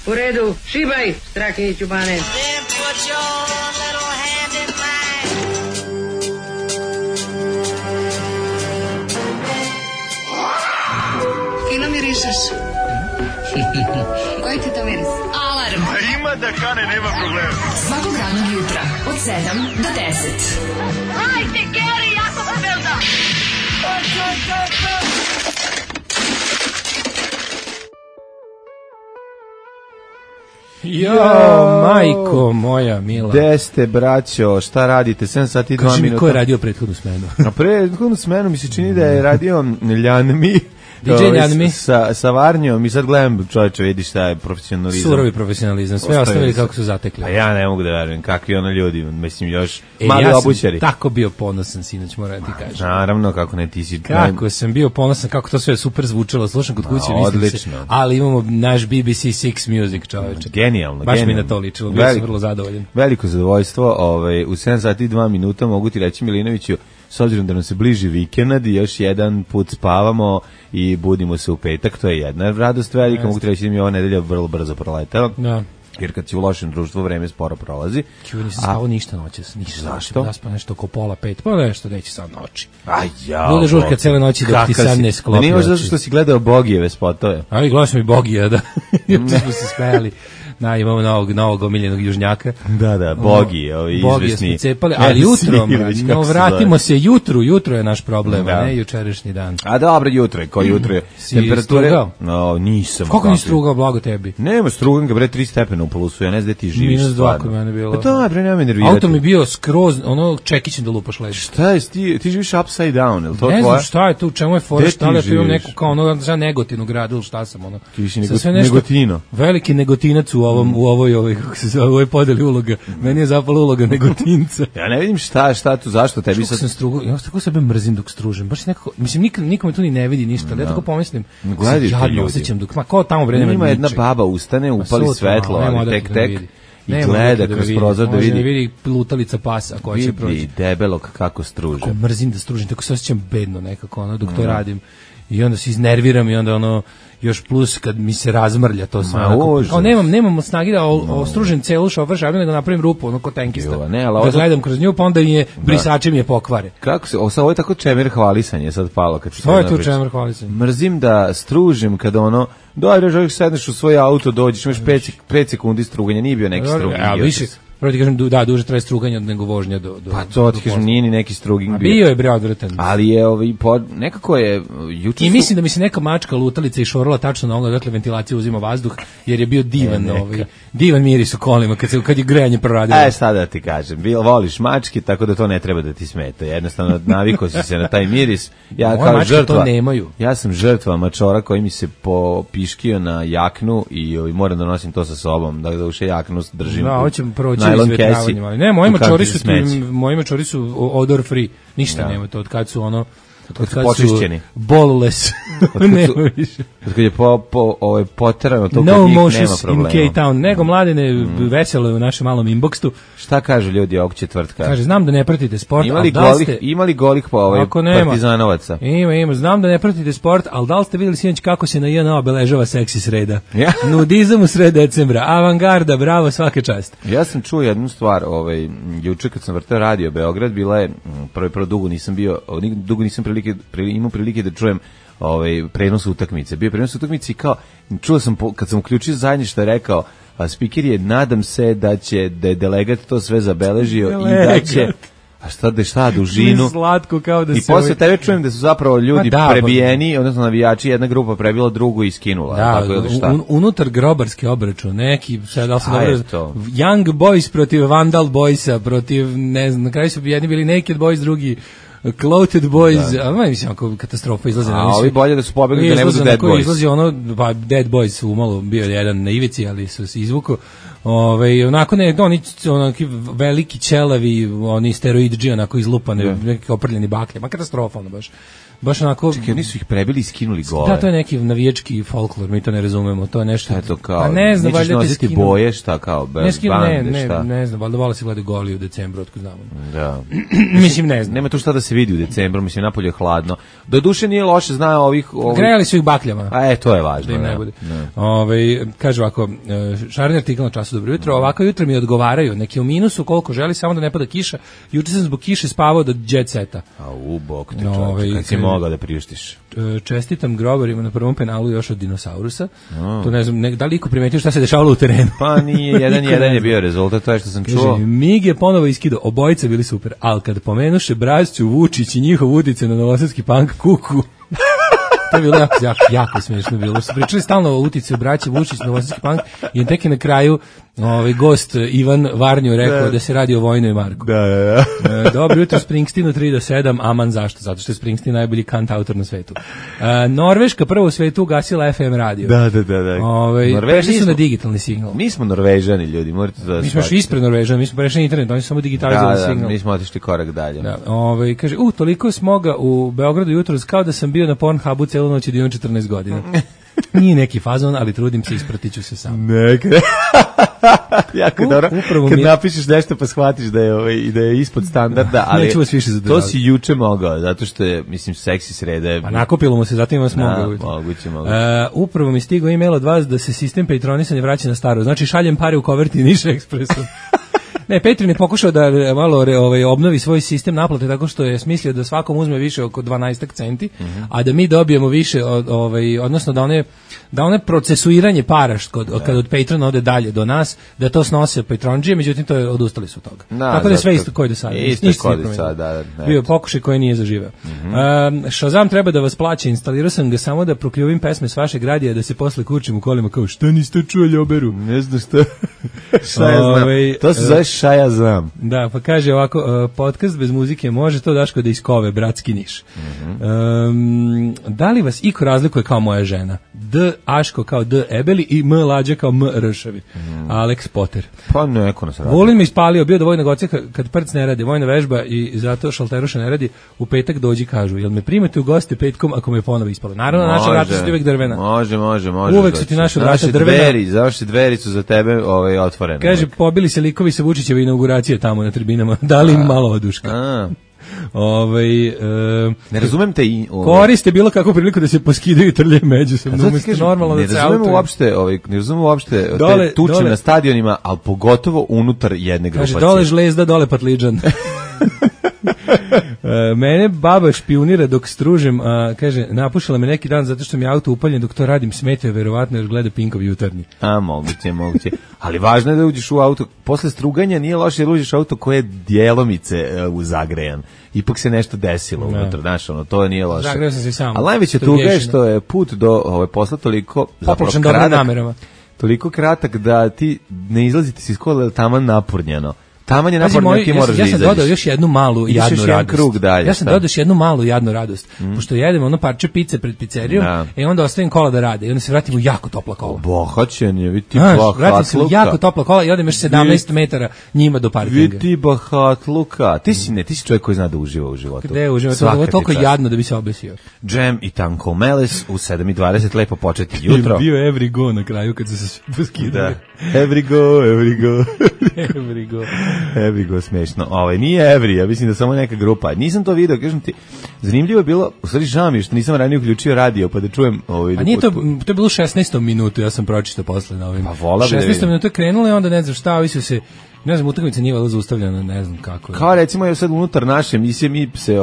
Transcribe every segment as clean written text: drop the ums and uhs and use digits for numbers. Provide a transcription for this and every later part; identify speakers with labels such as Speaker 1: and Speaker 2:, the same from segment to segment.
Speaker 1: U redu, šibaj, Strahinji Ćubane.
Speaker 2: Fino mirišeš. Koji ti to miris? Alarm.
Speaker 3: A ima da kane, nema problema.
Speaker 2: Svakog radnog jutra, od 7 do 10.
Speaker 4: Hajde, Geri, jako se velda.
Speaker 5: Jo, majko moja mila.
Speaker 6: Gde ste, braćo, šta radite? 7 sati i 2 minuta.
Speaker 5: Kaži mi, ko je radio prethodnu smenu?
Speaker 6: A prethodnu smenu mi se čini da je radio Ljanmi.
Speaker 5: DJ Ljanmi.
Speaker 6: Sa Varnjom i sad gledam, čovječe, vidi šta je profesionalizam.
Speaker 5: Surovi profesionalizam, sve ostavili kako su zatekli.
Speaker 6: A ja ne mogu da verujem, kakvi ono ljudi, mislim još mali obućari.
Speaker 5: Ja sam tako bio ponosan, sinoć, moram ti kažem.
Speaker 6: Naravno, kako ne, ti si...
Speaker 5: Kako sam bio ponosan, kako to sve super zvučalo, slušam kod kuće, mislim se, ali imamo naš BBC Six Music, čovječe.
Speaker 6: Genijalno,
Speaker 5: baš mi na to ličilo, bio sam vrlo zadovoljan.
Speaker 6: Veliko zadovoljstvo, u 7 sati i 2 minuta mogu ti reći, Milinoviću, s obzirom da nam se bliži vikend i još jedan put spavamo i budimo se u petak, to je jedna radost velika, mogu ti reći da mi ova nedelja vrlo brzo proletela. Da. Jer kad si u lošem društvu, vreme sporo prolazi.
Speaker 5: Čuo, nisam spavao ništa noćas.
Speaker 6: Zašto?
Speaker 5: Da spao nešto oko 5:30, pa nešto neće sad noći.
Speaker 6: Ajao.
Speaker 5: Bude žurka cele noći dok ti sad ne sklopi.
Speaker 6: Da nije možda zato što si gledao Bogijeve spotove.
Speaker 5: Ali gledao sam i Bogija, da. Tu smo se smejali. Imamo novog omiljenog južnjaka.
Speaker 6: Da, Bogi, izvesni.
Speaker 5: Bogi smo cepali, ali jutro, vratimo se jutro je naš problem, ne jučerašnji dan.
Speaker 6: A dobro, jutro je, ko jutro je.
Speaker 5: Temperature?
Speaker 6: No, nisam.
Speaker 5: Kako nisi strugao, blago tebi?
Speaker 6: Nema, strugam ga, bre, 3 stepena u plusu, ja ne znam gde ti živiš.
Speaker 5: -2 kod mene bilo.
Speaker 6: Pa to, bre, nema me nervirati.
Speaker 5: Auto mi bio skroz, čekićem da lupaš leži.
Speaker 6: Šta je, ti živiš upside down, je li to tvoje?
Speaker 5: Ne znam šta je tu, čemu je fora, šta li imam neku kao za Negotinu gradu, ili šta sam,
Speaker 6: Ti viši Negotino.
Speaker 5: Veliki Negotinac u ovoj kako se zove, ovoj podeli uloga. Meni je zapala uloga Negotinca.
Speaker 6: Ja ne vidim šta tu, zašto tebi sad...
Speaker 5: sam strugao, ja tako sebe mrzim dok stružem. Baš nekako, mislim, nikome tu ni ne vidi ništa, ali ja tako pomislim, jadno osjećam dok, ko tamo vreme
Speaker 6: ima jedna baba ustane, upali svetlo, ali tek, i gleda kroz prozor da vidi.
Speaker 5: Može ne vidi lutalica pasa koja će proći.
Speaker 6: Vidi debelog kako struže.
Speaker 5: Kako mrzim da stružim, tako se osjećam bedno nekako, dok to radim. I onda se iznerviram i onda još plus kad mi se razmrlja to sve. Nemam snage da ostružim celu šofer šablju, nego napravim rupu, ko tenkista. Da gledam kroz nju, pa onda brisači mi je pokvare.
Speaker 6: Kako se, ovo je tako čemer hvalisanje sad palo.
Speaker 5: To je tu čemer hvalisanje.
Speaker 6: Mrzim da stružim kada dobro, želiš sedneš u svoj auto, dođeš, imaš 5 sekundi struganja, nije bio neki struganje.
Speaker 5: Više, prvo ti kažem, duže traje struganje nego vožnja do
Speaker 6: pa to ti kažem, nije ni neki struging
Speaker 5: bio je bre odvratan.
Speaker 6: Ali je nekako je juče
Speaker 5: i mislim da mi se neka mačka lutalica išorala tačno na onoga, dakle ventilacija uzima vazduh, jer je bio divan miris u kolima kad je grejanje proradilo.
Speaker 6: Sada da ti kažem, voliš mačke, tako da to ne treba da ti smeta. Jednostavno navikao si se na taj miris. Ja kao žrtva
Speaker 5: to nemaju.
Speaker 6: Ja sam žrtva mačora koji mi se popiškio na jaknu i moram da nosim to sa sobom, da uše jaknu držim.
Speaker 5: Da, hoćem proći izvetravanjem, ali ne, moji mačori su odor free, ništa nema to, od kad su
Speaker 6: počišćeni.
Speaker 5: Boleless.
Speaker 6: Od kad je poterano to
Speaker 5: no
Speaker 6: kod njih nema
Speaker 5: motions
Speaker 6: problema.
Speaker 5: In K-Town, nego mladine veselo u našem malom inboxtu.
Speaker 6: Šta kažu ljudi ovog četvrtka?
Speaker 5: Kaže, znam da ne pratite sport,
Speaker 6: Imali golih partizanovaca?
Speaker 5: Ima, znam da ne pratite sport, ali da li ste vidjeli sinoć kako se na JNA obeležava seksi sreda? Nudizam u sred decembra, avangarda, bravo, svaka čast.
Speaker 6: Ja sam čuo jednu stvar, juče kad sam vrtao radio Beograd, bila je, prvo dugo nisam imao prilike da čujem prenos utakmice. Bio prenos utakmice i kao, čuo sam, kad sam uključio zadnje što je rekao, spiker je, nadam se da je delegat to sve zabeležio i da će... A šta dužinu?
Speaker 5: Slatko kao da
Speaker 6: i posle tebe čujem da su zapravo ljudi prebijeni, odnosno navijači, jedna grupa prebila drugu i skinula.
Speaker 5: Da, unutar grobarski obračun, neki, da se dobro, Young Boys protiv Vandal Boysa, protiv, ne znam, na kraju su jedni bili Naked Boys, drugi Clothing Boys, a mislim ako katastrofa izlaze na
Speaker 6: ovi bolje da su pobegli da ne budu Dead Boys.
Speaker 5: Izlazi Dead Boys umalo bio jedan na ivici, ali su se izvuku. Onako onaki veliki ćelavi, oni steroidži, onako izlupane, neki oprljeni baklje, ma katastrofa baš onako...
Speaker 6: Čekaj, oni su ih prebili i skinuli gole.
Speaker 5: Da, to je neki navijački folklor, mi to ne razumemo, to je nešto...
Speaker 6: Eto kao,
Speaker 5: nećeš
Speaker 6: nositi boje, šta kao, bande, šta?
Speaker 5: Ne znam, valjda vola se gleda goli u decembru, otko znamo.
Speaker 6: Da.
Speaker 5: Mislim, ne znam.
Speaker 6: Nema tu šta da se vidi u decembru, mislim, napolje je hladno. Doduše nije loše, zna ovih...
Speaker 5: Grejali su ih bakljama.
Speaker 6: To je važno.
Speaker 5: Da im ne bude. Kaže ovako, šareni artikl na Času, dobro jutro, ovako jutro mi odgovaraju, neki u minusu koliko želi, samo da ne pada kiša. Juče sam zbog kiše spavao do jet seta.
Speaker 6: Bog te čovječe, kad si mogao da priuštiš.
Speaker 5: Čestitam grobarima na prvom penalu još od dinosaurusa. To ne znam, da li iko primetio šta se dešavalo u terenu?
Speaker 6: Pa nije, 1-1 je bio rezultat, to je što sam čuo.
Speaker 5: Mig je ponovo iskidao, obojice bili super, ali kad pomenuše Brasću, Vučić i njihov utice na novosadski punk kuku, to je bilo jako smiješno bilo. Su pričali stalno o uticaju braće Vučić na novosadski punk i tek je na kraju gost Ivan Varnju rekao da se radi o Vojnoj Marku.
Speaker 6: Da.
Speaker 5: Dobro jutro Springsteenu 3 do 7, aman zašto? Zato što je Springsteen najbolji kant autor na svetu. Norveška prvo u svetu ugasila FM radio.
Speaker 6: Da.
Speaker 5: Prešli su na digitalni signal.
Speaker 6: Mi smo Norvežani, ljudi, morate da...
Speaker 5: Mi smo još ispred Norvežana, mi smo prešli na internet, oni su samo digitalizovali signal.
Speaker 6: Da, mi smo otišli korak dalje.
Speaker 5: Da, kaže, toliko smoga u Beogradu jutros kao da sam bio na Pornhubu celu noć i da imam 14 godina. Nije neki fazon, ali trudim se, ispratiću se sam.
Speaker 6: Jako dobro. Kad napišeš nešto pa shvatiš da je ispod standarda, ali
Speaker 5: neću vas više zadržati.
Speaker 6: To si juče mogao, zato što je, mislim, seksi srede.
Speaker 5: Pa nakopilo mu se, zato ima smoga.
Speaker 6: Moguće.
Speaker 5: Upravo mi stigao e-mail od vas da se sistem patronisanja vraća na staro. Znači šaljem pare u koverti Niša Ekspresu. Ne, Petrin je pokušao da malo obnovi svoj sistem naplate tako što je smislio da svakom uzme više oko 12 centi, a da mi dobijemo više, odnosno da one procesuiranje para kad od Patrona ode dalje do nas, da to snose Patronđije, međutim to je odustali su od toga. Tako da je sve isto koji do sada. Bio pokušaj koji nije zaživeo. Shazam treba da vas plaća, instalirao sam ga samo da prokljuvim pesme s vašeg radija da se posle kurčim u kolima kao šta niste čuli oberu.
Speaker 6: Ne znam šta. Šta ja znam. To se zove šta ja znam.
Speaker 5: Da, pa kaže ovako, podcast bez muzike može to Daško da iskove, bratski Niš. Da li vas iko razlikuje kao moja žena? D. Aško kao D. Ebeli i M. Lađa kao M. Ršavi. Alex Potter.
Speaker 6: Pa neko nas radi.
Speaker 5: Volin me ispalio, bio do vojnog oca kad prc ne radi, vojna vežba i zato šalteruša ne radi, u petak dođi kažu, jel me primate u goste petkom ako me ponovo ispalo? Naravno, naša vrata su uvek drvena.
Speaker 6: Može.
Speaker 5: Uvek su ti naše vrata drvena.
Speaker 6: Završi dveri su za tebe otvorene.
Speaker 5: Kaže, pobili se likovi sa Vučićeve inauguracije tamo na tribinama. Dali im malo oduška.
Speaker 6: Ne razumem te
Speaker 5: koriste bilo kakvu priliku da se poskidaju i trljaju međusobno umesto normalno da se
Speaker 6: ne razumem uopšte te tuče na stadionima, ali pogotovo unutar jedne grupacije.
Speaker 5: Kaže, dole žlezda, dole patliđan. Mene baba špijunira dok stružem, kaže, napušala me neki dan zato što mi je auto upaljen dok to radim, smetio verovatno jer gleda Pinkov jutarnji.
Speaker 6: Moguće. Ali važno je da uđeš u auto, posle struganja nije loše da uđeš u auto koje je djelomice zagrejan. Ipak se nešto desilo unutra, znaš, to nije loše.
Speaker 5: Zagreo sam se sam.
Speaker 6: Ali najveća tuga je što je put do posla toliko
Speaker 5: popločen dobrim namerama.
Speaker 6: Toliko kratak da ti ne izlazite se iz kola taman napurnjeno. Taman je naporno, ti moraš da izađeš.
Speaker 5: Ja sam dodao još jednu malu jadnu radost.
Speaker 6: Krug dalje,
Speaker 5: ja sam dodao još jednu malu jadnu radost. Pošto jedemo ono parče pice pred pizzerijom, onda ostavim kola da rade i onda se vratim u jako topla kola.
Speaker 6: Bohaćen je, vidi ti
Speaker 5: vratim se u jako topla kola i odem još 17 metara njima do parkinga.
Speaker 6: Vidi ti bahatluka. Ti si čovjek koji zna da uživa u životu.
Speaker 5: Gde uživa? To je toliko jadno da bi se obesio.
Speaker 6: Džem i Tanko Meles u 7:20 lepo početi jutro.
Speaker 5: Bio every go na kraju kad su se svi poskidali.
Speaker 6: Every go, smešno. Nije Every, ja mislim da samo neka grupa. Nisam to video, kažem ti, zanimljivo je bilo, u stvari žao mi je što nisam ranije uključio radio, pa da čujem...
Speaker 5: A nije to je bilo 16. minutu, ja sam pročitao posle na ovim.
Speaker 6: Pa vola bi da vidim.
Speaker 5: 16. minuta je krenulo i onda ne znam šta, ovi su se... Ne znam, utakmica nije valjda zaustavljena, ne znam kako.
Speaker 6: Kao recimo je sad unutar naše emisije mi se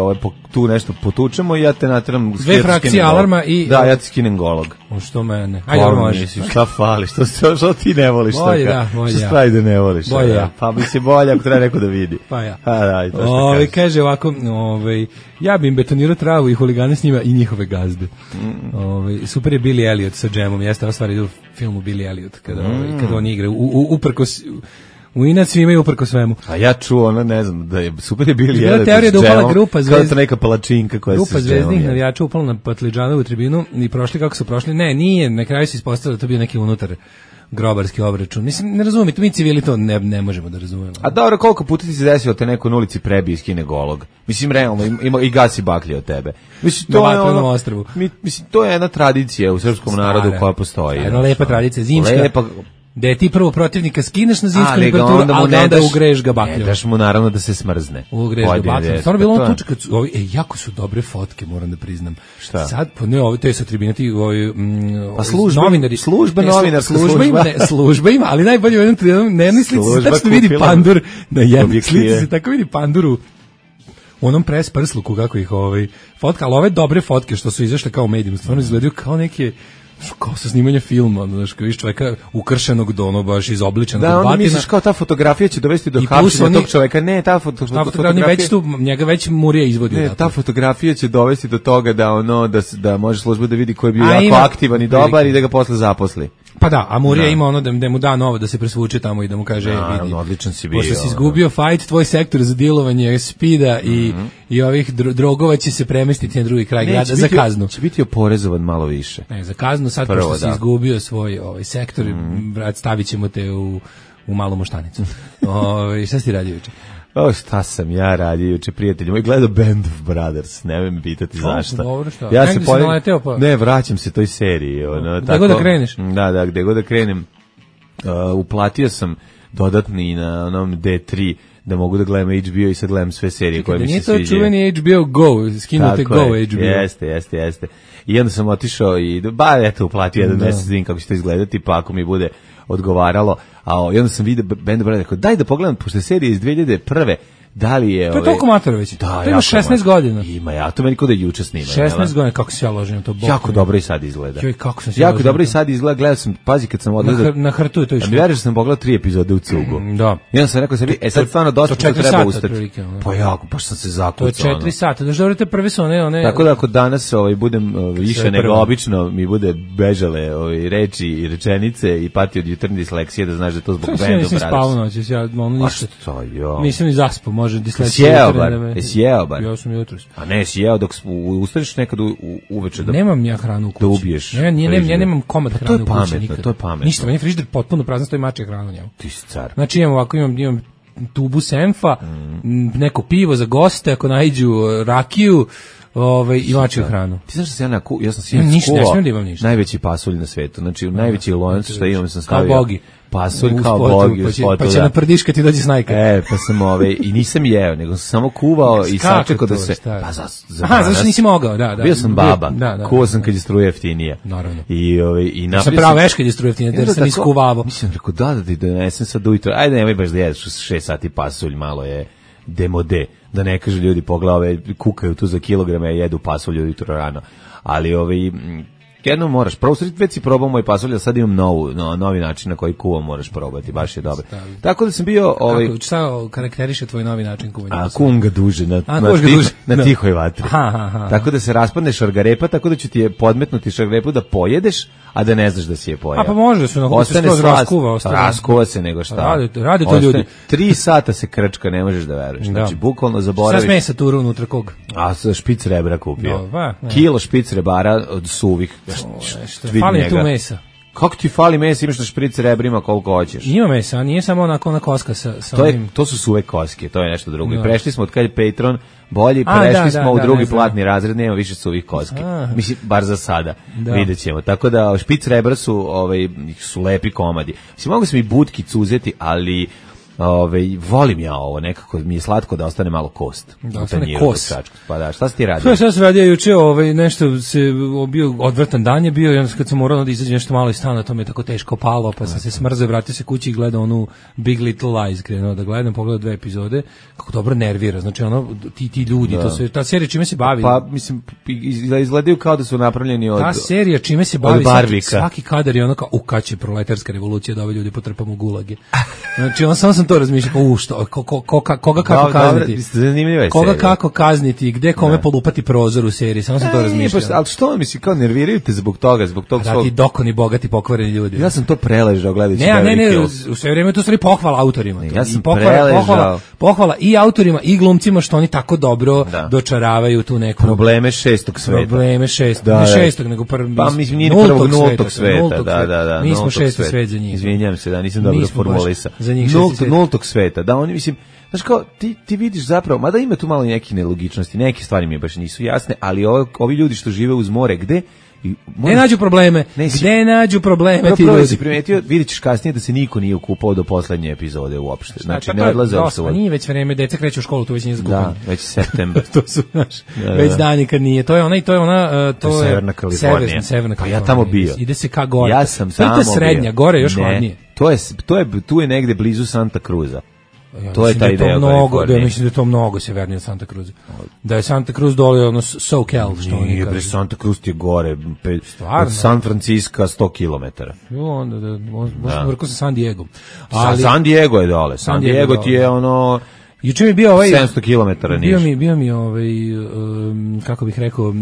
Speaker 6: tu nešto potučemo i ja te nateram
Speaker 5: dve frakcije alarma i
Speaker 6: da ja ti skinem golog.
Speaker 5: Što mene? Ajde može.
Speaker 6: Šta fali? Što ti ne voliš toga?
Speaker 5: Bolje da, bolje.
Speaker 6: Šta ide ne voliš?
Speaker 5: Bolje ja.
Speaker 6: Pa bi se bolje ako treba neko da vidi.
Speaker 5: Pa ja.
Speaker 6: Da, to što
Speaker 5: kaže ovako, ja bi im betonirao travu i huligane s njima i njihove gazde. Super je Billy Elliot sa džemom. Jeste ova stvar ide u filmu Billy Elliot kada on igra uprkos u inac svi imaju uprko svemu.
Speaker 6: A ja čuo, ne znam, da je super je bili jedan.
Speaker 5: Teorija da upala grupa
Speaker 6: kao neka palačinka koja se
Speaker 5: grupa zvezdnih navijača upala na Patliđanovu tribinu i prošli kako su prošli. Ne, na kraju se ispostavilo da to bio neki unutar grobarski obračun. Mislim, ne razumijem, mi civili to ne možemo da razumemo.
Speaker 6: A dobro, koliko puta ti se desilo te neko na ulici prebije i skine golog? Mislim, realno, ima i gasi baklje od tebe. Mislim, to je ono, mislim, to je jedna tradicija u srpskom narodu koja postoji.
Speaker 5: Jedna lepa tradicija, zimska. da je ti prvo protivnika skineš na zimsku temperaturu, ali da onda ugreješ ga bakljom.
Speaker 6: Ne daš mu naravno da se smrzne.
Speaker 5: Ugreješ ga bakljom. Stvarno bilo ono tuče kad su, jako su dobre fotke, moram da priznam.
Speaker 6: Šta?
Speaker 5: Sad, to je sa tribina, ti
Speaker 6: pa novinari.
Speaker 5: Služba ima, ali najbolje u jednom trenutku, na jednoj slici se tačno vidi pandur, na jednoj slici se tako vidi panduru u onom press prsluku, kako ih fotka, ali ove dobre fotke što su izašle kao medijima, stvarno izgledaju kao neke, kao sa snimanja filma, znaš, kao viš čoveka ukršenog do ono baš izobličenog
Speaker 6: da, onda misliš kao ta fotografija će dovesti do hapšenja tog čoveka, ne, ta fotografija
Speaker 5: već tu, njega već Murija izvodio.
Speaker 6: Ne, ta fotografija će dovesti do toga da može služba da vidi ko je bio jako aktivan i dobar i da ga posle zaposli.
Speaker 5: Pa da, a Murija ima ono da mu da novo da se presvuče tamo i da mu kaže vidi.
Speaker 6: Odličan si bio.
Speaker 5: Pošto si izgubio fight, tvoj sektor za dilovanje spida i ovih drogova će se premestiti na drugi kraj grada za kaznu.
Speaker 6: Će biti oporezovan malo više.
Speaker 5: Ne, za kaznu sad pošto si izgubio svoj sektor, brat, stavit ćemo te u malu moštanicu. Šta si radio juče?
Speaker 6: Šta sam ja radio juče, prijatelji moj, gledao Band of Brothers, ne me pitati zašto.
Speaker 5: Dobro, šta?
Speaker 6: Ja se naleteo pa. Ne, vraćam se toj seriji.
Speaker 5: Gde god da kreneš?
Speaker 6: Da, gde god da krenem. Uplatio sam dodatni na onom D3 da mogu da gledam HBO i sad gledam sve serije koje mi se sviđaju.
Speaker 5: Nije to čuveni HBO Go, skinute Go HBO.
Speaker 6: Jeste. I onda sam otišao i uplatio jedan mesec, vidim kako će to izgledati, pa ako mi bude odgovaralo, i onda sam vidio Band of Brothers, rekao, daj da pogledam, pošto je serija iz 2001. Da li je...
Speaker 5: To je toliko matora već. Da, to ima 16 godina.
Speaker 6: Ima, ja to meni kod da juče snima.
Speaker 5: 16 godina, kako se ja ložim to.
Speaker 6: Jako dobro i sad izgleda.
Speaker 5: Kako sam se
Speaker 6: jako dobro i sad izgleda, gledao sam, pazi kad sam odgledao...
Speaker 5: Na hrtu je to išlo.
Speaker 6: Mi veriš da sam pogledao 3 epizode u cugu.
Speaker 5: Da.
Speaker 6: I onda sam rekao sebi, sad stvarno dosta što treba ustati. Pa jako, pa sam se zakucao.
Speaker 5: To je 4 sata, daš dobro te prve su one...
Speaker 6: Tako da ako danas budem više nego obično, mi bude bežale reči i rečenice i pati od jutarnje disleksije, da znaš da to zbog Band of Brothers.
Speaker 5: Nisam spavao noći, ja ništa. Nisam ni zaspao, može
Speaker 6: disleksija. Jesi jeo bar?
Speaker 5: Ja sam jutros.
Speaker 6: A ne, jesi jeo dok ustaniš nekad uveče da...
Speaker 5: Nemam ja hranu u kući.
Speaker 6: Da ubiješ.
Speaker 5: Ja nemam komad hrane u kući nikad.
Speaker 6: To je pametno.
Speaker 5: Ništa, meni frižider potpuno prazan, stoji mačja hrana u njemu.
Speaker 6: Ti si car.
Speaker 5: Znači imam tubu senfa, neko pivo za goste, ako naiđu rakiju, i mačju hranu.
Speaker 6: Ti znaš da ja sam sinoć skuvao najveći pasulj na svetu. Znači, najveći lonac što imam sam stavio.
Speaker 5: Kao bogi.
Speaker 6: Pasulj kao bogi u spotu.
Speaker 5: Pa će na prdiška ti dođe snajka.
Speaker 6: Pa sam i nisam jeo, nego sam samo kuvao i sačekao da se...
Speaker 5: Pa zašto nisi mogao, da.
Speaker 6: Bio sam baba, kuvao sam kad je struja jeftinija.
Speaker 5: Naravno.
Speaker 6: I napravio
Speaker 5: sam... pravo veš kad je struja jeftinija, jer sam iskuvavao.
Speaker 6: Mislim, rekao, da ti donesem sad ujutro, ajde nemoj baš da jedeš 6 sati pasulj, malo je demode, da ne kažu ljudi poglave, kukaju tu za kilograme, jedu pasulj ujutro rano. Ali jedno moraš, već si probao moj pasulj, a sad imam novi način na koji kuvam, moraš probati, baš je dobro. Tako da sam bio...
Speaker 5: Šta karakteriše tvoj novi način kuvanja?
Speaker 6: Kuvam ga duže, na tihoj vatri. Tako da se raspadne šargarepa, tako da će ti je podmetnuti šargarepu da pojedeš, a da ne znaš da si je pojeo.
Speaker 5: Pa može da se raskuva.
Speaker 6: Raskuva se nego šta.
Speaker 5: Radi to ljudi.
Speaker 6: 3 sata se krčka, ne možeš da veruješ. Znači, bukvalno zaboraviš.
Speaker 5: Šta smesa turu unutra koga?
Speaker 6: Špic rebra kupio. Kilo špic rebara od suvih.
Speaker 5: Fali tu mesa.
Speaker 6: Kako ti fali mesa, imaš na špric rebrima koliko hoćeš?
Speaker 5: Ima mesa, nije samo onako ona koska sa onim...
Speaker 6: To su suve koske, to je nešto drugo. I prešli smo od kad je Patreon bolji, prešli smo u drugi platni razred, nema više suvih koske. Mislim, bar za sada, vidjet ćemo. Tako da špic rebra su lepi komadi. Mislim, mogu sam i butkicu uzeti, ali... volim ja ovo, nekako mi je slatko da ostane malo kost.
Speaker 5: Da ostane kost.
Speaker 6: Pa da, šta si ti radio?
Speaker 5: Šta sam radio juče, nešto se bio odvrtan dan je bio, i onda kad sam morao da izađem nešto malo iz stana, to mi je tako teško palo, pa sam se smrzao, vratio se kući i gledao onu Big Little Lies, krenuo da gledam, pogledao 2 epizode, kako dobro nervira, znači ti ljudi, to sve, ta serija čime se bavi?
Speaker 6: Pa, mislim, izgledaju kao da su napravljeni od...
Speaker 5: Ta serija čime se bavi, svaki kadar je ono kao, kad će proletarska revolucija da ove ljudi potrpamo u gulage. Znači, samo sam to razmišljam, koga kako kazniti? Koga kako kazniti, gde kome polupati prozor u seriji, samo sam to razmišljao.
Speaker 6: Ali što misli, kao nerviraju te zbog toga svog...
Speaker 5: Da ti dokoni, bogati, pokvareni ljudi.
Speaker 6: Ja sam to preležao gledajući
Speaker 5: Beverly Hills. U sve vrijeme to stvari pohvala autorima.
Speaker 6: Ja sam preležao.
Speaker 5: Pohvala i autorima i glumcima što oni tako dobro dočaravaju tu neku...
Speaker 6: Probleme šestog sveta.
Speaker 5: Probleme šestog, ne šestog, nego
Speaker 6: pa mislim nije prvog nultog sveta. Da.
Speaker 5: Mi smo šesti svet za njih.
Speaker 6: Izvinjam se, da nisam dobro formulisao. Nultog sveta, da oni mislim, znaš kao, ti vidiš zapravo, mada ima tu malo nekih nelogičnosti, neke stvari mi baš nisu jasne, ali ovi ljudi što žive uz more, gde
Speaker 5: Gde nađu probleme? Gde nađu probleme ti ljudi?
Speaker 6: Si primetio, vidjet ćeš kasnije da se niko nije okupao do poslednje epizode uopšte. Znači, ne odlaze
Speaker 5: uopšte. Nije već vreme, deca kreću u školu, to već nije zakupanje.
Speaker 6: Da, već septembar.
Speaker 5: To su, znaš, već dani kad nije. To je ona i to je ona...
Speaker 6: To je Severna Kalifornija. Pa ja tamo bio.
Speaker 5: Ide se ka gore.
Speaker 6: Ja sam tamo bio.
Speaker 5: To je srednja, gore još hladnije.
Speaker 6: Tu je negde blizu Santa Cruza. To je taj deo
Speaker 5: Kalifornije. Ja mislim da je to mnogo severnije od Santa Cruza. Da je Santa Cruz dole ono SoCal, što oni kažu.
Speaker 6: Nije, Santa Cruz ti je gore, od San Francisco 100 km.
Speaker 5: Onda možda vrko sa San Diego.
Speaker 6: San Diego je dole. San Diego ti je ono...
Speaker 5: Juče mi bio
Speaker 6: 700 km niže.
Speaker 5: Bio mi kako bih rekao,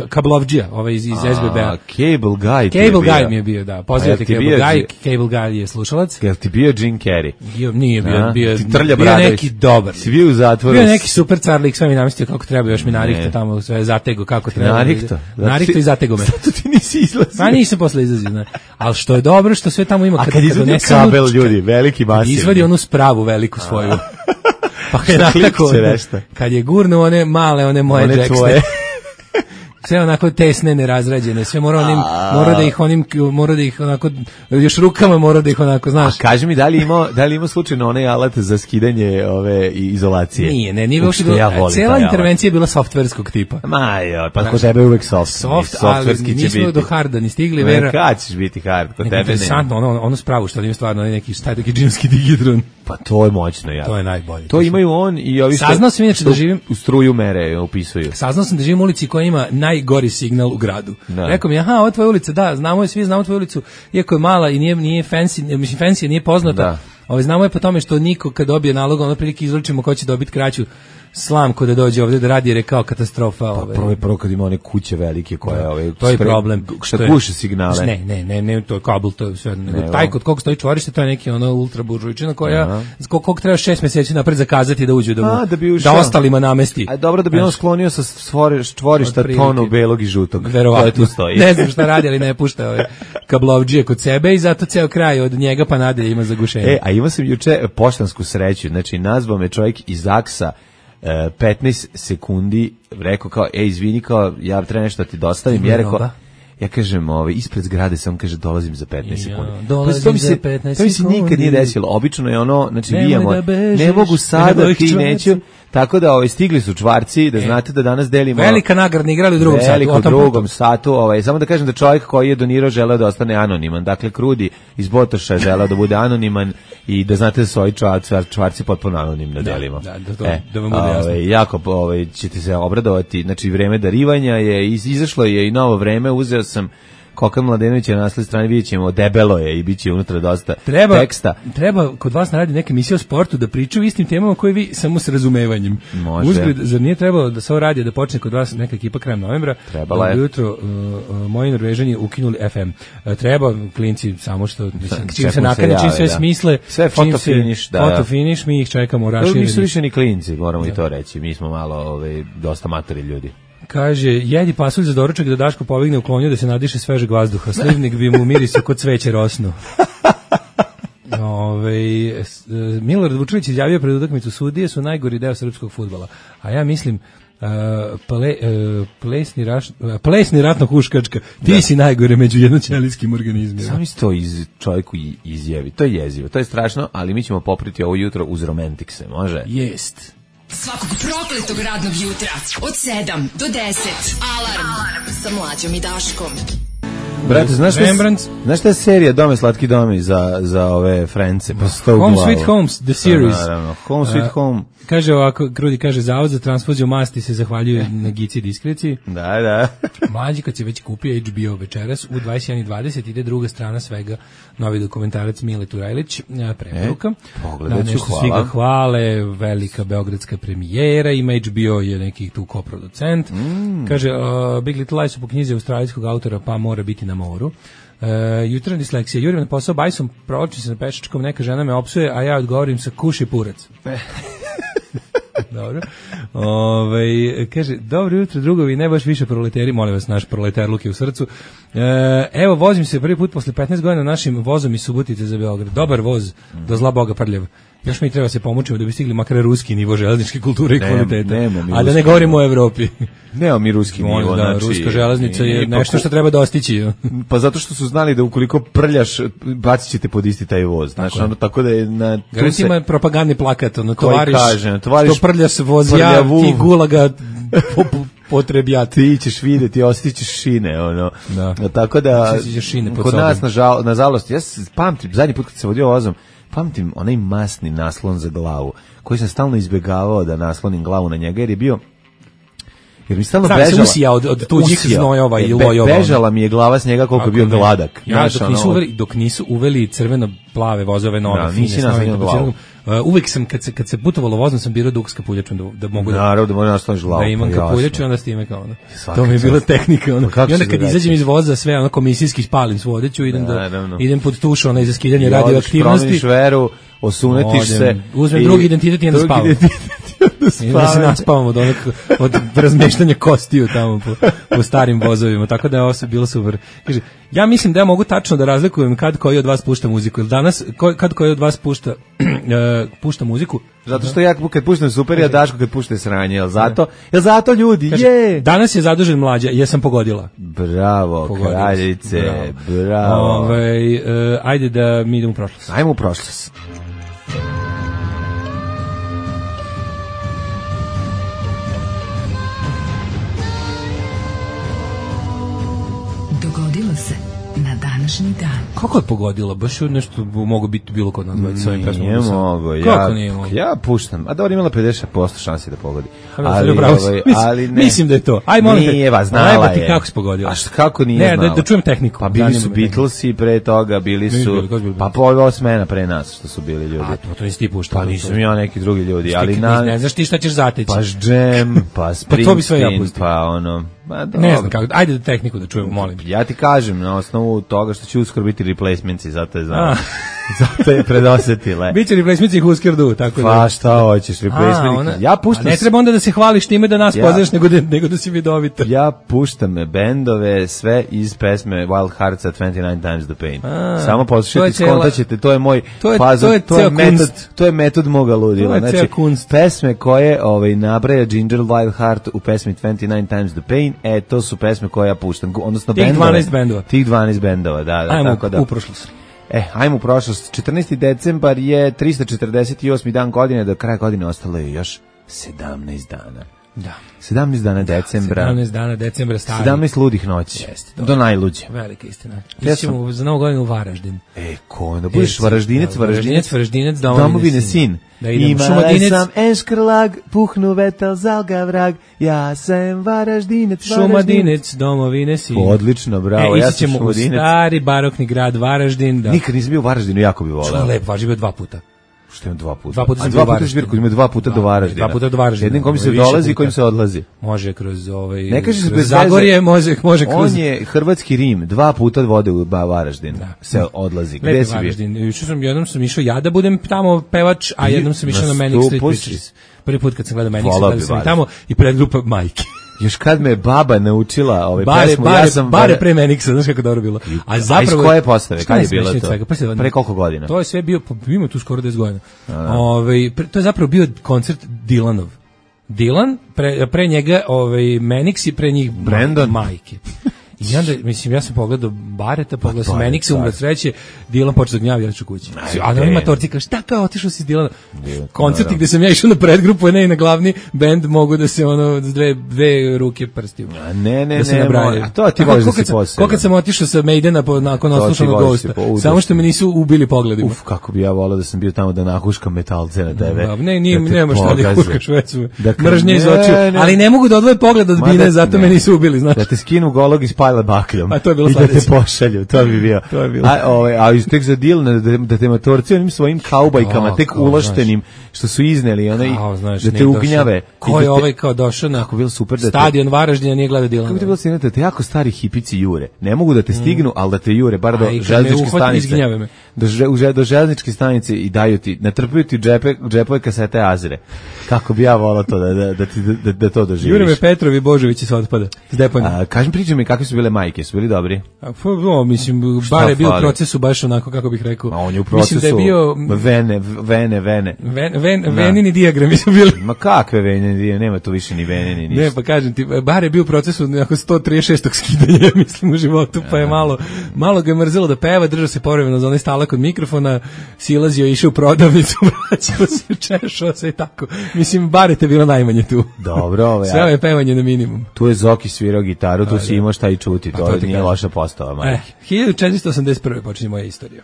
Speaker 5: kablovdžija, iz SBB-a.
Speaker 6: Cable
Speaker 5: Guy mi je bio, da. Pozdravite Cable Guy. Cable Guy je slušalac.
Speaker 6: Jel ti bio Jim Carrey?
Speaker 5: Nije bio.
Speaker 6: Ti Trlja
Speaker 5: bio neki dobar.
Speaker 6: Si bio u zatvoru.
Speaker 5: Bio neki super carlik, sve mi namestio kako treba, još mi narihto tamo, sve zatego kako treba. Narihto i zatego me.
Speaker 6: Zato ti nisi izlazio.
Speaker 5: Pa nisam posle izlazio, ne. Ali što je dobro, što sve tamo ima.
Speaker 6: A kad izvadi kabel, ljudi, veliki masivni.
Speaker 5: Izvadi onu spravu veliku svoju. Pa kad je gurnu one male, one moje džeksne, sve onako tesne, nerazrađene, sve mora da ih onako, još rukama mora da ih onako, znaš.
Speaker 6: A kaži mi, da li ima slučajno onaj alat za skidanje ove izolacije?
Speaker 5: Nije uopšte bilo, cijela intervencija je bila softverskog tipa.
Speaker 6: Pa kod tebe je uvek soft,
Speaker 5: ali nismo do harda ni stigli, Vera.
Speaker 6: Kad ćeš biti hard, kod tebe ne.
Speaker 5: Interesantno, ono spravu što ima stvarno neki džinski digidron.
Speaker 6: Pa to je moćno, ja.
Speaker 5: To je najbolje.
Speaker 6: To imaju on i ovi
Speaker 5: Saznao sam inače da živim
Speaker 6: u struju mere upisuju.
Speaker 5: Saznao sam da živim u ulici koja ima najgori signal u gradu. Rekao mi, ovo je tvoja ulica, da, svi znamo tvoju ulicu, iako je mala i nije fancy, mislim fancy nije poznata. Znamo je po tome što niko kad dobije nalog, ono prilike izručimo ko će dobiti kraću slamku da dođe ovdje da radi, jer je kao katastrofa.
Speaker 6: Prvo kad ima one kuće velike koje
Speaker 5: to je problem.
Speaker 6: Šta guše signale?
Speaker 5: Ne, to je kabel, to je sve. Taj kod kog stoji čvorište, to je neki ono ultra buržujčina koja kog treba 6 mjeseci napred zakazati da uđe da ostalima namesti.
Speaker 6: A dobro da bi on sklonio sa čvorišta tonu belog i žutog.
Speaker 5: Verovatno. Ne znam šta radi, ali ne pušta ove kablovdžije kod sebe i zato ceo kraj od njega pa nadalje ima zagušenje.
Speaker 6: A imao sam juče poštansku sreću, znači nazvao me čovjek iz Aksa 15 sekundi, rekao kao, izvini, kao, ja treba nešto da ti dostavim, ja kažem, ispred zgrade sam, kaže, dolazim za 15 sekundi. To mi se nikad nije desilo, obično je ono, znači, ne mogu sada, ti neću, tako da stigli su čvarci, da znate da danas delimo...
Speaker 5: Velika nagradna igrali u
Speaker 6: drugom satu. Samo da kažem da čovjek koji je donirao želeo da ostane anoniman, dakle, Krudi iz Botoša želeo da bude anoniman i da znate da su ovi čvarci potpuno anonimno delimo.
Speaker 5: Da vam bude jasno.
Speaker 6: Jako ćete se obradovati, znači, vreme darivanja je, izašlo je i novo vreme, uzeo sam Kokan Mladenović je na naslednjoj strani, vidjet ćemo, debelo je i bit će unutra dosta teksta.
Speaker 5: Treba kod vas naradi neke emisije o sportu da pričaju istim temama koje vi samo s razumevanjem.
Speaker 6: Može.
Speaker 5: Uzgled, zar nije trebalo da se ovo radi da počne kod vas neka ekipa krajem novembra?
Speaker 6: Trebala je.
Speaker 5: Jutro moji Norvežani ukinuli FM. Treba, klinci, samo što čim se nakane, čim sve smisle.
Speaker 6: Sve fotofiniš,
Speaker 5: fotofiniš, mi ih čekamo u rašireni.
Speaker 6: Nisu više ni klinci, moramo i to reći. Mi smo malo dosta matori ljudi.
Speaker 5: Kaže, jedi pasulj za doručak da Daško povigne u klonju da se nadiše svežeg vazduha. Slivnik bi mu mirisao kod cveće rosno. Milorad Vučević izjavio pred utakmicu, sudije su najgori deo srpskog fudbala. A ja mislim, plesni ratno-huškačka, ti si najgore među jednoćelijskim organizmima.
Speaker 6: Sami se to čovjeku izjavi. To je jezivo, to je strašno, ali mi ćemo popriti ovo jutro uz romantikse, može?
Speaker 5: Jest.
Speaker 2: Svakog prokletog radnog jutra od 7 do 10. Alarm sa Mlađom i Daškom.
Speaker 6: Brate, znaš šta je serija Dome slatki domi za ove Frence?
Speaker 5: Home Sweet Homes, the series.
Speaker 6: Naravno, Home Sweet Home.
Speaker 5: Kaže ovako, Krudi kaže, Zavod za transfuziju masti se zahvaljuje na Gici diskreciji.
Speaker 6: Da.
Speaker 5: Mlađi, kad se već kupio HBO večeras, u 21:20 ide druga strana svega, novi dokumentarac Mile Turajlić, preporuka.
Speaker 6: Pogledat ću, hvala.
Speaker 5: Svi ga hvale, velika beogradska premijera, ima HBO, je neki tu koproducent. Kaže, Big Little Lies su po knjizi australijskog autora, pa mora biti na moru. Jutarnja disleksija, jurim na posao bajsom, provlačim se na pešačkom, neka žena me opsuje, a ja odgovorim sa kuši purac. Dobro. Kaže, dobro jutro drugovi, ne baš više proleteri, molim vas, naš proleterluk je u srcu. Evo, vozim se prvi put posle 15 godina našim vozom iz Subotice za Beograd. Dobar voz, do zla Boga prljav. Još mi treba se pomučimo da bi stigli makar ruski nivo železničke kulture i kvaliteta. A da ne
Speaker 6: ruski
Speaker 5: govorimo o Evropi.
Speaker 6: Nemamo mi ruski nivo.
Speaker 5: Da,
Speaker 6: znači,
Speaker 5: ruska železnica je nešto što treba dostići.
Speaker 6: Pa zato što su znali da ukoliko prljaš, bacit ćete pod isti taj voz. Znači, ono, tako da je na...
Speaker 5: Garant ima propagandni plakat, ono, tovariš,
Speaker 6: tovariš
Speaker 5: što prljaš vozja, ti gulaga potrebjati.
Speaker 6: Ti ćeš vidjeti, osjetit ćeš šine, ono.
Speaker 5: Da.
Speaker 6: Tako da, kod nas, nažalost, ja pamtim, zadnji put kad se vodio vozom, pamtim onaj masni naslon za glavu, koji sam stalno izbjegavao da naslonim glavu na njega, jer je bio... Jer mi stalno bežala.
Speaker 5: Se usija od tuđih znojova i lojova.
Speaker 6: Bežala mi je glava s njega koliko je bio gladak.
Speaker 5: Ja, dok nisu uveli crveno-plave vozove nove, fine snove. Uvek sam, kad se putovalo vozom, sam birao duk s kapuljačom, da mogu
Speaker 6: naravno, da mogu nasloniš glavu.
Speaker 5: Da imam kapuljaču i onda s time kao ono. To mi je bila tehnika. I onda kad izađem iz voza, sve ono komisijski spalim s vodeću, idem pod tuš, onaj za skidanje radioaktivnosti.
Speaker 6: Promeniš veru, osunetiš se.
Speaker 5: Uzmem drugi identitet i onda spavam. I da se naspavamo od razmeštanja kostiju tamo po starim vozovima, tako da je ovo bilo super. Kaže, ja mislim da ja mogu tačno da razlikujem kad koji od vas pušta muziku, ili danas kad koji od vas pušta muziku.
Speaker 6: Zato što ja kad puštam super, ja Daško kad pušta sranje, jel zato ljudi, kaže, je!
Speaker 5: Danas je zadužen Mlađa, jesam pogodila.
Speaker 6: Bravo, kraljice, bravo.
Speaker 5: Ajde da mi idemo u prošlost.
Speaker 6: Ajmo u prošlost.
Speaker 2: Dogodilo se na današnji dan.
Speaker 5: Kako je pogodilo? Baš nešto mogu biti bilo kod nas s ovim pesmom.
Speaker 6: Nije mogo.
Speaker 5: Kako nije mogo?
Speaker 6: Ja puštam. A dobro, imala 50% šansi da pogodi.
Speaker 5: Ali ne. Mislim da je to. Aj, molim te.
Speaker 6: Nije vas, znala je.
Speaker 5: Kako se pogodilo?
Speaker 6: A kako nije znala?
Speaker 5: Da čujem tehniku.
Speaker 6: Pa bili su Beatlesi pre toga, bili su... Pa po smena pre nas što su bili ljudi.
Speaker 5: A to nisi ti puštao.
Speaker 6: Pa nisam ja neki drugi ljudi.
Speaker 5: Ne znaš ti šta ćeš zateći.
Speaker 6: Pa Džem, pa Springsteen, pa ono...
Speaker 5: Ne znam kako, ajde da tehniku da čujemo, molim.
Speaker 6: Ja ti kažem, na osnovu toga što će uskoro biti replacementsi, zato je znam. Zato je predosetile.
Speaker 5: Biće replacementsi i Husker Du, tako da.
Speaker 6: Pa šta hoćeš, replacementsi? Ja puštam.
Speaker 5: Ne treba onda da se hvališ time da nas poznaš, nego da si vidovita.
Speaker 6: Ja puštam bendove sve iz pesme Wild Heartsa 29 Times the Pain. Samo poslušajte, skontaćete, to je moj fazon, to je metod moga ludila. Znači, pesme koje nabraja Ginger Wild Heart u pesmi 29 Times the Pain, to su pesme koje ja puštam, odnosno tih 12 bendova, da, tako da.
Speaker 5: Ajmo u prošlost.
Speaker 6: Ajmo u prošlost. 14. decembar je 348. dan godine, do kraja godine ostalo je još 17 dana.
Speaker 5: Da.
Speaker 6: 17 dana decembra.
Speaker 5: 17 dana decembra stari.
Speaker 6: 17 ludih noći. Do najluđe.
Speaker 5: Velika istina. Idemo za Novu godinu u Varaždin.
Speaker 6: Ko da budeš Varaždinec,
Speaker 5: domovine
Speaker 6: sin.
Speaker 5: Imala
Speaker 6: sam eškrlag, puhnu vetel, zalga vrag, ja sam Varaždinec,
Speaker 5: Šumadinec, domovine sin.
Speaker 6: Odlično, bravo, ja sam Šumadinec.
Speaker 5: U stari barokni grad Varaždin.
Speaker 6: Nikad nisam bio u Varaždinu, jako bi voleo.
Speaker 5: Što lep, živio 2 puta.
Speaker 6: Što imam 2 puta?
Speaker 5: 2 puta sam bio u Varaždinu.
Speaker 6: Ima 2 puta do Varaždina.
Speaker 5: 2 puta do Varaždina.
Speaker 6: Jednim kojim se dolazi i kojim se odlazi.
Speaker 5: Može kroz
Speaker 6: ne kažeš
Speaker 5: kroz Zagorje, može kroz...
Speaker 6: On je hrvatski Rim, 2 puta vode u Varaždin. Se odlazi. Gde si bio?
Speaker 5: Jednom sam išao ja da budem tamo pevač, a jednom sam išao na Manic Street Preachers. Prvi put kad sam gledao Manic Street, sam tamo i predgrupa Majke.
Speaker 6: Još kad me baba naučila pesmu,
Speaker 5: ja sam... Bare pre Manixa, znaš kako dobro bilo.
Speaker 6: A zapravo... iz koje postave? Kad je bilo to? Pre koliko godina?
Speaker 5: To je sve bio, ima tu skoro 10 godina. To je zapravo bio koncert Dylanov. Dylan, pre njega Manix i pre njih
Speaker 6: Brandon
Speaker 5: Majke. I onda, mislim, ja sam pogledao Bareta, pogledao sam Manixa, umre sreće, Dylan počeo da gnjavi, ja ću kući. A na ima torci, kaže, šta kao, otišao si Dylana? Koncerti gde sam ja išao na predgrupu, ne i na glavni bend, mogu da se s dve ruke prstiju.
Speaker 6: Ne, a to ti voliš da si posebno.
Speaker 5: Kako sam otišao sa Maidena nakon oslušanog Ghosta, samo što me nisu ubili pogledima.
Speaker 6: Kako bi ja volao da sam bio tamo da nahuškam metalce na tebe.
Speaker 5: Nema šta da huškaš vecu, mržnje iz očiju, ali ne mogu da odvoje pogled od bine, zato me nisu ubili, znaš.
Speaker 6: Da te skinu golog iz bakljom.
Speaker 5: A to je bilo
Speaker 6: i da te pošalju, to bi bio. A tek za Dylan da te matorci onim svojim kaubajkama, tek uloštenim, što su izneli, da te ugnjave.
Speaker 5: Ko je ovaj kao došao na stadion Varaždina, nije gleda Dylana.
Speaker 6: Kako bi bilo sjedno da te jako stari hipici jure. Ne mogu da te stignu, ali da te jure, bar do železničke stanice. do železničke stanice i daju ti, natrpaju ti džepove kasete Azire. Kako bi ja volao to da to doživiš.
Speaker 5: Jureme Petrovi Božovići se otpada iz deponija.
Speaker 6: Kažem, pričaj mi kakve su bile majke, su bili dobri?
Speaker 5: Mislim, bar je bio u procesu baš onako, kako bih rekao.
Speaker 6: Ma on je u procesu,
Speaker 5: mislim da je bio
Speaker 6: venini
Speaker 5: dijagrami su bili.
Speaker 6: Ma kakve venini dijagrami, nema tu više ni venini, ništa.
Speaker 5: Ne, pa kažem ti, bar je bio u procesu nekako 136. skidanja, mislim, u životu, pa je malo ga je mrzelo da peva, držao se povremeno za onaj stalak od mikrofona, silazio, išao u prodavnicu, vraćao se, češao se i tako. Mislim, bar je te bilo najmanje tu.
Speaker 6: Dobro,
Speaker 5: sve je pevanje na minimum.
Speaker 6: Tu je Zoki svirao gitaru, tu si imao šta i čuti, to nije loša postava, majke.
Speaker 5: 1481. počinje moja istorija.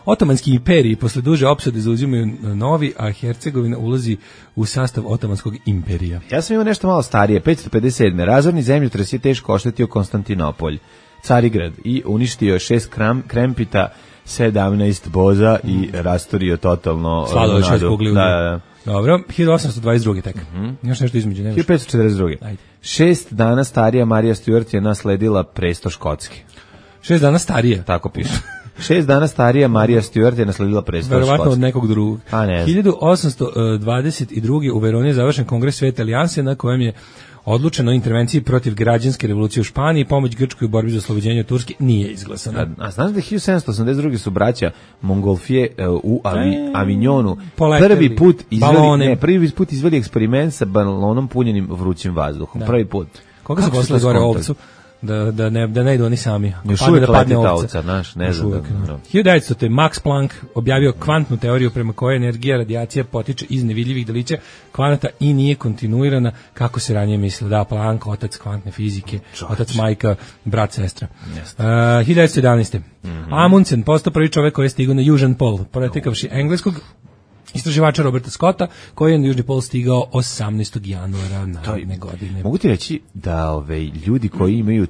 Speaker 5: Otomanski imperiji posle duže opsade zauzimaju Novi, a Hercegovina ulazi u sastav Otomanskog imperija.
Speaker 6: Ja sam imao nešto malo starije, 557. Razorni zemljotres je teško oštetio Konstantinopolj, Carigrad i uništio 6 krempita, 17 boza i rastorio totalno
Speaker 5: Slado je 6 kugli.
Speaker 6: Da.
Speaker 5: Dobro, 1822. tek. Još nešto između.
Speaker 6: 1542. Ajde. 6 dana starija Marija Stuart je nasledila presto Škotske.
Speaker 5: 6 dana starija?
Speaker 6: Tako piše. 6 dana starija Marija Stuart je nasledila presto Škotske.
Speaker 5: Verovatno od nekog drugog. 1822. u Veroni je završen kongres Svete alijanse na kojem je odlučeno o intervenciji protiv građanske revolucije u Španiji, pomoć Grčkoj u borbi za oslobođenje Turske nije izglasana.
Speaker 6: A znaš da 1782. su braća Mongolfije u Avignonu prvi put izveli eksperiment sa balonom punjenim vrućim vazduhom. Da. Prvi put.
Speaker 5: Koga su poslali gore ovcu? Da ne idu oni sami.
Speaker 6: Još uvijek leti ta ovca, znaš, ne znam.
Speaker 5: 1900. Max Planck objavio kvantnu teoriju prema kojoj energija radijacija potiče iz nevidljivih delića kvanata i nije kontinuirana kako se ranije mislilo. Da, Planck, otac kvantne fizike, otac majka, brat, sestra. 1911. Amundsen postao prvi čovjek koji je stigao na južan pol, pretekavši engleskog istraživača Roberta Scotta, koji je na južni pol stigao 18. januara naredne godine.
Speaker 6: Mogu ti reći da ljudi koji imaju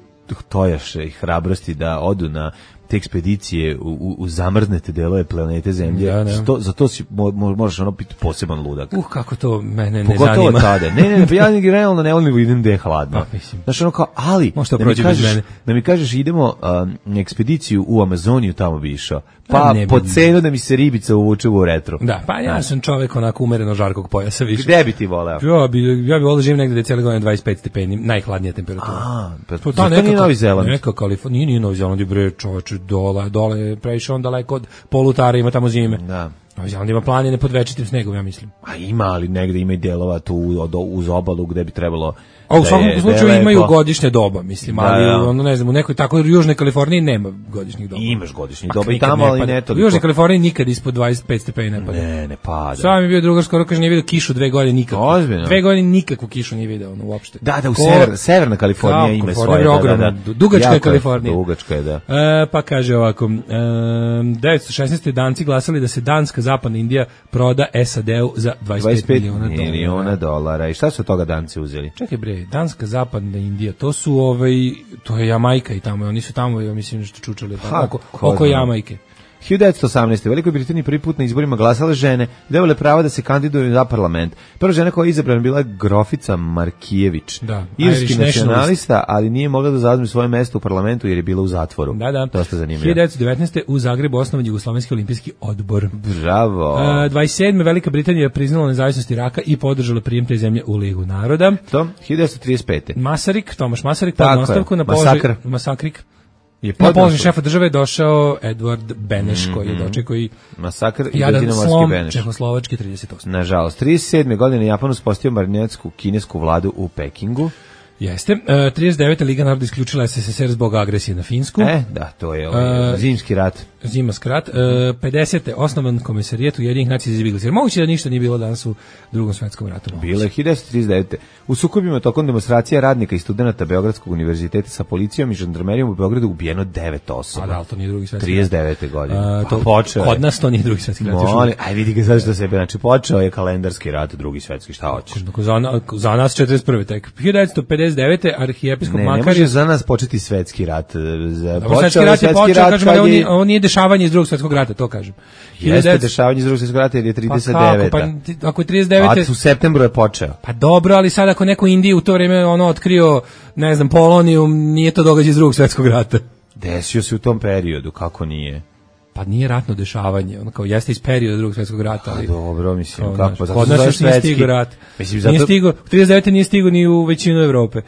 Speaker 6: tojaše i hrabrosti da odu na te ekspedicije u zamrznete delove planete Zemlje, za to si možeš biti poseban ludak.
Speaker 5: Kako to mene ne
Speaker 6: pogotovo
Speaker 5: zanima.
Speaker 6: Tada. Ne, pa ja realno ne volim idem gde je hladno. Znaš, kao, ali da mi kažeš idemo na ekspediciju u Amazoniju, tamo bi išao. Pa po cenu da mi se ribica uvuče u retro.
Speaker 5: Da, pa ja sam čovek onako umereno žarkog pojasa više.
Speaker 6: Gde bi ti voleo?
Speaker 5: Ja bi voleo živim negde da je cijele godine 25 stepeni, najhladnija temperatura.
Speaker 6: To nije Novi Zeland.
Speaker 5: Neka Kalifornija, nije Novi Zeland, bre, čoveče, dole je previše on daleko od polutara, ima tamo zime. Da. Novi Zeland ima planine pod večitim snegom, ja mislim.
Speaker 6: A ima, ali negde ima i delova tu uz obalu gde bi trebalo.
Speaker 5: A u svakom slučaju imaju godišnje doba, mislim, ali ono ne znam, u nekoj tako južnoj Kaliforniji nema godišnjih doba.
Speaker 6: Imaš godišnjih doba i tamo, ali ne toliko.
Speaker 5: U južnoj Kaliforniji nikad ispod 25 stepeni ne pada.
Speaker 6: Ne pada.
Speaker 5: Sam je bio drugar skoro kaže nije vidio kišu 2 godine nikako.
Speaker 6: Ozbiljno.
Speaker 5: 2 godine nikakvu kišu nije video ono uopšte.
Speaker 6: Da, u severna Kalifornija ima svoje.
Speaker 5: Dugačka je Kalifornija.
Speaker 6: Dugačka je, da.
Speaker 5: Pa kaže ovako, 916. Danci glasali da se danska zapadna Indija proda SAD-u za 25 miliona dolara.
Speaker 6: I šta su od toga Danci uzeli?
Speaker 5: Čekaj bre, danska zapadna Indija, to su to je Jamajka i tamo, oni su tamo, ja mislim, nešto čučali oko Jamajke.
Speaker 6: 1918. U Velikoj Britaniji prvi put na izborima glasale žene, dobile pravo da se kandiduju za parlament. Prva žena koja je izabrana bila Grofica Markijević.
Speaker 5: Da,
Speaker 6: irski nacionalista, ali nije mogla da zauzme svoje mesto u parlamentu jer je bila u zatvoru.
Speaker 5: Da.
Speaker 6: Dosta zanimljivo.
Speaker 5: 1919. u Zagrebu osnovan Jugoslovenski olimpijski odbor.
Speaker 6: Bravo.
Speaker 5: 27. Velika Britanija je priznala nezavisnost Iraka i podržala prijem te zemlje u Ligu naroda.
Speaker 6: To 1935.
Speaker 5: Tomaš Masaryk pod nastavku na položaj Masakrik. Na položaj šefa države je došao Edward Beneš, koji je dočekao i
Speaker 6: masakr i
Speaker 5: jadan slom
Speaker 6: Beneš.
Speaker 5: Čehoslovački 38.
Speaker 6: Nažalost, 37. godine Japan uspostavio marionetsku kinesku vladu u Pekingu.
Speaker 5: Jeste. 39. Liga naroda isključila SSSR zbog agresije na Finsku.
Speaker 6: Da, to je zimski rat.
Speaker 5: Zimaski rat. 50. osnovan Komesarijat Ujedinjenih nacija za izbjeglice. Jer moguće da ništa nije bilo danas u Drugom svjetskom ratu.
Speaker 6: Bilo je 1939. U sukobima tokom demonstracija radnika i studenata Beogradskog univerziteta sa policijom i žandarmerijom u Beogradu ubijeno 9 osoba.
Speaker 5: A da, to nije Drugi svjetski rat.
Speaker 6: 39. godine.
Speaker 5: Kod nas to nije Drugi svjetski rat.
Speaker 6: Aj vidi ga sad što sebe. Znači, počeo je kalendarski rat, Drugi svjetski, šta hoćeš?
Speaker 5: Za nas 41. tek. 1959. arhijepiskop Makar...
Speaker 6: Ne može za nas početi svetski rat.
Speaker 5: Svetski rat je počeo, kažemo da on nije dešavanje iz Drugog svjetskog rata, to kažem.
Speaker 6: Jeste dešavanje iz Drugog svjetskog rata jer je 39.
Speaker 5: Pa ako je 39.
Speaker 6: U septembru je počeo.
Speaker 5: Pa dobro, ali sad ako neko Indiju u to vrijeme otkrio, ne znam, Polonijum, nije to događaj iz Drugog svjetskog rata.
Speaker 6: Desio se u tom periodu, kako nije?
Speaker 5: Pa nije ratno dešavanje, ono kao jeste iz perioda Drugog svjetskog rata, ali
Speaker 6: dobro, mislim,
Speaker 5: kao,
Speaker 6: kako pa zato
Speaker 5: kod nas još nije stigao rat. Mislim, zato... Nije stigao, 39. nije stigao ni u većinu Evrope.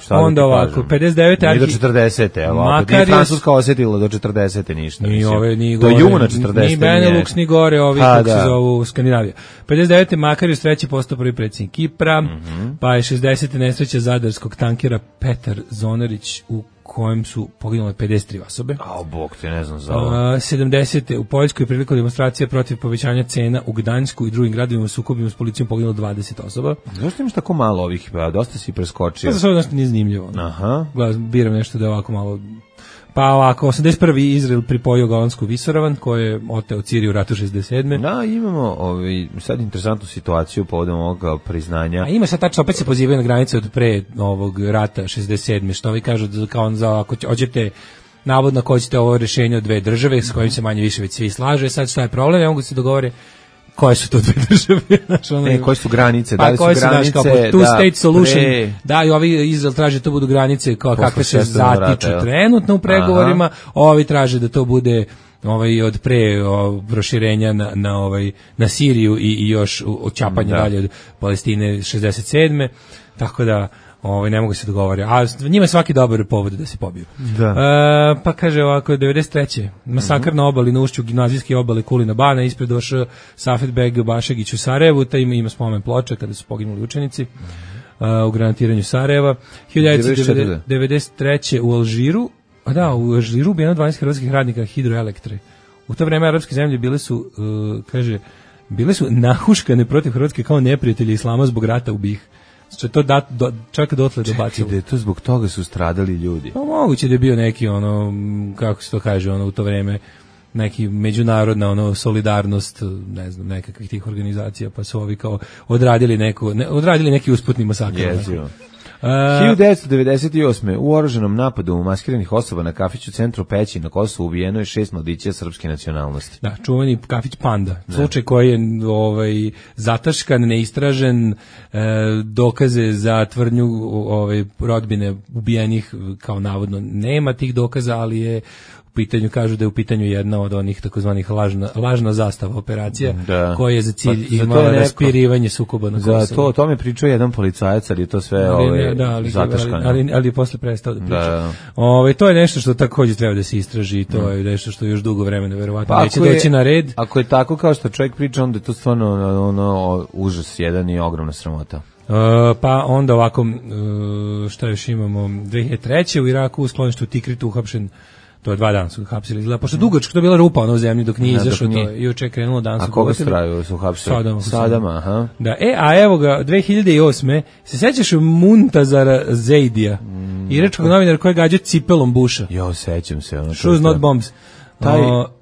Speaker 5: Pa onda ovako, 59.
Speaker 6: Nije do 40. Ovako, nije Francuska osjetila do 40. ništa.
Speaker 5: Ni ove, ni
Speaker 6: do juna 40.
Speaker 5: Ni Benelux, ni gore, ovi kako se zovu Skandinavija. 59. Makarius treći postao prvi predsjednik Kipra, pa je 60. nesreća zadarskog tankera Petar Zonarić u kojem su poginule 53 osobe.
Speaker 6: A bog te ne znam za ovo.
Speaker 5: 70. u Poljskoj prilikom demonstracije protiv povećanja cena u Gdańsku i drugim gradovima u sukobima s policijom poginulo 20 osoba.
Speaker 6: Zašto imaš tako malo ovih? Dosta si preskočio.
Speaker 5: To je nešto nije zanimljivo.
Speaker 6: Aha.
Speaker 5: Biram nešto da je ovako malo... Pa ovako, 81. Izrael pripojio Golansku visoravan, koji je oteo Ciriju u ratu 67.
Speaker 6: Da, imamo sad interesantnu situaciju povodom ovog priznanja.
Speaker 5: A ima sad tačno, opet se pozivaju na granice od pre ovog rata 67. Što vi kažu da kao za, ako hoćete navodno ako hoćete ovo rješenje od dve države s kojim se manje više već svi slaže, sad šta je problem, ne mogu se dogovore koje su to dve države?
Speaker 6: Koje su granice?
Speaker 5: Da li su granice? Kao two state solution. Da, i ovi Izrael traže da to budu granice kao kakve se zatiču trenutno u pregovorima. Ovi traže da to bude od pre proširenja na Siriju i još očapanje dalje od Palestine 67. Tako da ne mogu se dogovoriti. A njima je svaki dobar povod da se pobiju.
Speaker 6: Da.
Speaker 5: Pa kaže ovako, 93. Masakr na obali, na ušću gimnazijske obale Kulina Bana, ispred došao Safetbeg Bašegić u Sarajevu, ta ima spomen ploča kada su poginuli učenici u granatiranju Sarajeva. 1993. u Alžiru, u Alžiru ubijeno 12 hrvatskih radnika hidroelektre. U to vreme arapske zemlje bile su nahuškane protiv Hrvatske kao neprijatelji islama zbog rata u BiH. Što to čak dotle dobacilo.
Speaker 6: Da je to zbog toga su stradali ljudi.
Speaker 5: Pa moguće da je bio neki kako se to kaže, u to vreme neki međunarodna solidarnost, ne znam, nekakvih tih organizacija, pa su ovi kao odradili neki usputni masakr.
Speaker 6: Jezio. 1998. u oružanom napadu maskiranih osoba na kafiću u centru Peći na Kosovu ubijeno je 6 mladića srpske nacionalnosti.
Speaker 5: Da, čuveni kafić Panda. Slučaj koji je zataškan, neistražen, dokaze za tvrdnju rodbine ubijenih kao navodno nema tih dokaza, ali je pitanju kažu da je u pitanju jedna od onih takozvanih lažna zastava operacija koja je za cilj imala raspirivanje sukoba na Kosovu.
Speaker 6: Za to o tome pričao jedan policajac, ali je to sve zataškano.
Speaker 5: Ali je posle prestao da priča. To je nešto što također treba da se istraži i to je nešto što još dugo vremena verovatno neće doći na red.
Speaker 6: Ako je tako kao što čovjek priča, onda je to stvarno užas jedan i ogromna sramota.
Speaker 5: Pa onda ovako, šta još imamo, 2003. u Iraku u skloništu Tikritu uhapšen. To je 2 dana su ga hapsili. Izgleda, pošto dugačko to je bila rupa u zemlji dok nije izašao, to je juče krenulo danas.
Speaker 6: A koga su hapsili? Sadama, aha.
Speaker 5: Da, a evo ga, 2008. se sećaš Muntazara Zeidija, iračkog novinara koji je gađao cipelom Busha.
Speaker 6: Jo, sećam se.
Speaker 5: Shoes not bombs.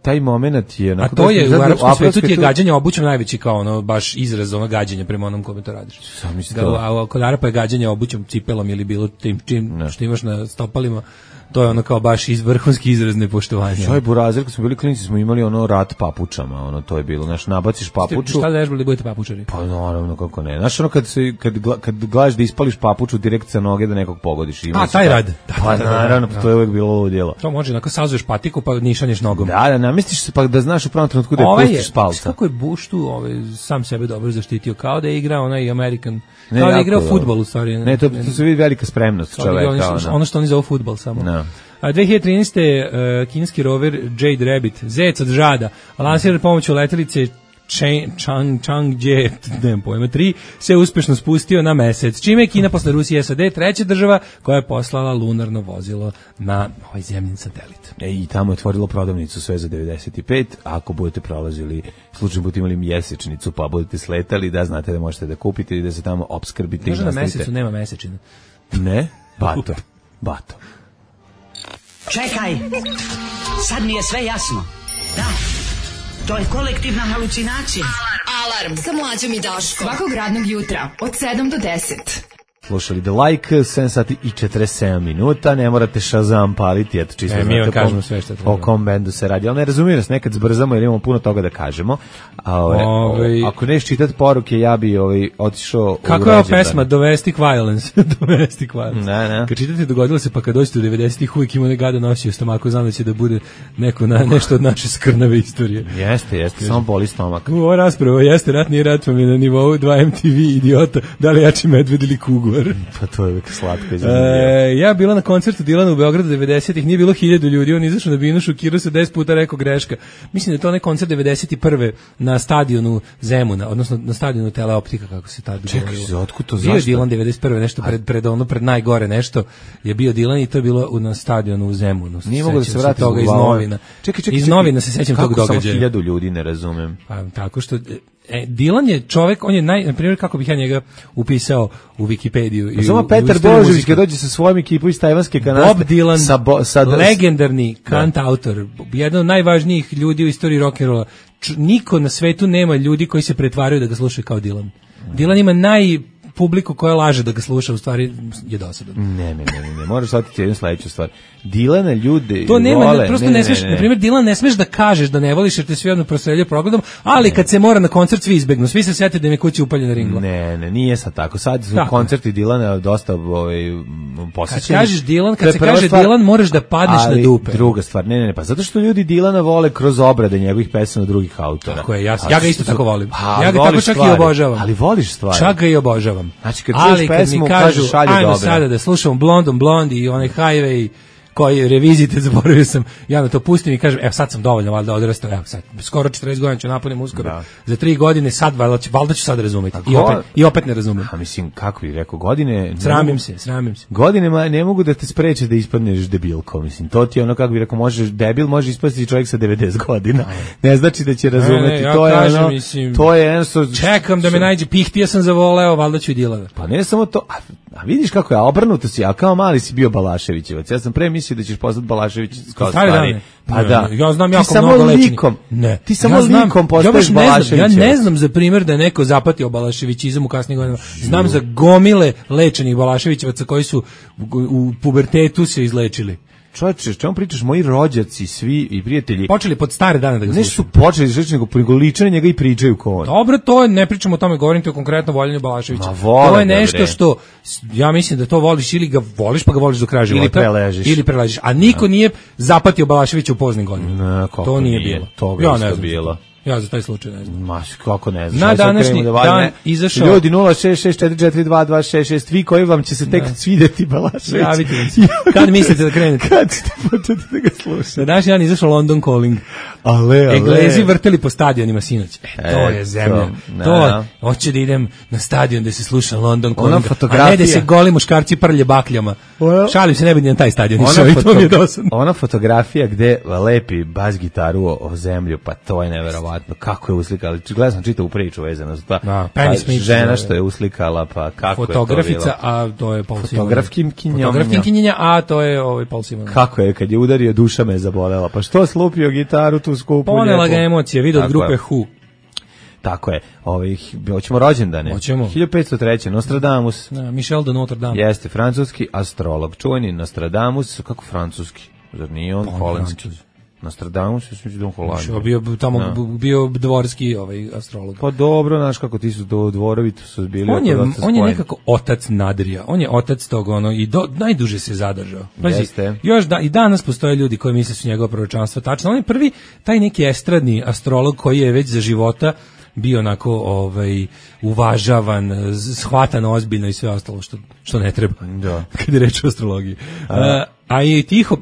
Speaker 6: Taj moment je...
Speaker 5: A to je, u arapskom svijetu ti je gađanje obućem najveći kao baš izraz gađanja prema onom kome to radiš. Kod Arapa je gađanje obućem, cipelom ili bilo tim što imaš na stopalima. To je kao baš vrhunski izraz nepoštovanja.
Speaker 6: Šoj burazir, kad smo bili klinici, smo imali rat papučama, to je bilo, nabaciš papuču.
Speaker 5: Šta da nežbali da budete papučari?
Speaker 6: Pa naravno, kako ne. Znaš kad gledaš da ispališ papuču direkt sa noge da nekog pogodiš.
Speaker 5: Taj rad.
Speaker 6: Pa naravno, to je uvijek bilo ovo djelo.
Speaker 5: To može, sazuješ patiku pa nišanješ nogom.
Speaker 6: Da, namestiš se pa da znaš u pravom trenutku da je pustiš s palca.
Speaker 5: Kako je Bush tu sam sebe dobro zaštitio, kao da je igrao onaj American, kao da je igrao fudbal u stvari.
Speaker 6: Ne, to se vidi velika spremnost čoveka.
Speaker 5: Ono što oni zovu fudbal samo. A 2013. kineski rover Jade Rabbit, zec od žada, lansiran pomoću letelice Chang'e 3, se uspešno spustio na mesec, čime je Kina posle Rusije i SAD treća država koja je poslala lunarno vozilo na ovaj zemljin satelit.
Speaker 6: I tamo je otvorilo prodavnicu sve za 95, ako budete prolazili, slučajno budete imali mjesečnicu pa budete sletali, da znate da možete da kupite i da se tamo opskrbite.
Speaker 5: Može na mesecu nema mesečina.
Speaker 6: Ne? Bato.
Speaker 7: Čekaj, sad mi je sve jasno. Da, to je kolektivna halucinacija.
Speaker 2: Alarm sa Mlađom i Daškom. Svakog radnog jutra od 7 do 10.
Speaker 6: slušali The Like, 7 sati i 47 minuta, ne morate Shazam paliti, eto čisto
Speaker 5: mi vam kažemo sve što treba.
Speaker 6: O kom bendu se radi, ali ne razumijem nas, nekad zbrzamo jer imamo puno toga da kažemo. Ako neš čitati poruke, ja bi otišao.
Speaker 5: Kako je ova pesma Domestic Violence? Domestic Violence.
Speaker 6: Ne.
Speaker 5: Kad čitate dogodilo se, pa kad dođete u 90-ih uvijek ima gada nosio stomaku, znam da će da bude nešto od naše skrnave istorije.
Speaker 6: Jeste, samo boli stomak.
Speaker 5: Ova rasprava jeste rat, nije rat, pa mi na nivou 2 MTV idiota, da li jači medved ili kuguar.
Speaker 6: Pa to je uvijek slatko.
Speaker 5: Ja bila na koncertu Dilana u Beogradu 90-ih, nije bilo 1000 ljudi, on izašao na binu, šokirao se 10 puta, rekao greška. Mislim da je to onaj koncert 91. na stadionu Zemuna, odnosno na stadionu Teleoptika, kako se tada govorilo.
Speaker 6: Čekaj, otkud to,
Speaker 5: zašto?
Speaker 6: Bio
Speaker 5: Dilan 91. nešto pred najgore nešto je bio Dilan i to je bilo na stadionu u Zemunu.
Speaker 6: Nije mogu da se vrati
Speaker 5: toga iz novina.
Speaker 6: Čekaj,
Speaker 5: iz novina se sećam tog događaja.
Speaker 6: Kako samo 1000 ljudi, ne razumem.
Speaker 5: Pa tako što Dilan je čovjek, on je na primjer, kako bih ja njega upisao u Wikipediju.
Speaker 6: Pa samo Petar Božović kad dođe sa svojom ekipom iz tajvanske kanaste.
Speaker 5: Bob Dylan, legendarni kantautor, jedan od najvažnijih ljudi u istoriji rock'n'rolla. Niko na svetu nema ljudi koji se pretvaraju da ga slušaju kao Dylan. Dylan ima publiku koja laže da ga sluša, u stvari je dosadan.
Speaker 6: Ne, moraš otići jednu sledeću stvar. Dilana ljudi
Speaker 5: to nema,
Speaker 6: vole.
Speaker 5: Prosto ne smeš, na primjer, Dilan ne smeš da kažeš da ne voliš jer te svi odmah prostreljaju progledom, ali kad se mora na koncert svi izbegnu, svi se sjete da im je kuća upaljena ringla.
Speaker 6: Ne, nije sad tako. Sad su koncerti Dilana dosta posjećeni.
Speaker 5: Kad kažeš Dilan, kad se kaže Dilan, moraš da padneš na dupe.
Speaker 6: Druga stvar, ne, pa zato što ljudi Dilana vole kroz obrade njegovih pesama drugih autora.
Speaker 5: Tako je, ja ga isto tako volim. Ja ga tako čak i obožavam.
Speaker 6: Ali voliš stvari.
Speaker 5: Čak ga i obožavam.
Speaker 6: Znači, kad čuješ pesmu, kažu šalje dobro.
Speaker 5: Ajmo sada da slušamo Blond i onaj Highway koji revizite, zaboravio sam, ja na to pustim i kažem, evo sad sam dovoljno valjda odrastao, evo sad, skoro 40 godina ću napunim uskoro, za 3 godine sad valjda ću sad razumjeti, i opet ne razumem.
Speaker 6: A mislim, kako bih rekao, godine...
Speaker 5: Sramim se.
Speaker 6: Godine ne mogu da te spreče da ispadneš debilko, mislim, to ti je ono, kako bih rekao, debil može ispasti čovjek sa 90 godina, ne znači da će razumeti,
Speaker 5: ja
Speaker 6: to je
Speaker 5: kažem,
Speaker 6: ono,
Speaker 5: mislim,
Speaker 6: to je ono
Speaker 5: čekam da me nađe, pihtija sam zavoleo, valjda ću i Dilana.
Speaker 6: Pa ne samo to, a vidiš kako je, obrnuto si, a kao mali si bio Balaševićevac, ja sam pre mislio da ćeš postati Balašević kao stari. Pa da.
Speaker 5: Ja znam jako mnogo lečenih.
Speaker 6: Ti samo likom postaješ Balaševićevac.
Speaker 5: Ja ne znam za primjer da je neko zapatio Balaševićizam u kasnim godinama. Znam za gomile lečenih Balaševićevaca koji su u pubertetu se izlečili.
Speaker 6: Čovječe, čemu pričaš, moji rođaci, svi i prijatelji...
Speaker 5: Počeli pod stare dane da ga slušaju.
Speaker 6: Ne su počeli, nego liče na njega i pričaju ko on.
Speaker 5: Dobro, to ne pričamo o tome, govorim ti o konkretno voljenju Balaševića. To je nešto što, ja mislim da to voliš ili ga voliš, pa ga voliš do kraja života. Ili preležiš. A niko nije zapatio Balaševića u poznim godinama. To nije bilo.
Speaker 6: Toga isto bilo.
Speaker 5: Ja za taj slučaj ne znam.
Speaker 6: Maš, kako ne znam.
Speaker 5: Na današnji dan izašao...
Speaker 6: Ljudi, 066442266, vi koji vam će se tek svidjeti Balašević.
Speaker 5: Javite mi se. Kad mislite da krenete?
Speaker 6: Kad ćete početi da ga slušate?
Speaker 5: Na današnji dan izašao London Calling.
Speaker 6: Ale.
Speaker 5: Englezi vrteli po stadionima sinoć. To je zemlja. Hoće da idem na stadion da se sluša London Calling. A ne da se goli muškarci prlje bakljama. Šalim se, ne bi na taj stadion išao i to mi je dosadno.
Speaker 6: Ona fotografija gde lepi bas gitaru o zemlju, pa to je neverovatno. Kako je uslikala, gledao sam čitavu priču vezano za to. Žena što je uslikala, pa kako
Speaker 5: fotografica,
Speaker 6: je to bilo.
Speaker 5: A to je Paul Simon.
Speaker 6: Fotografkinja,
Speaker 5: a to je Paul Simon.
Speaker 6: Kako je, kad je udario, duša me zabolela. Pa što slupio gitaru tu skupu?
Speaker 5: Ponela ga emocije, vidio od grupe Who.
Speaker 6: Tako je. Hoćemo rođendane.
Speaker 5: Hoćemo.
Speaker 6: 1503. Nostradamus.
Speaker 5: Michel de Notre Dame.
Speaker 6: Jeste, francuski astrolog. Čuveni Nostradamus, kako francuski? Zar nije on holandski? Nostradamus, ja sam da on Holandija.
Speaker 5: Bio dvorski astrolog.
Speaker 6: Pa dobro, znaš kako ti su dvorovi, to su bili...
Speaker 5: On je nekako otac Nadrija, on je otac tog i najduže se zadržao.
Speaker 6: Jeste.
Speaker 5: Još i danas postoje ljudi koji misle su njegovo proročanstvo tačno. On je prvi, taj neki estradni astrolog koji je već za života bio onako uvažavan, shvatan ozbiljno i sve ostalo što ne treba.
Speaker 6: Da.
Speaker 5: Kad je reč o astrologiji. A i Tiho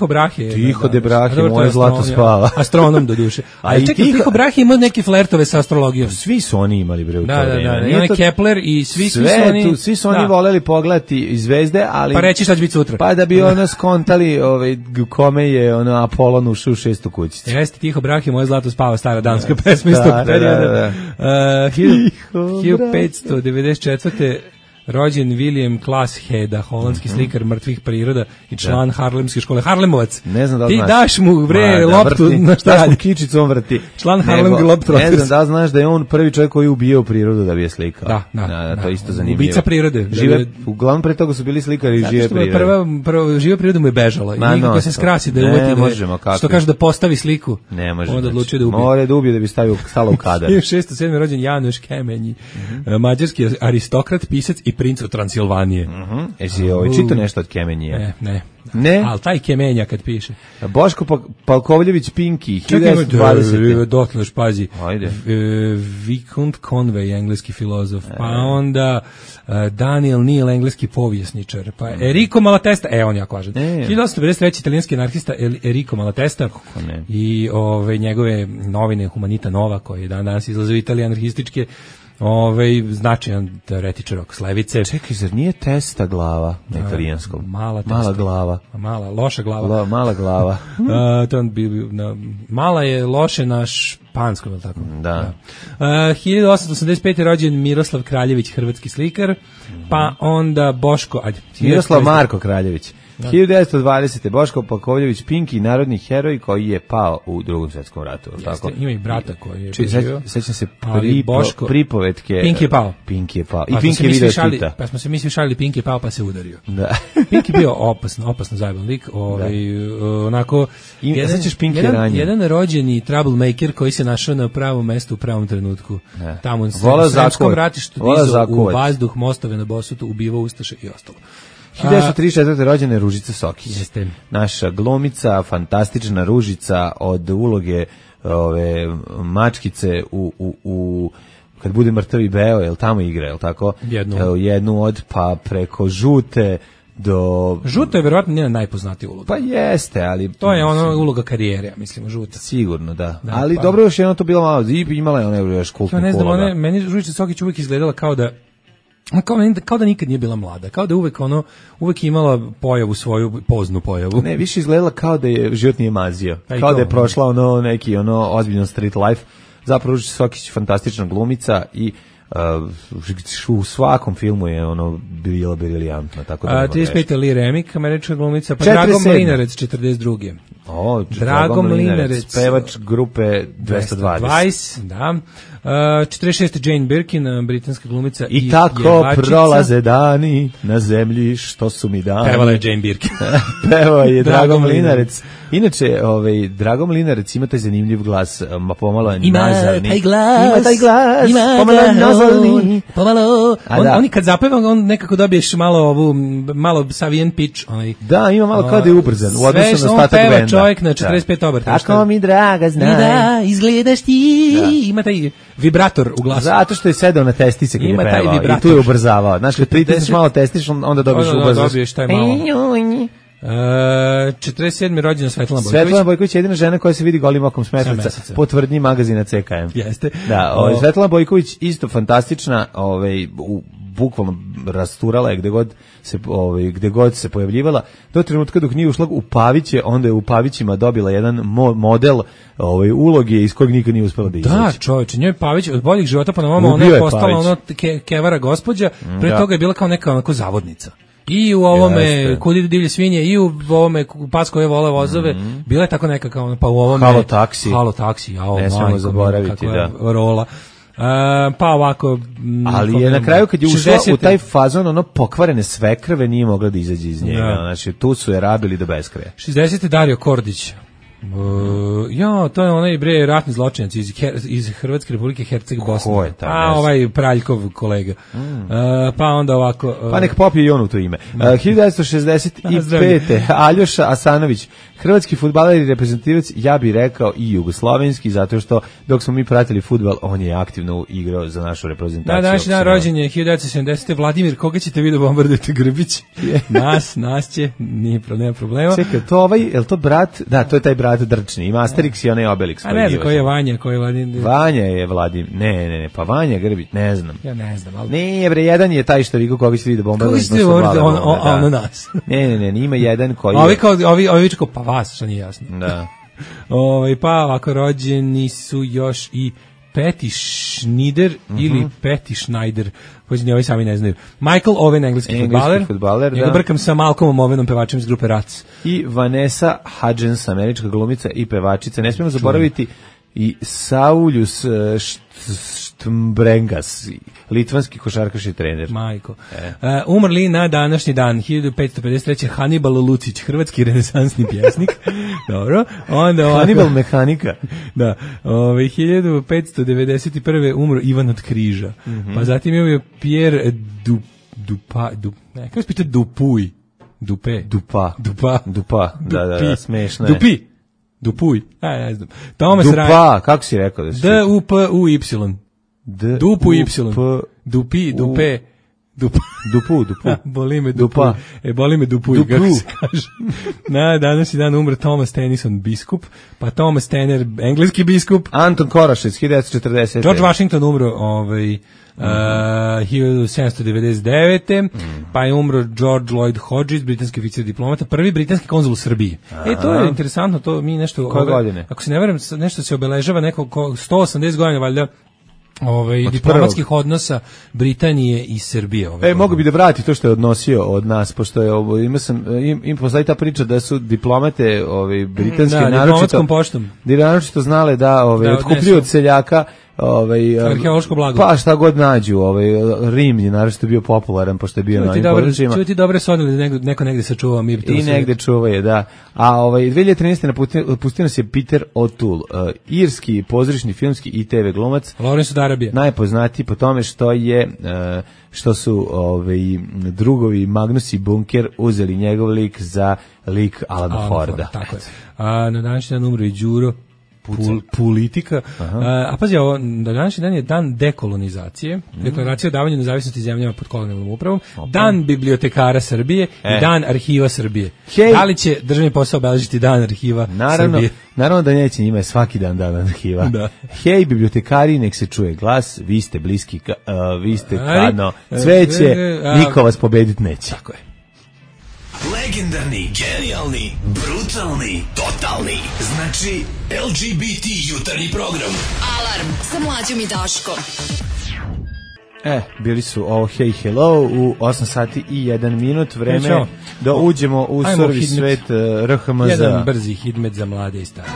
Speaker 5: Brahe.
Speaker 6: Tiho de Brahe, moje zlato spava.
Speaker 5: Astronom do duše. A čekaj, Tiho Brahe ima neke flertove sa astrologijom.
Speaker 6: Svi su oni imali, bre, u to
Speaker 5: vreme. Da. I onaj Kepler i svi su oni...
Speaker 6: Svi su oni voleli pogledati zvezde, ali...
Speaker 5: Pa reći šta će biti sutra.
Speaker 6: Pa da bi ono skontali kome je Apolon ušao u 6. kućicu.
Speaker 5: Jeste, Tiho Brahe, moje zlato spava, stara danska pesma iz tog perioda. 1594. rođen William Klaas Heda, holandski slikar mrtvih priroda i član Harlemske škole. Harlemovac.
Speaker 6: Ne znam da
Speaker 5: ti
Speaker 6: znaš.
Speaker 5: daš mu loptu na šta radi.
Speaker 6: Kičicu on vrti.
Speaker 5: Član Harlemske loptu.
Speaker 6: Ne znam da znaš da je on prvi čovjek koji je ubijao prirodu da bi je slikao. Da, to je isto zanimljivo.
Speaker 5: Ubica prirode.
Speaker 6: Uglavnom pre toga su bili slikari žive prirode.
Speaker 5: Prva živa priroda mu je bežala. I nikako se skrasi da je uvati. Što kaže da postavi sliku.
Speaker 6: Ne može.
Speaker 5: Onda odlučio da ubije.
Speaker 6: Mora da ubije da bi stala u kadar.
Speaker 5: 1607. rođen Januš Kemenji, mađarski aristokrat, pisac i princ od Transilvanije.
Speaker 6: Jesi čitao nešto od Kemenije?
Speaker 5: Ne? Ali taj Kemenja kad piše.
Speaker 6: Boško Palkovljević Pinki, 1920.
Speaker 5: Dotle još pazi. Vicomte Conway, engleski filozof. Pa onda Daniel Neal, engleski povjesničar. Pa Enrico Malatesta, on jako važan. 1853. italijanski anarhista Enrico Malatesta i njegove novine Humanita Nova, koje danas izlaze u Italiji anarhističke, značajan teoretičar oko slevice.
Speaker 6: Čekaj, zar nije Testa glava na italijanskom?
Speaker 5: Mala
Speaker 6: glava.
Speaker 5: Loša glava.
Speaker 6: Mala glava.
Speaker 5: Mala je loše na španskom, ili tako?
Speaker 6: Da.
Speaker 5: 1885. rođen Miroslav Kraljević, hrvatski slikar, pa onda Boško...
Speaker 6: Miroslav Marko Kraljević. 1920. Boško Palkovljević Pinki, narodni heroj koji je pao u Drugom svjetskom ratu.
Speaker 5: Jeste, ima i brata koji je preživio.
Speaker 6: Sećam se pripovetke.
Speaker 5: Pinki je pao.
Speaker 6: I Pinki je video Tita.
Speaker 5: Pa smo se mi svi šalili Pinki je pao pa se udario.
Speaker 6: Da.
Speaker 5: Pinki je bio opasno zajeban lik. Onako, jedan rođeni troublemaker koji se našao na pravom mestu u pravom trenutku. Tamo u Sremskom ratištu dizao u vazduh mostove na Bosutu, ubivao ustaše i ostalo.
Speaker 6: 1934. rođena Ružica Sokić.
Speaker 5: Jeste.
Speaker 6: Naša glumica, fantastična Ružica od uloge mačkice u kad bude mrtav i beo, jel tamo igra, jel tako? Jednu od, pa preko Žute do...
Speaker 5: Žuta je verovatno njena najpoznatija uloga.
Speaker 6: Pa jeste, ali...
Speaker 5: To je uloga karijere, mislim, Žuta.
Speaker 6: Sigurno, da. Ali dobro, još jedno to bilo malo, imala je ona još kultnih uloga.
Speaker 5: Meni Ružica Sokić uvijek izgledala kao da nikad nije bila mlada, kao da uvek imala pojavu svoju, poznu pojavu.
Speaker 6: Ne, više izgledala kao da je život nije mazio, kao da je prošla neki ozbiljno street life. Zapravo Ružica Sokić fantastična glumica i u svakom filmu je bila briljantna, tako da
Speaker 5: 35. Lee Remick, američka glumica, pa Drago Mlinarec 42.
Speaker 6: Drago Mlinarec, pevač grupe 220.
Speaker 5: Da. 46. Jane Birkin, britanska glumica
Speaker 6: i tako prolaze dani na zemlji, što su mi dani.
Speaker 5: Pevala je Jane Birkin.
Speaker 6: Pevao je Drago Mlinarec. Inače, Drago Mlinarec ima taj zanimljiv glas, pomalo je nazalni.
Speaker 5: Ima taj glas, pomalo je nazalni. Oni kad zapeva, on nekako dobiješ malo savijen pitch.
Speaker 6: Da, ima malo kao da je ubrzan u odnosu na ostatak benda.
Speaker 5: Sve što on peva čovjek na 45 obrta.
Speaker 6: Tako mi draga znaj.
Speaker 5: Da, izgledaš ti. Ima taj vibrator u glasu.
Speaker 6: Zato što je sedao na testice kad je pevao i tu je ubrzavao. Znaš, kad pritisneš malo testiš, onda dobiješ ubrzaš.
Speaker 5: Dobiješ taj malo. 47. rođena Svetlana Bojković.
Speaker 6: Svetlana Bojković je jedina žena koja se vidi golim okom s meseca po tvrdnji magazina CKM.
Speaker 5: Jeste.
Speaker 6: Da, Svetlana Bojković isto fantastična, bukvalno rasturala je gde god se pojavljivala. Do trenutka dok nije ušla u Paviće, onda je u Pavićima dobila jedan model uloge iz kojeg nikad nije uspela da izaći.
Speaker 5: Da, čovječe, njoj Pavić od boljih života pa na vama ona je postala kevara gospođa, pre toga je bila kao neka onako zavodnica. I u ovome Kud idu divlje svinje, i u ovome Pas koje vole vozove, bila je tako neka kao, pa u ovome Halo taksi,
Speaker 6: ne smemo zaboraviti, da.
Speaker 5: Rola. Pa ovako...
Speaker 6: Ali je na kraju kad je ušla u taj fazon, pokvarene svekrve nije mogla da izađe iz njega. Znači, tu su je rabili do beskraja.
Speaker 5: 60. Dario Kordić. To je onaj ratni zločinac iz Hrvatske Republike Herceg Bosne.
Speaker 6: Ko je taj?
Speaker 5: Ovaj Praljkov kolega. Pa onda ovako...
Speaker 6: Pa nek popije i on u to ime. 1965. Aljoša Asanović, hrvatski fudbaler i reprezentativac, ja bih rekao i jugoslovenski, zato što dok smo mi pratili fudbal, on je aktivno igrao za našu reprezentaciju.
Speaker 5: Da, današnji dan rođen je 1970. Vladimir, koga ćete vi da bombardujete, Grbić? Nas će, nema problema.
Speaker 6: Čekaj, je li to brat? Da, to je taj brat Drčni, ima Asterix i onaj Obelix.
Speaker 5: A ne znam koji je Vanja, koji je Vladimir.
Speaker 6: Vanja je Vladimir, ne, pa Vanja Grbić, ne znam.
Speaker 5: Ja ne znam, ali...
Speaker 6: Ne, bre, jedan je taj što koga ćete vi da bombardujete.
Speaker 5: Koga ćete vi ono nas?
Speaker 6: Ne, ima jedan koji je...
Speaker 5: Ovi vičko, pa vas, što nije jasno.
Speaker 6: Da.
Speaker 5: Pa ovako rođeni su još i Patty Schneider ili Patty Schneider, koji ni ovi sami ne znaju. Michael Owen, engleski fudbaler, ja ga brkam sa Malcolmom Owenom, pevačem iz grupe Rats.
Speaker 6: I Vanessa Hudgens, američka glumica i pevačica. Ne smijemo zaboraviti i Saulius Štmbrengas, litvanski košarkaš i trener.
Speaker 5: Majko. Umrli na današnji dan 1553. Hannibal Lucić, hrvatski renesansni pjesnik. Dobro. Onda
Speaker 6: Hannibal mehanika.
Speaker 5: Da. 1591. umro Ivan od Križa. Pa zatim je Pierre Dupuy.
Speaker 6: Da, smešno je.
Speaker 5: Dupuy. Ne znam. Thomas
Speaker 6: Dupa, kako si rekao da si?
Speaker 5: D-U-P-U-Y. Dupuy. Dupe. Dupu. Boli me Dupa. Boli me Dupuy, kako se kaže. Na današnji dan umre Thomas Tennyson, biskup, pa Thomas Tanner, engleski biskup.
Speaker 6: Anton Korašec, 1940.
Speaker 5: George Washington umro 1799. Pa je umro George Lloyd Hodges, britanski oficir diplomata, prvi britanski konzul u Srbiji. To je interesantno, to mi nešto...
Speaker 6: Koje godine?
Speaker 5: Ako se ne varam, nešto se obeležava neko 180 godina, valjda, diplomatskih odnosa Britanije i Srbije.
Speaker 6: Mogu bi da vrati to što je odnosio od nas, pošto je im postoji ta priča da su diplomate britanske naročito znale da otkupljuju od seljaka
Speaker 5: arheološko blago.
Speaker 6: Pa šta god nađu, Rim je naročito bio popularan pošto je bio na ovim područjima.
Speaker 5: Čuti dobre sonili da neko negde sačuva mi to.
Speaker 6: I negde čuva je, da. A 2013. napustio nas je Peter O'Toole, irski pozorišni, filmski i TV glumac.
Speaker 5: Lawrence od Arabije.
Speaker 6: Najpoznatiji po tome što su drugovi Magnus i Bunker uzeli njegov lik za lik Alana Forda.
Speaker 5: Tako je. A na današnji dan umro i Đuro politika. A pazi, današnji dan je dan dekolonizacije, deklaracija o davanju nezavisnosti zemljama pod kolonijalnom upravom, dan bibliotekara Srbije i dan arhiva Srbije. Da li će državni posao obeležiti dan arhiva Srbije?
Speaker 6: Naravno da neće, njima je svaki dan arhiva.
Speaker 5: Da.
Speaker 6: Hej, bibliotekari, nek se čuje glas, vi ste bliski, vi ste kadno cveće, niko vas pobediti neće.
Speaker 5: Tako je.
Speaker 8: Legendarni, genijalni, brutalni, totalni. Znači, LGBT jutarnji program.
Speaker 2: Alarm sa Mlađom i Daškom.
Speaker 6: Bili su Hey Hello u 8 sati i 1 minut. Vreme da uđemo u survi svet RHMZ.
Speaker 5: Jedan brzi hidmet za mlade i stare.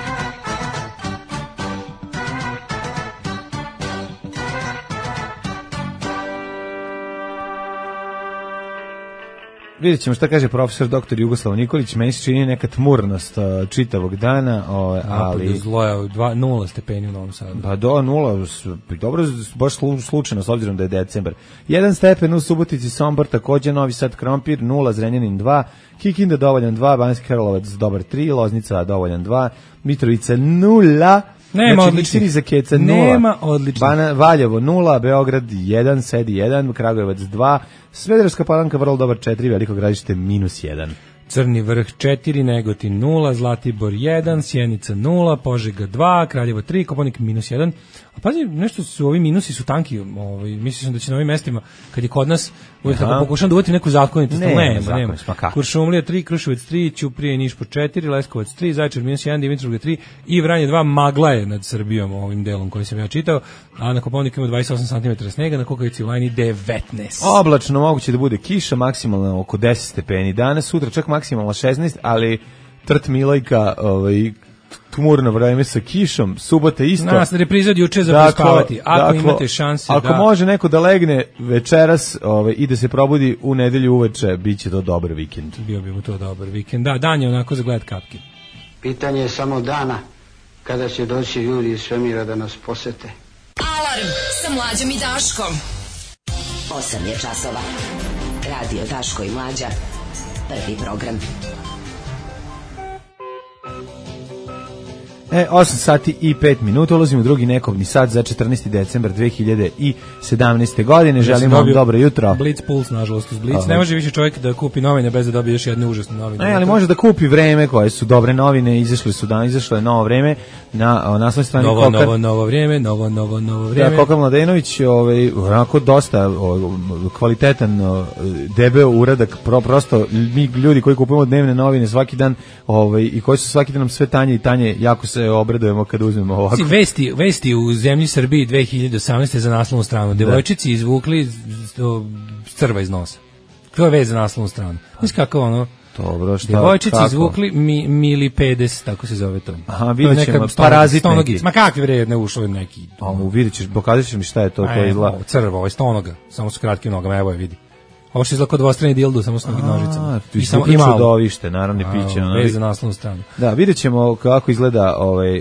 Speaker 6: Vidjet ćemo šta kaže profesor dr. Jugoslav Nikolić. Meni se čini neka tmurnost čitavog dana, ali...
Speaker 5: Zloja, 0 stepeni u Novom Sadu.
Speaker 6: Pa do 0, dobro, baš slučajno, s obzirom da je decembar. 1 stepen u Subotici, Sombor, takođe Novi Sad, Krompir, 0, Zrenjanin 2, Kikinda dovoljan 2, Banjski Karlovac dobar 3, Loznica dovoljan 2, Mitrovica 0,
Speaker 5: nema odličnih. Nema odličnih.
Speaker 6: Valjevo 0, Beograd 1, Sedi 1, Kragujevac 2, Smederevska Palanka vrlo dobar 4, Veliko Gradište -1.
Speaker 5: Crni Vrh 4, Negotin 0, Zlatibor 1, Sjenica 0, Požega 2, Kraljevo 3, Kopaonik -1. A pazi, nešto su ovi minusi su tanki, mislio sam da će na ovim mestima, kad je kod nas, uvijek tako pokušam da uvatim neku zakonitost, nema. Kuršumlija 3, Kruševac 3, Ćuprije i Niš po 4, Leskovac 3, Zaječar -1, Dimitrovgrad 3 i Vranje 2, magla je nad Srbijom ovim delom koji sam ja čitao, a na Kopaoniku ima 28 cm snega, na Kukavici u Lajni 19.
Speaker 6: Oblačno, moguće da bude kiša, maksimalno oko 10 stepeni danas, sutra čak maksimalno 16, ali Trt Milojka, tmurno vreme sa kišom, subota isto.
Speaker 5: Nas repriza od juče za prespavati, ako imate šanse.
Speaker 6: Ako može neko da legne večeras i da se probudi u nedelju uveče, bit će to dobar vikend.
Speaker 5: Bio bi mu to dobar vikend. Da, dan je onako za gledat kapke.
Speaker 9: Pitanje je samo dana kada će doći ljudi iz svemira da nas posete.
Speaker 2: Alarm sa Mlađom i Daškom.
Speaker 10: 8 je časova. Radio Daško i Mlađa. Prvi program.
Speaker 6: 8 sati i 5 minuta, ulazimo u drugi nekovni sat za 14. decembar 2017. godine. Želimo vam dobro jutro.
Speaker 5: Blitz Puls, nažalost, uz Blitz. Ne može više čovjek da kupi novine bez da dobije još jedne užasne novine.
Speaker 6: Ali može da kupi Vreme, koje su dobre novine, izašlo je Novo vreme na naslovnoj strani Kokar.
Speaker 5: Novo vrijeme.
Speaker 6: Da, Kokar Mladenović, onako dosta kvalitetan, debeo uradak, prosto mi ljudi koji kupujemo dnevne novine svaki dan i koji su svaki dan nam sve tanje i tanje, jako se se obradujemo kad uzmemo ovako.
Speaker 5: Vesti u zemlji Srbiji 2018. za naslovnu stranu. Devojčici izvukli crva iz nosa. To je vez za naslovnu stranu. Mislim kako ono...
Speaker 6: Dobro, šta?
Speaker 5: Devojčici izvukli milipedes, tako se zove to.
Speaker 6: Aha, vidjet ćemo, parazit neki.
Speaker 5: Ma kakvi vredne ušlo neki.
Speaker 6: Vidjet ćeš, pokazat ćeš mi šta je to.
Speaker 5: Crva, ovo je stonoga, samo su kratkim nogama, evo je vidi. Ovo što izgleda kao dvostrani dildo, samo s nožicama.
Speaker 6: I samo i čudovište, naravno piće.
Speaker 5: Vez za naslovnu stranu.
Speaker 6: Da, vidjet ćemo kako izgleda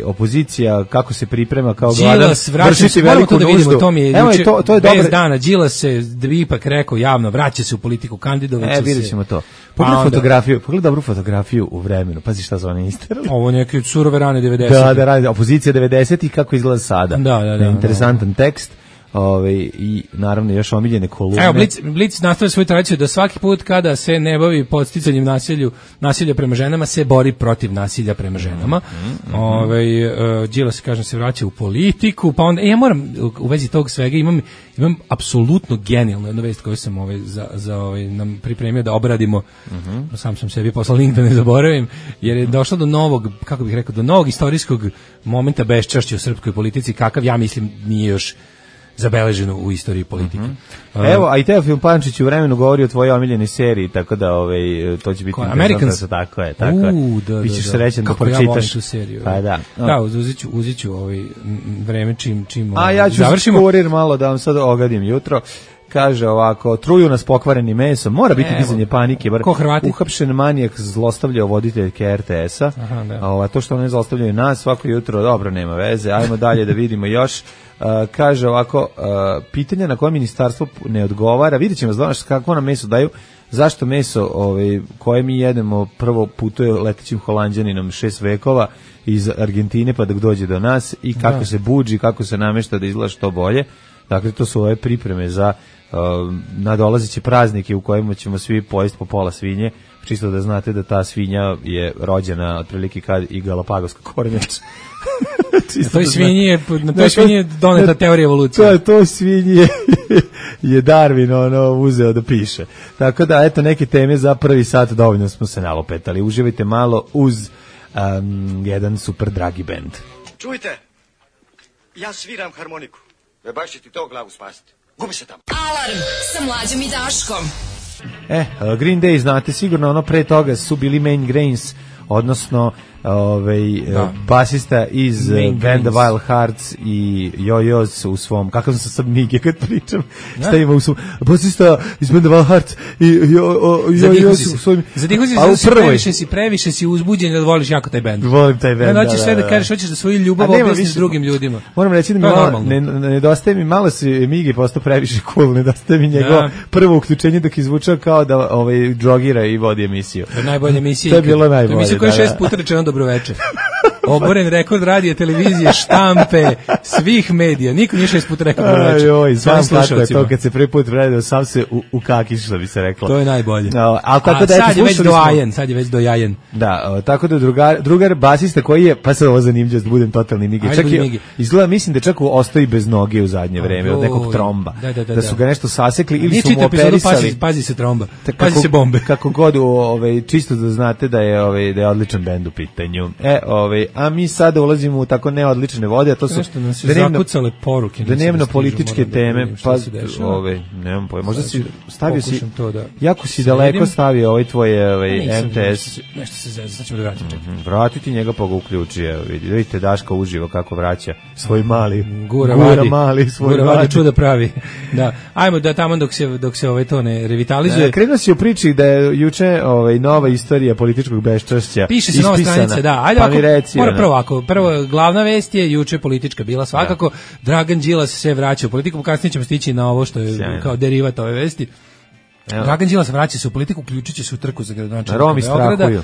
Speaker 6: opozicija, kako se priprema kao gladan vršiti veliku nuždu.
Speaker 5: Evo, to je dobro. Bez dana, Đilas se ipak rekao javno, vraća se u politiku, kandidovaće se.
Speaker 6: Vidjet ćemo to. Pogledaj dobru fotografiju u vremenu, pazi šta su one isterali.
Speaker 5: Ovo neke surove rane 90.
Speaker 6: Da, radi opozicija 90 i kako izgleda sada.
Speaker 5: Da.
Speaker 6: Interesantan tekst. I naravno još omiljene kolumne.
Speaker 5: Evo, Blic nastavlja svoju tradiciju da svaki put kada se ne bavi podsticanjem nasilja prema ženama, se bori protiv nasilja prema ženama. Đilas se, kažem, se vraća u politiku, pa onda, ja moram u vezi tog svega, imam apsolutno genijalnu jednu vest koju sam nam pripremio da obradimo, sam sebi poslao link da ne zaboravim, jer je došlo do novog, kako bih rekao, do novog istorijskog momenta beščašća u srpskoj politici, kakav ja mislim nije još zabeleženo u istoriji politike.
Speaker 6: Evo, a i Teofil Pančić u vremenu govori o tvojoj omiljenoj seriji, tako da to će biti
Speaker 5: Americans.
Speaker 6: Tako je.
Speaker 5: Bićeš
Speaker 6: srećan da pročitaš.
Speaker 5: Kako ja volim tu seriju.
Speaker 6: Pa da.
Speaker 5: Da, uzet ću vreme čim
Speaker 6: ja ću
Speaker 5: završimo.
Speaker 6: Kurir malo da vam sad ogadim jutro. Kaže ovako, truju nas pokvarenim mesom, mora biti dizanje panike.
Speaker 5: Ko Hrvati?
Speaker 6: Uhapšen manijak zlostavljao voditeljke RTS-a. To što one zlostavljaju nas svako jutro, dobro, nema veze. Ajmo dalje da vidimo još. Kaže ovako, pitanja na koje ministarstvo ne odgovara, vidjet ćemo, znaš kako nam meso daju, zašto meso koje mi jedemo prvo putuje letećim Holanđaninom 6 vekova iz Argentine pa dok dođe do nas i kako se budži, kako se namešta da izgleda što bolje. Dakle, to su ove pripreme za nadolazeće praznike u kojima ćemo svi pojesti po pola svinje, čisto da znate da ta svinja je rođena otprilike kad i Galapagos kornjač.
Speaker 5: Na toj svinji je doneta teorija evolucije.
Speaker 6: To svinji je Darwin uzeo da piše. Tako da, eto, neke teme za prvi sat, dovoljno smo se nalopetali. Uživajte malo uz jedan super dragi bend.
Speaker 11: Čujte, ja sviram harmoniku. Baš će ti to glavu spasiti. Gubi se tamo.
Speaker 2: Alarm sa Mlađom i Daškom.
Speaker 6: Green Day, znate sigurno, pre toga su bili Main Grains, odnosno basista iz banda Wild Hearts i Yo-Yos u svom, kakav sam sad mige kad pričam, šta ima u svom, basista iz banda Wild Hearts i Yo-Yos u svojim,
Speaker 5: previše si uzbuđen da voliš jako taj band.
Speaker 6: Volim taj band,
Speaker 5: da. Hoćeš sve da kažeš, hoćeš da svoju ljubav objasniš drugim ljudima.
Speaker 6: Moram reći da nedostaje mi, malo se Migi postao previše cool, nedostaje mi njegovo prvo uključenje dok izvučao kao da drogira i vodi emisiju.
Speaker 5: To je najbolja emisija.
Speaker 6: To je bilo najbolje.
Speaker 5: Emisija koja je 6 puta rečeno dobroveče. Oboren rekord radija, televizije, štampe, svih medija. Niko nije 6 puta rekao dobroveče.
Speaker 6: Znam kako je to kad se prvi put radio, sam se ukakiš, što bi se reklo.
Speaker 5: To je najbolje. Sad je već dojajen.
Speaker 6: Da, tako da drugar basista koji je, pa sad ovo zanimljivo da budem totalni Migi. Izgleda, mislim da čak ostoji bez noge u zadnje vreme, od nekog tromba. Da su ga nešto sasekli ili su mu operisali.
Speaker 5: Pazi se tromba, pazi se bombe.
Speaker 6: Kako god, čisto da znate da je odličan bend u pitanju. A mi sada ulazimo u tako neodlične vode, a to su
Speaker 5: nešto nas je zakucale poruke,
Speaker 6: dnevno političke teme, pa nemam pojma, možda si stavio si, jako si daleko stavio tvoj MTS.
Speaker 5: Nešto se zezao, sad ćemo da vratim.
Speaker 6: Vratiti njega pa ga uključi, vidite Daška uživa kako vraća svoj mali,
Speaker 5: gura vadi čuda pravi. Da, ajmo da tamo dok se to ne revitalizuje.
Speaker 6: Krenuo si u priči da je juče nova istorija političkog beščašća.
Speaker 5: Piše se nova stranica, da, ajde prvo glavna vest je juče politička bila svakako, Dragan Đilas se vraća u politiku, kasnije ćemo stići na ovo što je kao derivat ove vesti. Dragan Đilas vraća se u politiku, uključit će se u trku za gradonačelnika Beograda.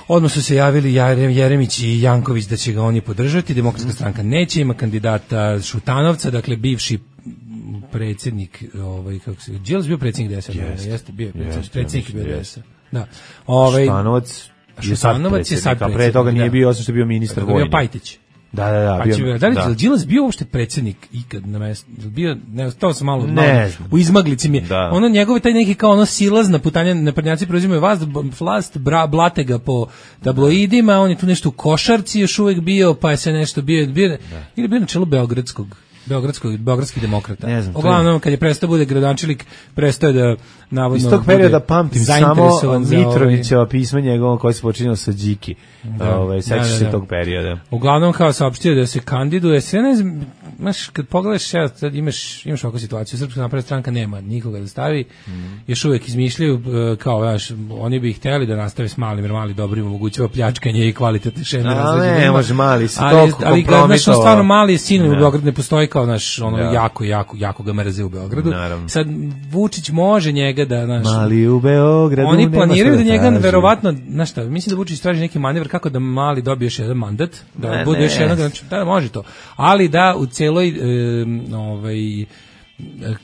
Speaker 5: Odmah su se javili Jeremić i Janković da će ga oni podržati, Demokratska stranka neće, ima kandidata Šutanovca, dakle bivši predsjednik, kako se, Đilas bio predsjednik DS-a, jeste bio predsjednik DS-a. Da.
Speaker 6: Šutanovac je sad predsjednik, a pre toga nije bio, osim što je bio ministar vojni.
Speaker 5: Bio Pajtić.
Speaker 6: Da,
Speaker 5: da li Đilas bio uopšte predsjednik ikad na mestu? Bio, ne, to sam malo u izmaglici mi je.
Speaker 6: Da.
Speaker 5: Ono njegove taj neki kao ono silazna putanja, naprednjaci preuzimaju vlast, blate ga po tabloidima, on je tu nešto u košarci još uvijek bio, pa je se nešto bio na čelu beogradskih demokrata.
Speaker 6: Ne znam.
Speaker 5: Uglavnom, kad je prestao bude gradonačelnik, prestao je da navodno...
Speaker 6: Iz tog perioda pamtim samo Mitrovićeva pisma njegovom koje se počinjao sa Điki. Sećaš se tog perioda.
Speaker 5: Uglavnom, kao saopštio da se kandiduje, sve ne znam, kad pogledaš, sad imaš ovakvu situaciju, Srpska napredna stranka nema nikoga da stavi, još uvijek izmišljaju, kao, oni bi htjeli da nastave s malim, jer mali dobro im omogućava pljačkanje i kvalitetne šeme.
Speaker 6: Ne, može mali, si toliko kompromitovao.
Speaker 5: Stvarno mali je sin u Beogradu, ne postoji kao jako ga mrze u Beogradu.
Speaker 6: Naravno.
Speaker 5: Sad Vučić može njega da
Speaker 6: mali u Beogradu.
Speaker 5: Oni planiraju da njega verovatno, znaš šta, mislim da Vučić traži neki manevar kako da mali dobije još jedan mandat, da bude još jedan, da može to. Ali da u celoj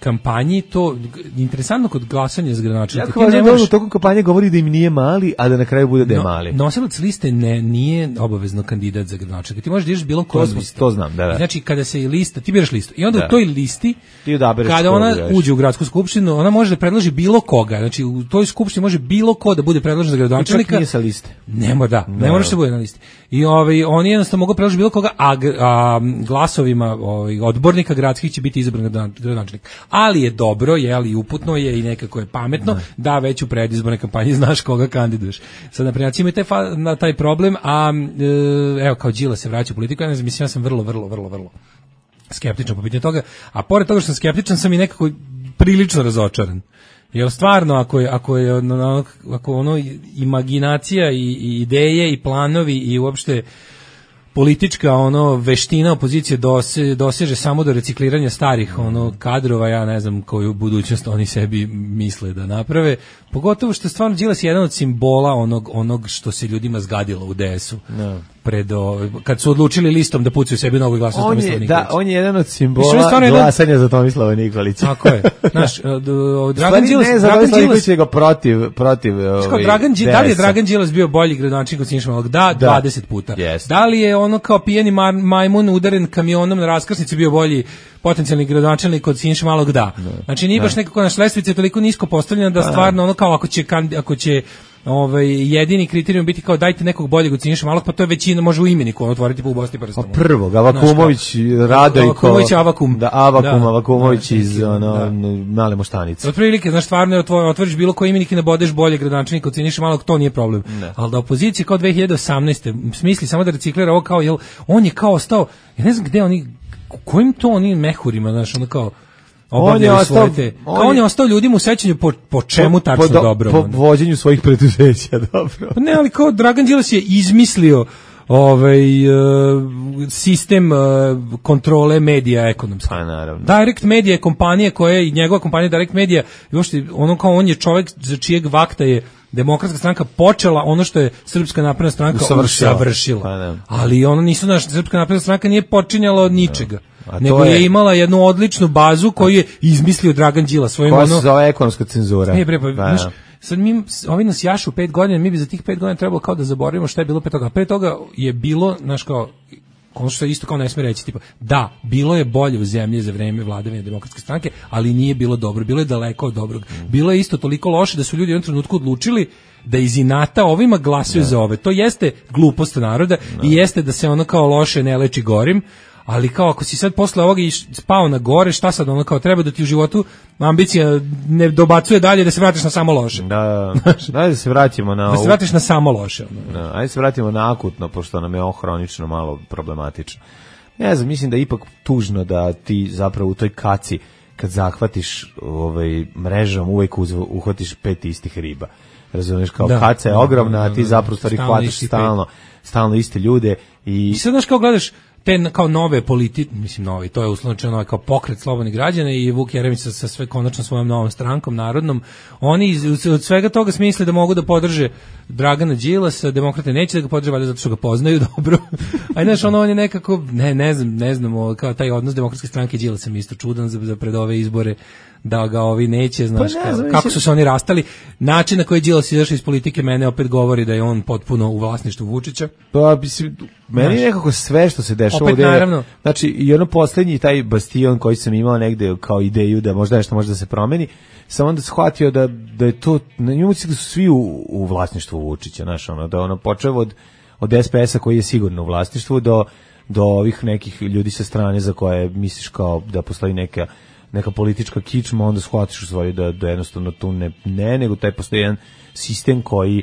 Speaker 5: kampanji to interesantno kod glasanja za gradonačelnika.
Speaker 6: U tokom kampanje govori da im nije mali, a da na kraju bude da je mali.
Speaker 5: Nosilac liste nije obavezno kandidat za gradonačelnika. Ti možeš da ideš bilo koju listu.
Speaker 6: To znam, da.
Speaker 5: Znači kada se lista, ti biraš listu i onda u toj listi kada ona uđe u gradsku skupštinu, ona može da predloži bilo koga. Znači u toj skupštini može bilo ko da bude predložen za gradonačelnika.
Speaker 6: Čak nije sa liste.
Speaker 5: Ne moraš da bude na listi. I oni jednostavno mogu predložiti bilo koga, a glasovima odbornika gradskih će biti izabran gradonačelnik. Ali je dobro, i uputno je i nekako je pametno da već u predizbornoj kampanji znaš koga kandiduješ. Sad naprijed imaju taj problem, a evo kao Đilas se vraća u politiku, ja sam vrlo skeptičan po pitanju toga, a pored toga što sam skeptičan sam i nekako prilično razočaran. Jer stvarno ako ono imaginacija i ideje i planovi i uopšte politička veština opozicije doseže samo do recikliranja starih kadrova, ja ne znam koju budućnost oni sebi misle da naprave, pogotovo što stvarno Đilas je jedan od simbola onog što se ljudima zgadilo u DS-u. Kad su odlučili listom da pucaju sebi nogu i glasaju Tomislava Nikolića.
Speaker 6: On je jedan od simbola glasanja za Tomislava Nikolića.
Speaker 5: Tako je. Znaš, Dragan Đilas
Speaker 6: je protiv
Speaker 5: da li je Dragan Đilas bio bolji gradonačelnik od Siniše Malog? Da, 20 puta. Da li je kao pijeni majmun udaren kamionom na raskrsnici bio bolji potencijalni gradonačelnik od Siniše Malog? Da. Znači nije baš nekako naš lestvica je toliko nisko postavljena da stvarno kao ako će jedini kriterijum biti kao dajte nekog boljeg od Siniše Malog, pa to je većina, može u imeniku otvoriti po u Bosni prstom.
Speaker 6: Prvog, Avakumović, Radojko, Avakumović iz Male Moštanice.
Speaker 5: Otprilike, znaš, stvarno otvoriš bilo koji imenik i nabodeš boljeg gradonačelnika od Siniše Malog, to nije problem. Ali da opozicija kao 2018. smisli samo da reciklira ovo kao, jel, on je kao ostao, ja ne znam gde oni, kojim to oni mehurima, znaš, ono kao, on je ostao ljudima u sećanju po čemu tačno dobro.
Speaker 6: Po vođenju svojih preduzeća, dobro.
Speaker 5: Ne, ali kao Dragan Đilas je izmislio sistem kontrole medija ekonomski. Direct Media je kompanija koja je, njegova kompanija Direct Media, on je čovjek za čijeg vakta je Demokratska stranka počela ono što je Srpska napredna stranka usavršila. Ali Srpska napredna stranka nije počinjala od ničega. Nego je imala jednu odličnu bazu koju je izmislio Dragan Đilas.
Speaker 6: Koja se zove ekonomska cenzura.
Speaker 5: Sad ovi nas jašu 5 godina, mi bi za tih 5 godina trebalo kao da zaboravimo šta je bilo pre toga je bilo, znaš kao, ono što je isto kao ne smije reći, tipa, da, bilo je bolje u zemlji za vreme vladavine Demokratske stranke, ali nije bilo dobro, bilo je daleko od dobrog. Bilo je isto toliko loše da su ljudi u jednom trenutku odlučili da iz inata ovima glasuju za ove. To jeste glupost naroda i jeste da se ono kao loše ne leči gorim, ali kao ako si sad posle ovoga spao na gore, šta sad ono kao treba da ti u životu ambicija ne dobacuje dalje da se vratiš na samo loše.
Speaker 6: Da se vratimo na
Speaker 5: da se vratiš na samo loše.
Speaker 6: Ajde se vratimo na akutno, pošto nam je hronično malo problematično. Ne znam, mislim da je ipak tužno da ti zapravo u toj kaci kad zahvatiš mrežom uvek uhvatiš 5 istih riba. Razumiješ, kao kaca je ogromna, a ti zapravo stvari hvataš stalno iste ljude i
Speaker 5: sad znaš kao gledaš te kao nove mislim novi, to je uslovno kao pokret slobodnih građana i Vuk Jeremić sa sve konačno svojom novom strankom narodnom, oni od svega toga smisle da mogu da podrže Dragana Đilasa, demokrate neće da ga podrže valjda zato što ga poznaju dobro. A znaš, on je nekako ne znam, kao taj odnos Demokratske stranke i Đilasa mi isto čudan za pred ove izbore da ga ovi neće, znaš, kako su se oni rastali. Način na koji je Đilas izašao iz politike mene opet govori da je on potpuno u vlasništvu Vučića.
Speaker 6: Pa, meni nekako sve što se dešava dešava
Speaker 5: opet, naravno.
Speaker 6: Znači, i ono poslednji taj bastion koji sam imao negde kao ideju da možda nešto može da se promeni, sam onda shvatio da je to, na njemu da su svi u vlasništvu Vučića, znaš, ono, da ono počeo od SPS-a koji je sigurno u vlasništvu do ovih nekih ljudi sa strane za koje misliš kao da postoji neka politička kičma, onda shvatiš u stvari da jednostavno tu ne, nego taj postoji jedan sistem koji,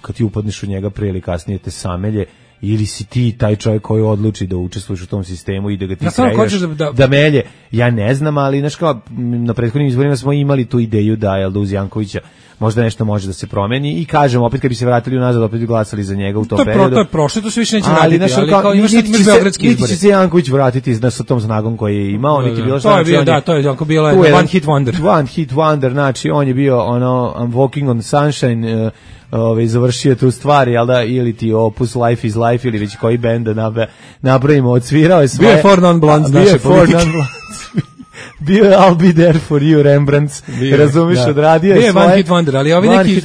Speaker 6: kad ti upadneš u njega prije ili kasnije te samelje, ili si ti taj čovjek koji odluči da učestvuješ u tom sistemu i da ga ti kreiraš, da melje, ja ne znam, ali znaš kao, na prethodnim izborima smo imali tu ideju da uz Jankovića možda nešto može da se promeni i kažem, opet kad bi se vratili unazad, opet bi glasali za njega u tom periodu.
Speaker 5: To je prošlo, to se više neće vratiti, ali kao imaš beogradski izbori.
Speaker 6: Niti će se Janković vratiti sa tom snagom koji je imao, niti bilo šta.
Speaker 5: To je bio, to je onako bilo one hit wonder.
Speaker 6: One hit wonder, znači on je bio I'm walking on sunshine, završio tu stvari, jel da, ili ti Opus Life is Life, ili već koji bend da napravimo, odsvirao je svoje.
Speaker 5: Bio je Four Non-Blondes naše politike.
Speaker 6: Bio je I'll be there for you, Rembrandts, razumiješ, odradio je svoje.
Speaker 5: Bio je One Hit Wonder, ali ovi neki,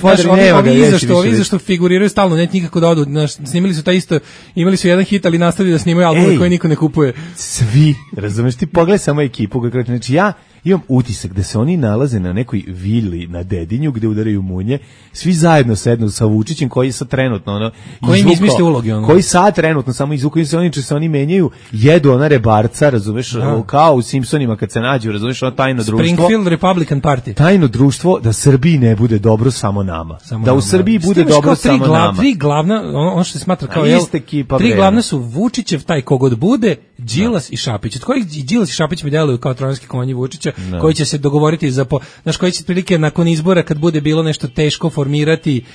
Speaker 5: ovi zašto figuriraju stalno, neće nikako da odu, snimili su taj isto, imali su jedan hit, ali nastavili da snimaju albume koje niko ne kupuje.
Speaker 6: Svi, razumiješ, ti pogledaj samo ekipu, znači ja imam utisak da se oni nalaze na nekoj vili na Dedinju gde udaraju munje, svi zajedno sednu sa Vučićem koji sad trenutno
Speaker 5: koji im izmišlja uloge
Speaker 6: koji sad trenutno samo izvukaju se oni menjaju, jedu ona rebarca, razumeš, kao u Simpsonima kad se nađu, razumeš, ono tajno društvo,
Speaker 5: Springfield Republican Party,
Speaker 6: tajno društvo da Srbiji ne bude dobro samo nama, da u Srbiji bude dobro samo nama.
Speaker 5: Tri glavna, ono što se smatra kao tri glavna su Vučićev taj kogod bude, Đilas i Šapić. Od kojih Đilas i Šapić mi deluju kao trojanski konji Vučića, koji će se dogovoriti znaš, koji će prilike nakon izbora kad bude bilo nešto teško formirati,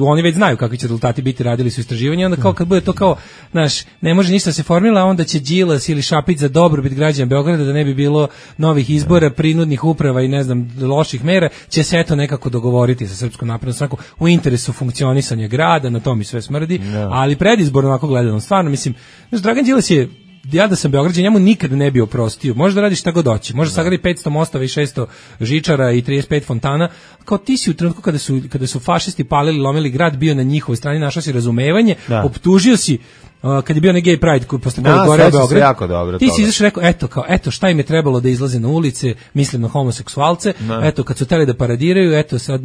Speaker 5: oni već znaju kakvi će rezultati biti, radili su istraživanja, onda kao kad bude to kao, znaš, ne može ništa se formila, onda će Đilas ili Šapić za dobrobit građana Beograda, da ne bi bilo novih izbora, prinudnih uprava i ne znam, loših mera, će se eto nekako dogovoriti sa Srpskom naprednom strankom u interesu funkcionisanja grada, na to mi sve smrdi, ali predizborno ovako gledano, stvarno, mislim, znaš, Dragan Đilas je, ja da sam Beograđan, njemu nikad ne bi oprostio. Može da radi šta god hoće. Može sagradi 500 mostova i 600 žičara i 35 fontana. Kao ti si u trenutku kada su fašisti palili, lomili grad, bio na njihovoj strani, našao si razumevanje, optužio si kad je bio na gay pride posle kojeg gore Beograd, ti si izašao rekao, eto šta im je trebalo da izlaze na ulice, mislim na homoseksualce, eto kad su teli da paradiraju, eto sad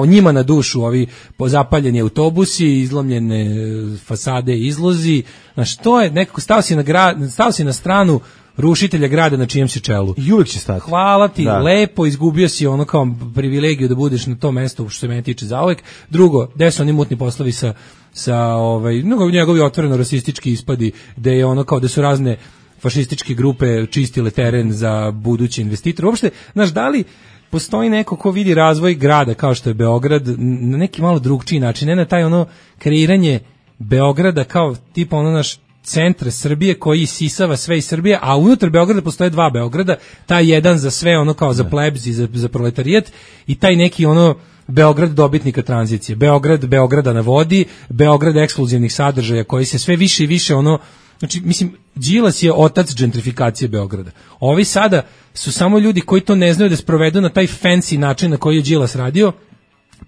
Speaker 5: njima na dušu ovi zapaljeni autobusi, izlomljene fasade i izlozi, znaš, to je nekako stao si na stranu rušitelja grada na čijem si čelu.
Speaker 6: I uvek će stati.
Speaker 5: Hvala ti, lepo, izgubio si ono kao privilegiju da budeš na tom mestu što se mene tiče zauvek. Drugo, gde su oni mutni poslovi sa njegovi otvoreno rasistički ispadi, gde je ono kao da su razne fašističke grupe čistile teren za budući investitor. Uopšte, znaš, da li postoji neko ko vidi razvoj grada kao što je Beograd na neki malo drugčiji način, ne na taj ono kreiranje Beograda kao tipa ono naš centar Srbije koji isisava sve iz Srbije, a unutar Beograda postoje dva Beograda, taj jedan za sve ono kao za plebs i za proletarijat i taj neki ono Beograd dobitnika tranzicije, Beograda na vodi, Beograd ekskluzivnih sadržaja koji se sve više i više ono, znači mislim Đilas je otac gentrifikacije Beograda. Ovi sada su samo ljudi koji to ne znaju da sprovedu na taj fancy način na koji je Đilas radio,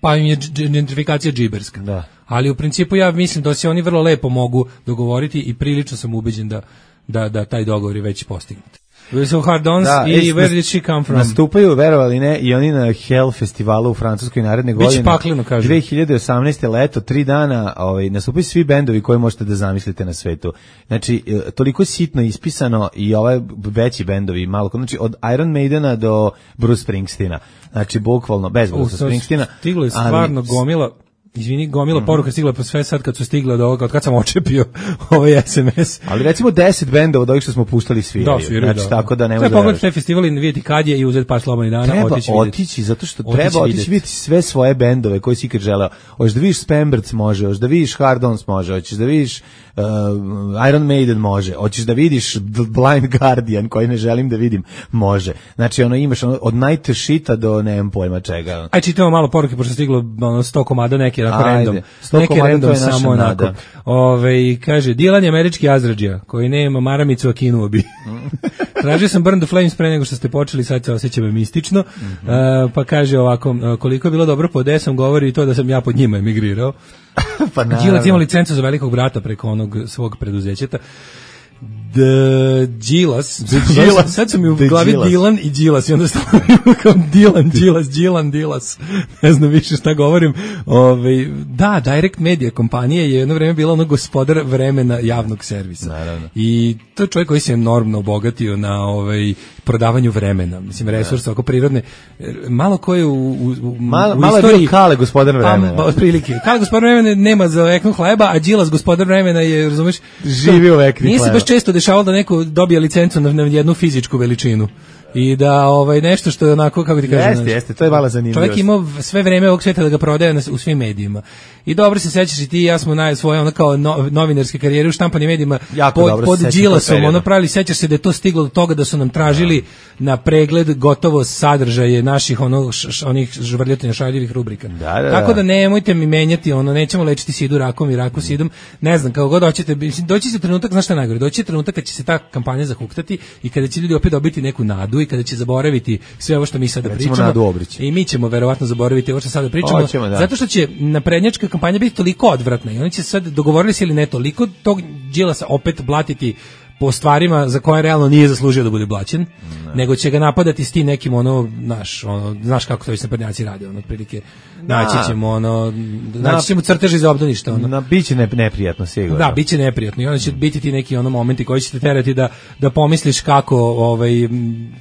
Speaker 5: pa im je gentrifikacija džiberska. Ali u principu ja mislim da se oni vrlo lepo mogu dogovoriti i prilično sam ubeđen da taj dogovor je već postignut. So Hard Ons i Where Did She Come From?
Speaker 6: Nastupaju, verovali ne, i oni na Hell festivalu u Francuskoj naredne godine.
Speaker 5: Biće pakleno, kažu.
Speaker 6: 2018. leto, 3 dana, nastupaju svi bendovi koje možete da zamislite na svetu. Znači, toliko sitno ispisano i ovaj veći bendovi, malo, znači od Iron Maidena do Bruce Springsteena. Znači, bukvalno, bez Bruce Springsteena.
Speaker 5: Stiglo je stvarno gomila poruka stigla pa sve sad kad su stigle od ovoga, od kad sam očepio ovaj SMS.
Speaker 6: Ali recimo 10 bendova od ovih što smo puštali sviraju. Znači, tako da ne može.
Speaker 5: Treba pogledati te festivali, vidjeti kad je i uzeti par slobodnih dana,
Speaker 6: treba otići, zato što treba otići vidjeti sve svoje bendove koje si ikad želeo. Hoćeš da vidiš Spamberts može, hoćeš da vidiš Hard Ons može, hoćeš da vidiš Iron Maiden može, hoćeš da vidiš Blind Guardian koji ne želim da vidim, može. Znači imaš od Night Shita do nemam pojma čega.
Speaker 5: Aj čitamo malo poruke pošto stiglo 100 komada neki random. Neki random samo onako. Kaže Dilan je američki Azradžija koji nema maramicu a kinuo bi. Tražio sam Burn the Flames pre nego što ste počeli, sad se osjećam mistično. Pa kaže ovako, koliko je bilo dobro pod desom, govori i to da sam ja pod njima emigrirao.
Speaker 6: Pa naravno.
Speaker 5: Đilac ima licencu za velikog brata preko onog svog preduzećeta. Đilas, sad su mi u glavi Dilan i Đilas i onda stavim kao Dilan, Đilas, ne znam više šta govorim. Da, Direct Media kompanija je jedno vreme bila ono gospodar vremena javnog servisa.
Speaker 6: Naravno.
Speaker 5: I to je čovjek koji se enormno obogatio na prodavanju vremena, mislim resursa oko prirodne. Malo ko je u
Speaker 6: malo
Speaker 5: istoriji,
Speaker 6: je bio Kale gospodar vremena.
Speaker 5: Pa otprilike. Kale gospodar vremena nema za veknu hleba, a Đilas gospodar vremena je, razumeš,
Speaker 6: živi u vekni
Speaker 5: nije
Speaker 6: hleba.
Speaker 5: Se baš često dešavalo da neko dobije licencu na jednu fizičku veličinu. I da nešto što je onako, kako ti kažem,
Speaker 6: jeste, to je malo zanimljivo.
Speaker 5: Čovjek imao sve vreme ovog sveta da ga prodaje u svim medijima. I dobro se sećaš i ti i ja smo svoje ono kao novinarske karijere u štampanim medijima pod Đilasom, ono pravili, sećaš se da je to stiglo do toga da su nam tražili na pregled gotovo sadržaje naših onih žvrljotina šaljivih rubrika. Tako da nemojte mi menjati, nećemo lečiti sidu rakom i raku sidom, ne znam, kako god hoćete, doći će trenutak, znaš šta je najgore, doći će trenutak kad će se ta kampanja zahuktati i kada će ljudi opet dobiti neku nadu i kada će zaboraviti sve ovo što mi sada pričamo. I mi ćemo verovatno zaboraviti ovo što sada pričamo, zato što će naprednjačka kampanja biti toliko odvratna i oni će sad, dogovorili se ili ne, toliko tog Đilasa opet blatiti po stvarima za koje realno nije zaslužio da bude blaćen, nego će ga napadati s tim nekim znaš kako to već naprednjaci rade, otprilike naći ćemo crteži za obdaništa.
Speaker 6: Biće neprijatno, sigurno.
Speaker 5: Da, biće neprijatno i onda će biti ti neki momenti koji će te terati da pomisliš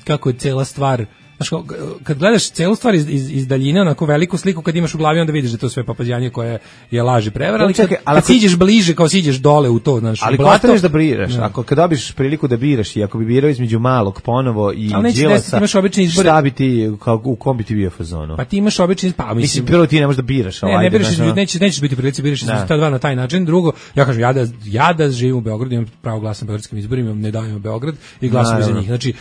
Speaker 5: kako je cela stvar. Znaš, kad gledaš celu stvar iz daljine, onako veliku sliku, kad imaš u glavi, onda vidiš da to sve papazjanje koje je laž i prevara, ali kad siđeš bliže, kao siđeš dole u to, znaš,
Speaker 6: ali
Speaker 5: blato,
Speaker 6: ko da biraš, kad dobiš priliku da biraš i ako bi birao između Malog ponovo i Đilasa,
Speaker 5: imaš obični izbor,
Speaker 6: šta bi ti, u kom bi ti bio fazonu?
Speaker 5: Pa ti imaš obični, mislim,
Speaker 6: prvo ti ne možeš da biraš.
Speaker 5: Ne biraš, nećeš biti prilici, biraš između ta dva na taj način. Drugo, ja kažem, ja da živim u Beogradu, imam pravo glasa na beogradskim izborima, ne davimo Beograd i glasam za njih. Znači,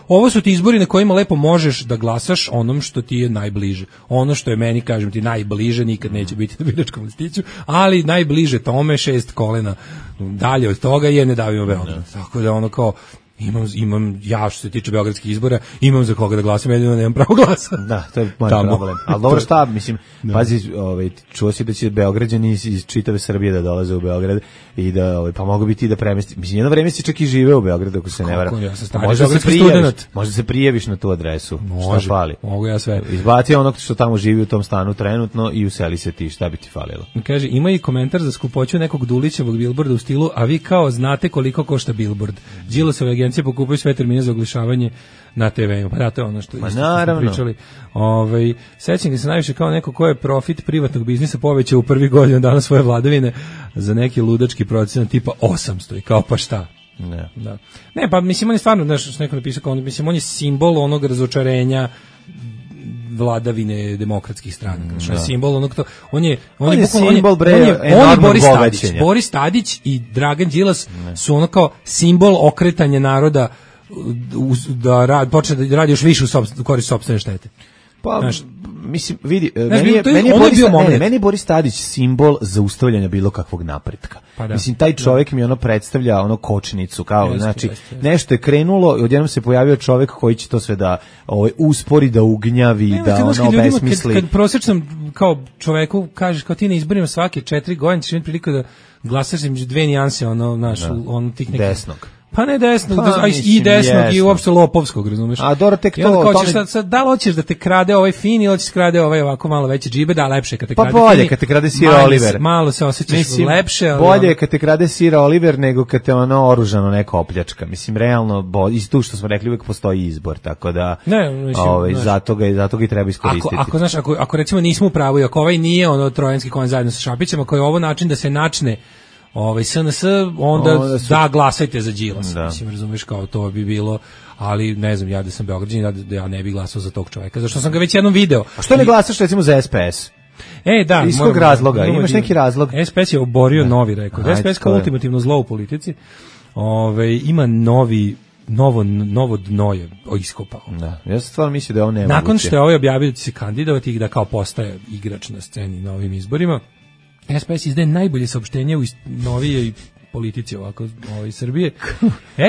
Speaker 5: ovo su ti izbori na kojima lepo možeš da glasaš onom što ti je najbliže. Ono što je meni, kažem ti, najbliže nikad neće biti na biračkom listiću, ali najbliže tome 6 kolena dalje od toga je ne davimo Beograd. Tako da imam ja što se tiče beogradskih izbora, imam za koga da glasam, jedino nemam pravo glasa.
Speaker 6: Da, to je moj problem. Ali dobro, šta, mislim, pazi, čuo si da će Beograđani iz čitave Srbije da dolaze u Beograd i da, pa mogu biti i da premesti. Mislim, jedno vreme si čak i živeo u Beogradu, ako se ne varam. Možda se prijaviš na tu adresu. Šta fali?
Speaker 5: Mogu ja sve.
Speaker 6: Izbaci onog što tamo živi u tom stanu trenutno i useli se ti, šta bi ti falilo?
Speaker 5: Kaže, ima i komentar za skupoću nekog Dulićevog bilborda u stilu, a vi kao znate koliko košta bilbord. Đilasove agencije pokupuju sve termine za oglašavanje na TV-u. Pa da, to je ono što smo pričali. Sećam ga se najviše kao neko ko je profit privatnog biznisa povećao u prvih godina dana svoje vladavine za neki ludački procenat tipa 800 i kao pa šta? Ne, pa mislim on je stvarno, znaš, što neko napisao, mislim on je simbol onog razočarenja vladavine demokratskih stranaka. Znači, simbol onog to, on je simbol Boris Tadić i Dragan Đilas su ono kao simbol okretanja naroda da počne da radi još više u korist sopstvene štete.
Speaker 6: Pa, mislim, vidi, meni je Boris Tadić simbol zaustavljanja bilo kakvog napretka. Mislim, taj čovjek mi predstavlja kočnicu, kao, znači, nešto je krenulo i odjednom se pojavio čovjek koji će to sve da uspori, da ugnjavi, da obesmisli.
Speaker 5: Kad prosječnom kao čoveku kažeš kao ti na izborima svake 4 godine ćeš imati priliku da glasaš između dve nijanse, tih nekih...
Speaker 6: Desnog.
Speaker 5: Pa ne desnog, i desnog i uopšte lopovskog, razumeš?
Speaker 6: A dobro, tek to...
Speaker 5: Da li hoćeš da te krade ovaj fin ili hoćeš da krade ovaj ovako malo veće džibe, da lepše kad te krade
Speaker 6: fin. Pa bolje kad te krade Sir Oliver.
Speaker 5: Malo se osjećaš lepše. Ali
Speaker 6: bolje kad te krade Sir Oliver nego kad te oružano neka opljačka. Mislim, realno, iz tu što smo rekli, uvijek postoji izbor, tako da zato ga i treba iskoristiti.
Speaker 5: Ako recimo nismo u pravu i ako ovaj nije trojanski konj zajedno sa Šapićem, ako je ovo način da se načne SNS, onda da glasajte za Đilas. Mislim, razumiješ, kao to bi bilo, ali ne znam, ja da sam Beograđanin, da ja ne bih glasao za tog čovjeka, zašto sam ga već jednom video.
Speaker 6: A što ne glasaš recimo za SPS?
Speaker 5: Da.
Speaker 6: Iz kog razloga? Imaš neki razlog?
Speaker 5: SPS je oborio novi rekord. SPS kao ultimativno zlo u politici. Ima novo dno je iskopao.
Speaker 6: Da, ja sam stvarno mislio da je ovo nemoguće.
Speaker 5: Nakon što je ovaj objavio da će se kandidovati i da kao postaje igrač na sceni na ovim izborima, SPS izdaje najbolje saopštenje u novijoj politici ovako Srbije.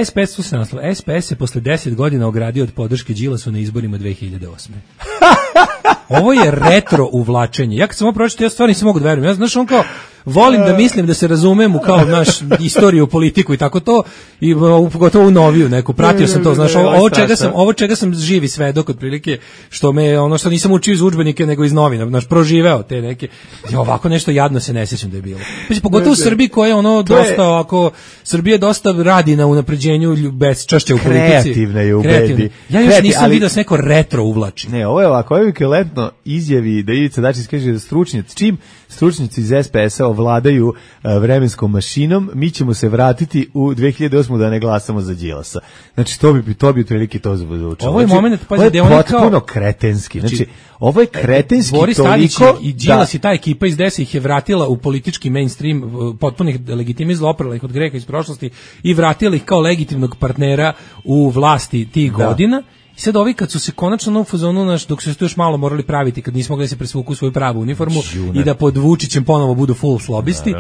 Speaker 5: SPS su se naslov. SPS se posle 10 godina ogradio od podrške Đilasu na izborima 2008. Ovo je retro uvlačenje. Ja kad sam ovo pročitao, ja stvarno nisam mogu da verujem. Ja znaš, on kao, volim da mislim da se razumem u kao naš istoriju, politiku i tako to, i pogotovo u noviju neku, pratio sam to, znaš, ovo čega sam živi svedok otprilike, što me, ono što nisam učio iz udžbenike nego iz novina, znaš, proživeo te neke, ovako nešto jadno se ne sjećam da je bilo. Pogotovo u Srbiji koja je ono dosta, ako Srbija dosta radi na unapređenju bezčašća u politici.
Speaker 6: Kreativna je u bedi.
Speaker 5: Ja još nisam vidio da se neko retro uvlači.
Speaker 6: Ne, ovo je ovako, ovo je kelentno izjavi da Ivica Dačić kaže da stručnjaci iz SPS-a ovladaju vremenskom mašinom, mi ćemo se vratiti u 2008. da ne glasamo za Đilasa. Znači, to bi otprilike to zvučalo.
Speaker 5: Ovo je moment,
Speaker 6: ovo je potpuno kretenski. Znači, ovo je kretenski
Speaker 5: Boris
Speaker 6: toliko...
Speaker 5: Tadić i Đilas i ta ekipa iz DS ih je vratila u politički mainstream, potpunih legitimizla, oprala ih od greha iz prošlosti i vratila ih kao legitimnog partnera u vlasti tih godina. I sad ovi kad su se konačno u fazonu dok su se tu još malo morali praviti, kad nismo mogli da se presvuku u svoju pravu uniformu i da pod Vučićem ponovo budu full slobisti,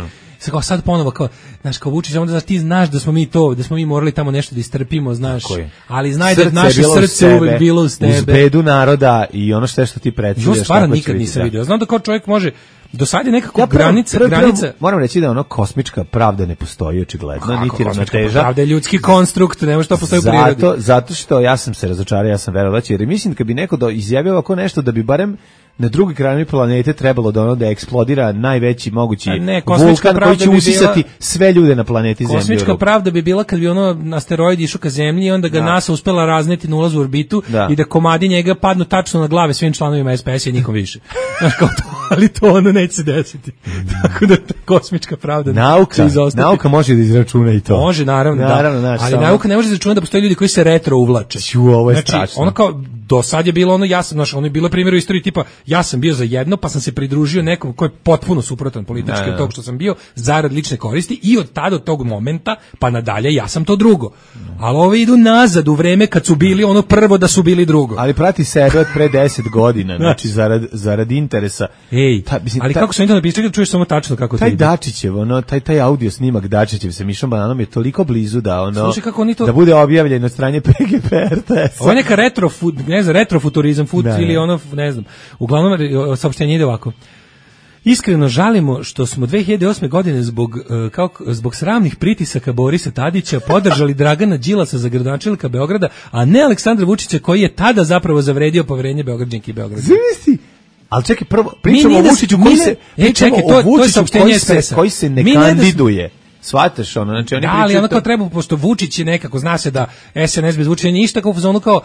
Speaker 5: sad ponovo kao, znaš, kao Vučić, onda ti znaš da smo mi morali tamo nešto da istrpimo, znaš, ali znaj da naše srce uvek bilo uz tebe.
Speaker 6: Uz bedu naroda i ono što ti predstavljaš.
Speaker 5: Jo, stvarno nikad nisam vidio. Znam da kao čovjek može, do sad je nekako granica.
Speaker 6: Moram reći da ono kosmička pravda ne postoji očigledno, niti ravnoteža.
Speaker 5: Pravda je ljudski konstrukt, ne može to postoji u prirodi.
Speaker 6: Zato što ja sam se razočarao, ja sam verovao, jer mislim kad bi neko izjavio ovako nešto da bi barem na drugoj kraju planete trebalo da eksplodira najveći mogući vulkan koji će usisati sve ljude na planeti Zemlji.
Speaker 5: Kosmička pravda bi bila kad bi ono asteroid išao ka Zemlji i onda ga NASA uspela razneti na ulazu u orbitu i da komadi njega padnu tačno na glave svim članovima SPS-a i nikom više. Ali to ono neće se desiti. Tako da kosmička pravda će izostati.
Speaker 6: Nauka može da izračuna i to.
Speaker 5: Može, naravno, ali nauka ne može da izračuna da postoje ljudi koji se retro uvlače.
Speaker 6: Ovo je strašno.
Speaker 5: Ono kao, do sad je bilo ono, ja sam, ono je bilo primjer u istoriji tipa, ja sam bio za jedno, pa sam se pridružio nekom ko je potpuno suprotan politički od tog što sam bio, zarad lične koristi, i od tada, od tog momenta, pa nadalje, ja sam to drugo. Ali ovi idu nazad u vreme kad su bili ono prvo da su bili drugo.
Speaker 6: Ali prati sebe od pre 10 godina, znači zarad interesa.
Speaker 5: Ali kako sam internet pisao, čuješ samo tačno kako to ide.
Speaker 6: Taj Dačićev, taj audio snimak Dačićev sa Mišom Bananom je toliko blizu da
Speaker 5: to...
Speaker 6: da bude objavljen na strani PGP RTS.
Speaker 5: Ovo je neka retrofuturizam, ili ono, ne znam. Uglavnom, saopštenje ide ovako. Iskreno žalimo što smo 2008. godine zbog sramnih pritisaka Borisa Tadića podržali Dragana Đilasa za gradonačelnika Beograda, a ne Aleksandra Vučića koji je tada zapravo zavredio poverenje Beograđanki i Beograda.
Speaker 6: Ali čekaj, prvo pričamo o Vučiću koji se ne kandiduje. Shvataš ono, znači oni
Speaker 5: ali ono kao treba, pošto Vučić je nekako, zna se da SNS bez Vučića ništa, kao u zonu kao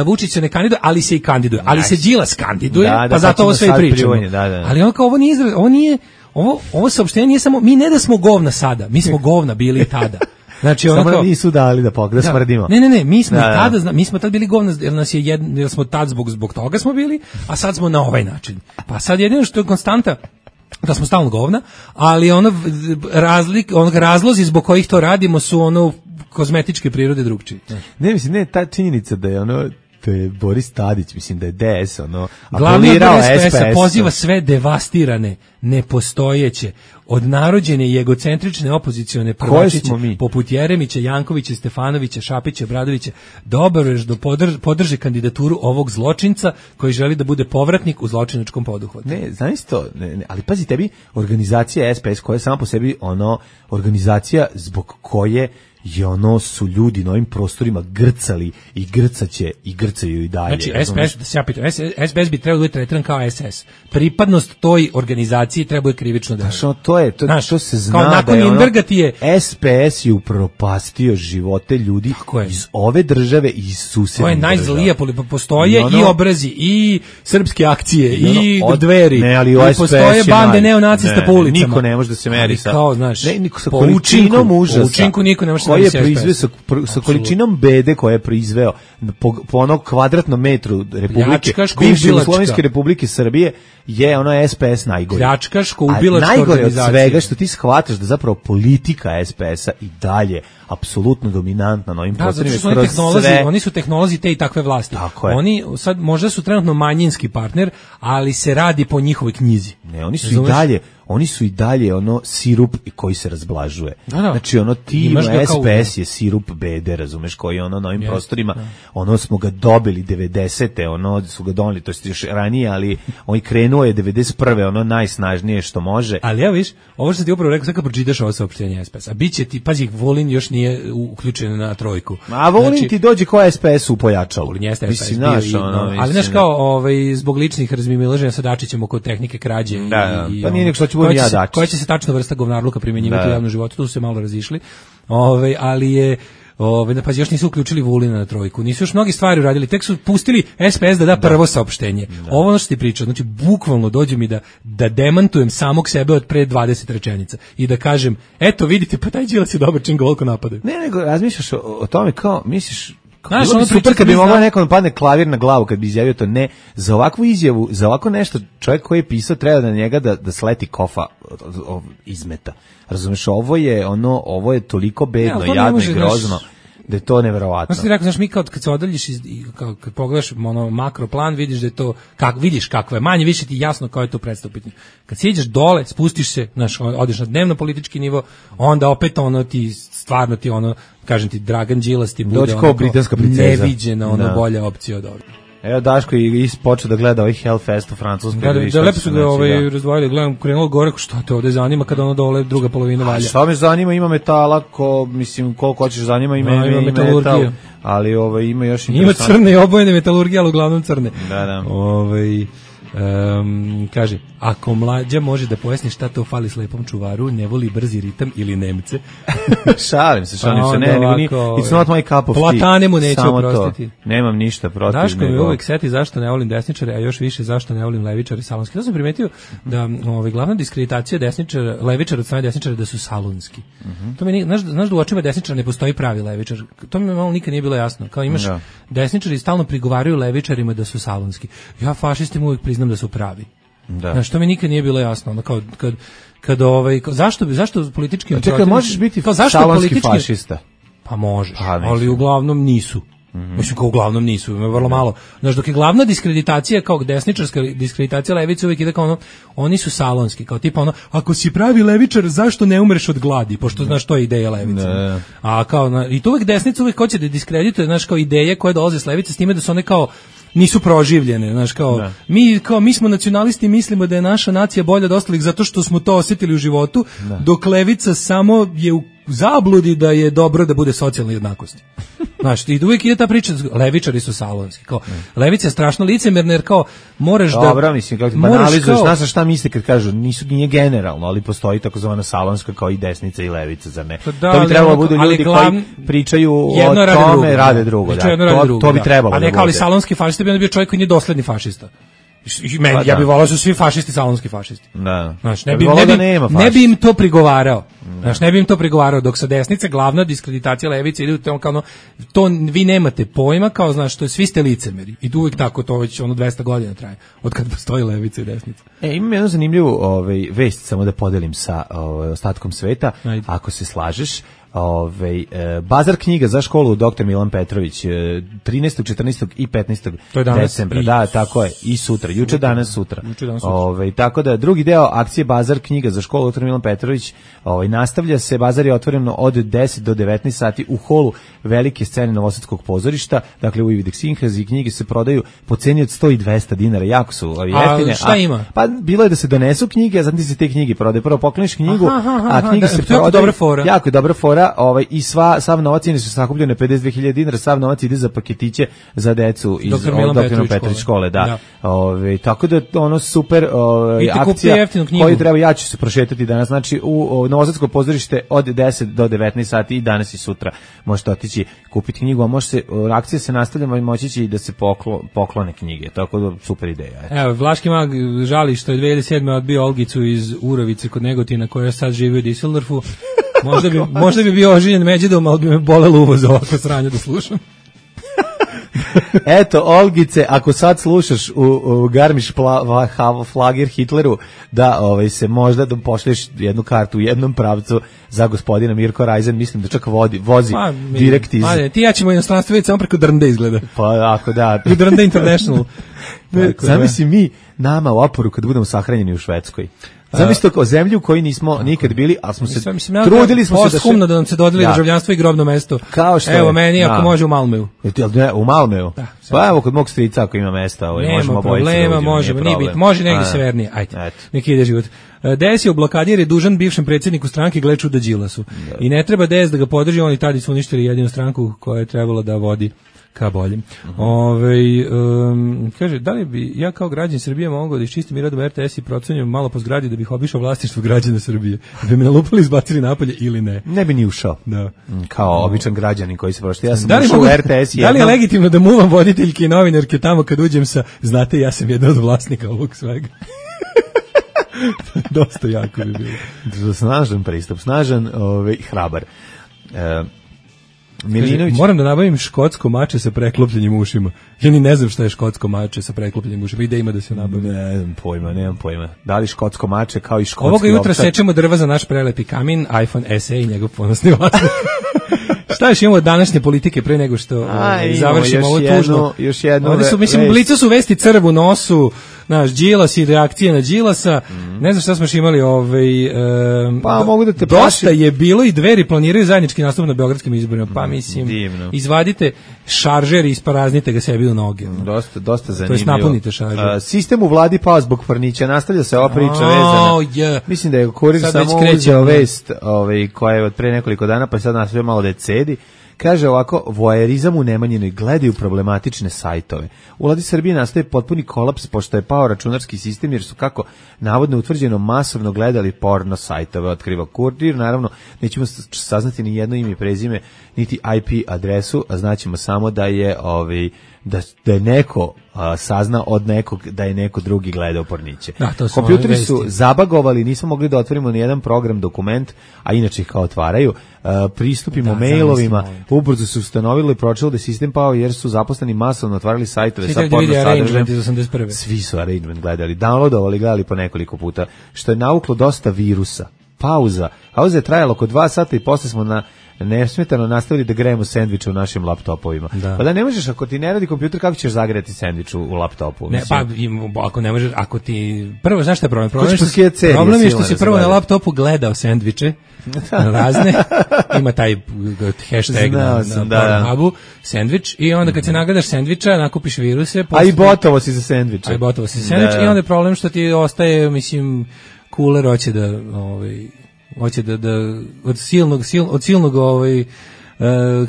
Speaker 5: Vučić se ne kandiduje, ali se i kandiduje, ali se Đilas kandiduje, pa zato ovo sve i pričamo. Ali ono kao ovo saopštenje nije samo, mi ne da smo govna sada, mi smo govna bili tada. Znači ono
Speaker 6: samo nisu dali da smrdimo.
Speaker 5: Ne, mi smo tada, mi smo tad bili govna, jer smo tad zbog toga smo bili, a sad smo na ovaj način. Pa sad jedino što je konstanta da smo stalno govna, ali razlozi zbog kojih to radimo su kozmetičke prirode drugčije.
Speaker 6: Ne, ta činjenica da je to je Boris Tadić, mislim da je DS
Speaker 5: glavni odbor SPS-a poziva sve devastirane, nepostojeće, odnarođene i egocentrične opozicione prvačiće poput Jeremića, Jankovića, Stefanovića, Šapića, Bradovića da obavežno podrže kandidaturu ovog zločinca koji želi da bude povratnik u zločinačkom poduhvatu.
Speaker 6: Ne, znaš to, ali pazi, tebi organizacija SPS koja je sama po sebi organizacija zbog koje su ljudi na ovim prostorima grcali i grcaće i grcaju i dalje.
Speaker 5: Znači, SPS bi trebalo biti tretiran kao SS. Pripadnost toj organizaciji treba krivično da.
Speaker 6: To se zna da je SPS je upropastio živote ljudi iz ove države i iz susednih država.
Speaker 5: To je najzlija, postoje i obrazi, i srpske akcije, i Dveri, i postoje bande neonacista po ulicama.
Speaker 6: Niko ne može da se meri sa
Speaker 5: količinom užasa. Učinku niko ne može
Speaker 6: koji je proizveo sa količinom bede koje je proizveo po onom kvadratnom metru Republike, bivše Jugoslovenske Republike Srbije, je SPS najgore.
Speaker 5: Pljačkaško ubilačka
Speaker 6: organizacija. Najgore od svega što ti shvataš da zapravo politika SPS-a i dalje apsolutno dominantna na ovim prostorima.
Speaker 5: Oni su tehnolozi te i takve vlasti. Oni sad možda su trenutno manjinski partner, ali se radi po njihovoj knjizi.
Speaker 6: Ne, oni su i dalje ono sirup koji se razblažuje. Znači ono tim SPS je sirup bede, razumeš, koji ono na ovim prostorima, ono smo ga dobili 90. ono su ga doneli, to je još ranije, ali on i krenuo je 91. ono najsnažnije što može.
Speaker 5: Ali ja viš, ovo što ti upravo rekao, sad kad pročitaš ovo saopštenje SPS, a bit će ti, pazi, Vulin još nije uključen na trojku.
Speaker 6: A Vulin ti dođe ko SPS u pojačalu.
Speaker 5: Vulin jeste SPS bio, ali znaš kao, zbog ličnih razmimoilaženja sa Dačićem oko tehnike krađe
Speaker 6: pa nije nek što će budem ja Dačić.
Speaker 5: Koja će se tačno vrsta govnarluka primjenjivati u javnom životu, tu su se malo razišli, ali je pa još nisu uključili Vulina na trojku, nisu još mnogi stvari uradili, tek su pustili SPS da prvo saopštenje. Ovo ono što ti pričao, znači bukvalno dođe mi da demantujem samog sebe od pre 20 rečenica i da kažem, eto vidite, pa taj Đilas je dobar čim ga ovoliko napadaju.
Speaker 6: Ne, nego razmišljaš o tome kao, misliš, bilo bi super kad bi mogla nekom padne klavir na glavu kad bi izjavio to. Ne, za ovakvu izjavu, za ovako nešto, čovjek koji je pisao treba da njega da sleti kofa izmeta. Razumeš, ovo je toliko bedno, jadno i grozno da je to neverovatno.
Speaker 5: Znači ti rekao, znaš, mi kad se odaljiš kad pogledaš makro plan, vidiš da je to, vidiš kakvo je, manje više ti jasno kao je to predstav pitanje. Kad siđeš dole, spustiš se, znaš, odeš na dnevno politički nivo, onda opet ti stvarno ti kažem ti, Dragan Đilas ti bude neviđena bolja opcija od ovdje.
Speaker 6: Evo Daško i počeo da gleda ovaj Hellfest u Francuskoj.
Speaker 5: Da lepo su ga razdvojili, gledam, krenulo gore, šta te ovde zanima kada dole druga polovina valja.
Speaker 6: Šta me zanima, ima metala, koliko hoćeš zanima, ima metal, ali ima još
Speaker 5: interesantno. Ima crne i obojene metalurgije, ali uglavnom crne.
Speaker 6: Da.
Speaker 5: Kaže, ako mlađa može da pojasni šta to fali slepom čuvaru, ne voli brzi ritam ili Nemce.
Speaker 6: šalim se, ne, it's not my cup of tea.
Speaker 5: Platane mu neće oprostiti.
Speaker 6: Nemam ništa protiv.
Speaker 5: Daško mi uvijek seti zašto ne volim desničare, a još više zašto ne volim levičare salonski. To sam primetio da glavna diskreditacija levičara od strane desničara da su salonski. To mi znaš da u očima desničara ne postoji pravi levičar. To mi malo nikad nije bilo jasno. Kao imaš desničari stalno prigovaraju levičarima da su salonski. Ja fašistima uvijek priznam da su pravi. Znaš, to mi nikad nije bilo jasno. Zašto političkim...
Speaker 6: Čekaj, možeš biti salonski fašista?
Speaker 5: Pa možeš, ali uglavnom nisu. Mislim, kao uglavnom nisu, ima vrlo malo. Znaš, dok je glavna diskreditacija, kao desničarska diskreditacija levice, uvijek ide kao oni su salonski, kao tipa ako si pravi levičar, zašto ne umreš od gladi, pošto znaš, to je ideja levice. A kao, i to uvijek desnica uvijek hoće da diskredituje, znaš, kao ideje koje dolaze s levice, s time da su one kao nisu proživljene, znaš, mi smo nacionalisti, mislimo da je naša nacija bolja od ostalih zato što smo to osjetili u životu, dok levica samo je u zabludi da je dobro da bude socijalna jednakost. Znaš, i uvijek ide ta priča, levičari su salonski, kao, levica je strašno licemerna, jer kao, moraš da...
Speaker 6: Dobro, mislim, kako ti banalizuješ, znaš šta misle kad kažu, nije generalno, ali postoji takozvana salonska kao i desnica i levica, zar ne? To bi trebalo budu ljudi koji pričaju o tome, rade drugo. To bi trebalo da bude.
Speaker 5: A ne kao li salonski fašista bi onda bio čovjek koji nije dosledni fašista. Ja bih volao da su svi fašisti salonski fašisti. Znaš, ne bi im to prigovarao. Znaš, ne bi im to prigovarao, dok sa desnice glavna diskreditacija levice ide kao to vi nemate pojma, kao znaš, to je svi ste licemeri. I uvijek tako to već 200 godina traje, od kad postoji levica i desnica.
Speaker 6: Imam jednu zanimljivu vest, samo da podelim sa ostatkom sveta, ako se slažeš. Bazar knjiga za školu Dr. Milan Petrović 13., 14. i 15. decembra. Da, tako je, i sutra, juče, danas, sutra. Tako da drugi deo akcije Bazar knjiga za školu Dr. Milan Petrović nastavlja se. Bazar je otvoreno od 10 do 19 sati u holu velike scene Novosadskog pozorišta, dakle u Ividek Sinhaz, i knjige se prodaju po ceni od 100 i 200 dinara, jako su jeftine.
Speaker 5: A šta ima?
Speaker 6: Pa bilo je da se donesu knjige, a zatim se te knjige prodaju. Prvo pokloniš knjigu, a knjige se prodaju. Jako je dobra fora. I sav novac su sakupljene 52.000 dinara, sav novac ide za paketiće za decu iz Dr. Milan Petrović škole, da. Tako da ono super akcija koju treba, ja ću se prošetati danas, znači u Novosadsko pozorište od 10 do 19 sati i danas i sutra možete otići kupiti knjigu, a akcija se nastavlja, moći će i da se poklone knjige, tako da super ideja.
Speaker 5: Evo, Vlaški mag žali što je 2007. odbio Olgicu iz Urovice kod Negotina, koja sad živi u Düsseldorfu. Možda bi bio oženjen Međidom, ali bi me bolelo uvo za ovako sranje da slušam.
Speaker 6: Eto, Olgice, ako sad slušaš u Garmisch Flagir Hitleru, da se možda da pošlješ jednu kartu u jednom pravcu za gospodina Mirko Rajzen, mislim da čak vozi direkt iz...
Speaker 5: Ti ja ćemo inostranstvo vidjeti samo preko Drnde izgleda.
Speaker 6: Pa ako da.
Speaker 5: I Drnde International.
Speaker 6: Zamisli mi nama u oporu kad budemo sahranjeni u Švedskoj. Zamislite kao zemlju u kojoj nismo nikad bili, ali smo se trudili smo se
Speaker 5: da nam se dodeli državljanstvo i grobno mesto.
Speaker 6: Kao što
Speaker 5: evo meni ako može u Malmeu.
Speaker 6: U Malmeu? Pa evo kod mog strica ako ima mesta, možemo obojice da uđemo.
Speaker 5: Može negdje severnije. Ajde, neki ide život. DS je u blokadi jer je dužan bivšem predsjedniku stranke, gle čuda, Đilasu. I ne treba DS da ga podrži, oni tada su uništili jedinu stranku koja je trebala da vodi ka boljem. Kaže, da li bi ja kao građan Srbije mogao da iščistim i radom RTS i procenjujem malo po zgradi da bih obišao vlasništvo građana Srbije? Da me nalupali i izbacili napolje ili ne?
Speaker 6: Ne bi ni ušao. Da. Kao običan građanin koji se prošli. Ja sam
Speaker 5: ušao u RTS jednom. Da li je legitimno da muvam voditeljke i novinarke tamo kad uđem sa, znate, ja sam jedan od vlasnika ovog svega? Dosta jako bi bilo.
Speaker 6: Snažan pristup, snažan hrabar.
Speaker 5: Milinović. Moram da nabavim škotsko mače sa preklopljenim ušima. Ja ni ne znam šta je škotsko mače sa preklopljenim ušima. Ide ima da se nabavi.
Speaker 6: Nemam pojma. Da li škotsko mače kao i škotski
Speaker 5: ovoga jutra sečemo drva za naš prelepi kamin, iPhone SE i njegov ponosni vlasnik. Šta još imamo od današnje politike pre nego što završimo ovo tužno?
Speaker 6: Još jedno.
Speaker 5: Ovdje su, mislim, blicu su vesti crv u nosu, naš Đilas i reakcije na Đilasa. Ne znam šta smo još imali.
Speaker 6: Pa mogu da te
Speaker 5: dosta je bilo i Dveri planiraju zajednički nastup na beogradskim izborima. Pa mislim, izvadite šaržer i isparaznite ga sebi u noge.
Speaker 6: Dosta zanimljivo.
Speaker 5: To jest napunite šaržer.
Speaker 6: Sistem u vladi pao zbog Frnića. Nastavlja se ova priča vezana. Mislim da je Kurir samo uzeo vest koja je od pre nekoliko dana, pa sad nastavlja malo da je cedi. Kaže ovako, voajerizam u Nemanjinoj, gledaju problematične sajtove. U vladi Srbije nastaje potpuni kolaps pošto je pao računarski sistem jer su, kako navodno utvrđeno, masovno gledali porno sajtove, otkriva Kurir. Naravno, nećemo saznati ni jedno ime i prezime, niti IP adresu, a znaćemo samo da je da je neko sazna od nekog da je neko drugi gledao porniće. Kompjuteri su zabagovali, nismo mogli da otvorimo ni jedan program, dokument, a inače ih kao otvaraju. Pristupimo mailovima, ubrzo su ustanovili i pročelo da je sistem pao jer su zaposleni masovno otvarali sajtove sa porno sadržajem. Svi su arrangement gledali, downloadovali, gledali po nekoliko puta, što je navuklo dosta virusa. Pauza je trajala oko 2 sata i posle smo nesmetano nastavili da grejemo sendviče u našim laptopovima. Pa da ne možeš, ako ti ne radi kompjuter, kako ćeš zagreti sendvič u laptopu?
Speaker 5: Ne, pa ako ne možeš, ako ti... Prvo, znaš šta je problem? Problem je što si prvo na laptopu gledao sendviče, razne, ima taj hashtag na Pornhubu, sendvič, i onda kad se nagledaš sendviča, nakupiš viruse...
Speaker 6: A i botovo si za sendviče.
Speaker 5: I onda je problem što ti ostaje, mislim, kuler hoće da od silnog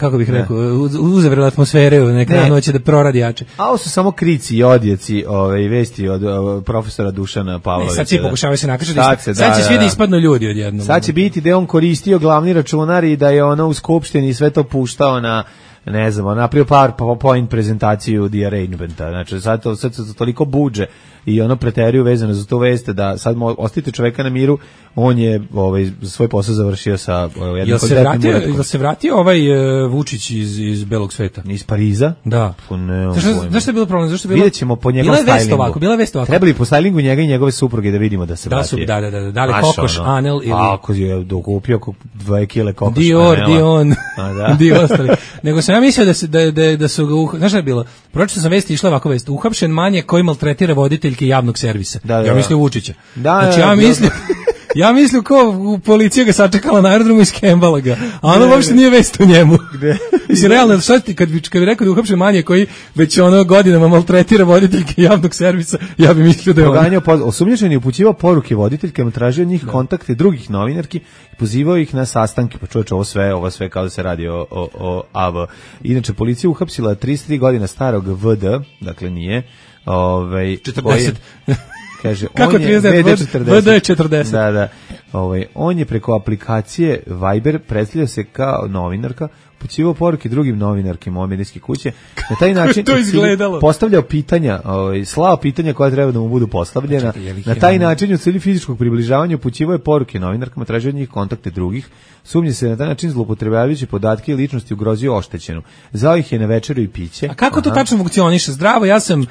Speaker 5: kako bih rekao, uzavrela atmosfere u nekranu, hoće da proradi jače.
Speaker 6: A ovo su samo krici i odjeci vesti od profesora Dušana Pavlovića.
Speaker 5: Sad svi pokušavaju se nakašati, sad će svi da ispadnu ljudi odjednom.
Speaker 6: Sad će biti da je on koristio glavni računar i da je ono u skupštini sve to puštao na, ne znam, napravio PowerPoint prezentaciju The Arrangementa. Znači, sad se toliko buđe i ono preteriju vezano za tu vest da sad ostavite čoveka na miru, on je svoj posao završio sa jednim kvalitetnim uratkom.
Speaker 5: Jel se vratio Vučić iz belog sveta?
Speaker 6: Iz Pariza?
Speaker 5: Da. Zašto je bilo problem?
Speaker 6: Vidjet ćemo po njegovom stylingu.
Speaker 5: Bila je vest ovako.
Speaker 6: Trebali po stylingu njega i njegove supruge da vidimo da se vratio.
Speaker 5: Da li kokoš, Anel ili...
Speaker 6: Ako je dokupio 2 kile kokoš
Speaker 5: Dior, Dion, Dio ostali. Nego sam ja mislio da su ga... Znaš šta je bilo? Pročito sam vesti, išla ovako vest. Uhapšen manjak koji maltretira voditeljke javnog servisa. Ja mislim Vučića. Znači ja mislim ko policija ga sačekala na aerodromu i skembala ga. A ono uopšte nije vest o njemu. Mislim, realno, kad bi rekao da je uhapšen manjak koji već godinama maltretira voditeljke javnog servisa, ja bi mislio da je on.
Speaker 6: Osumnjičen je upućivao poruke voditeljkama, tražio od njih kontakte drugih novinarki i pozivao ih na sastanke. Pa čovječe, ovo sve kao da se radi o AV. Inače, policija uhapsila 33 godina starog VD, dakle nije
Speaker 5: 40.
Speaker 6: Kaže,
Speaker 5: kako 39? VD je 40.
Speaker 6: Da. On je preko aplikacije Viber predstavljao se kao novinarka, upućivao poruke drugim novinarkama medijske kuće. Na taj način
Speaker 5: to izgledalo?
Speaker 6: Postavljao pitanja, slao pitanja koja treba da mu budu postavljena. Na taj način u cilju fizičkog približavanja upućivao je poruke novinarkama, tražio od njih kontakte drugih. Sumnje se na taj način zloupotrebljavajući podatke i ličnosti ugrozio oštećenu. Zvao ih je na večeru i piće.
Speaker 5: A kako to tačno funkcioniše? Zdravo, ja sam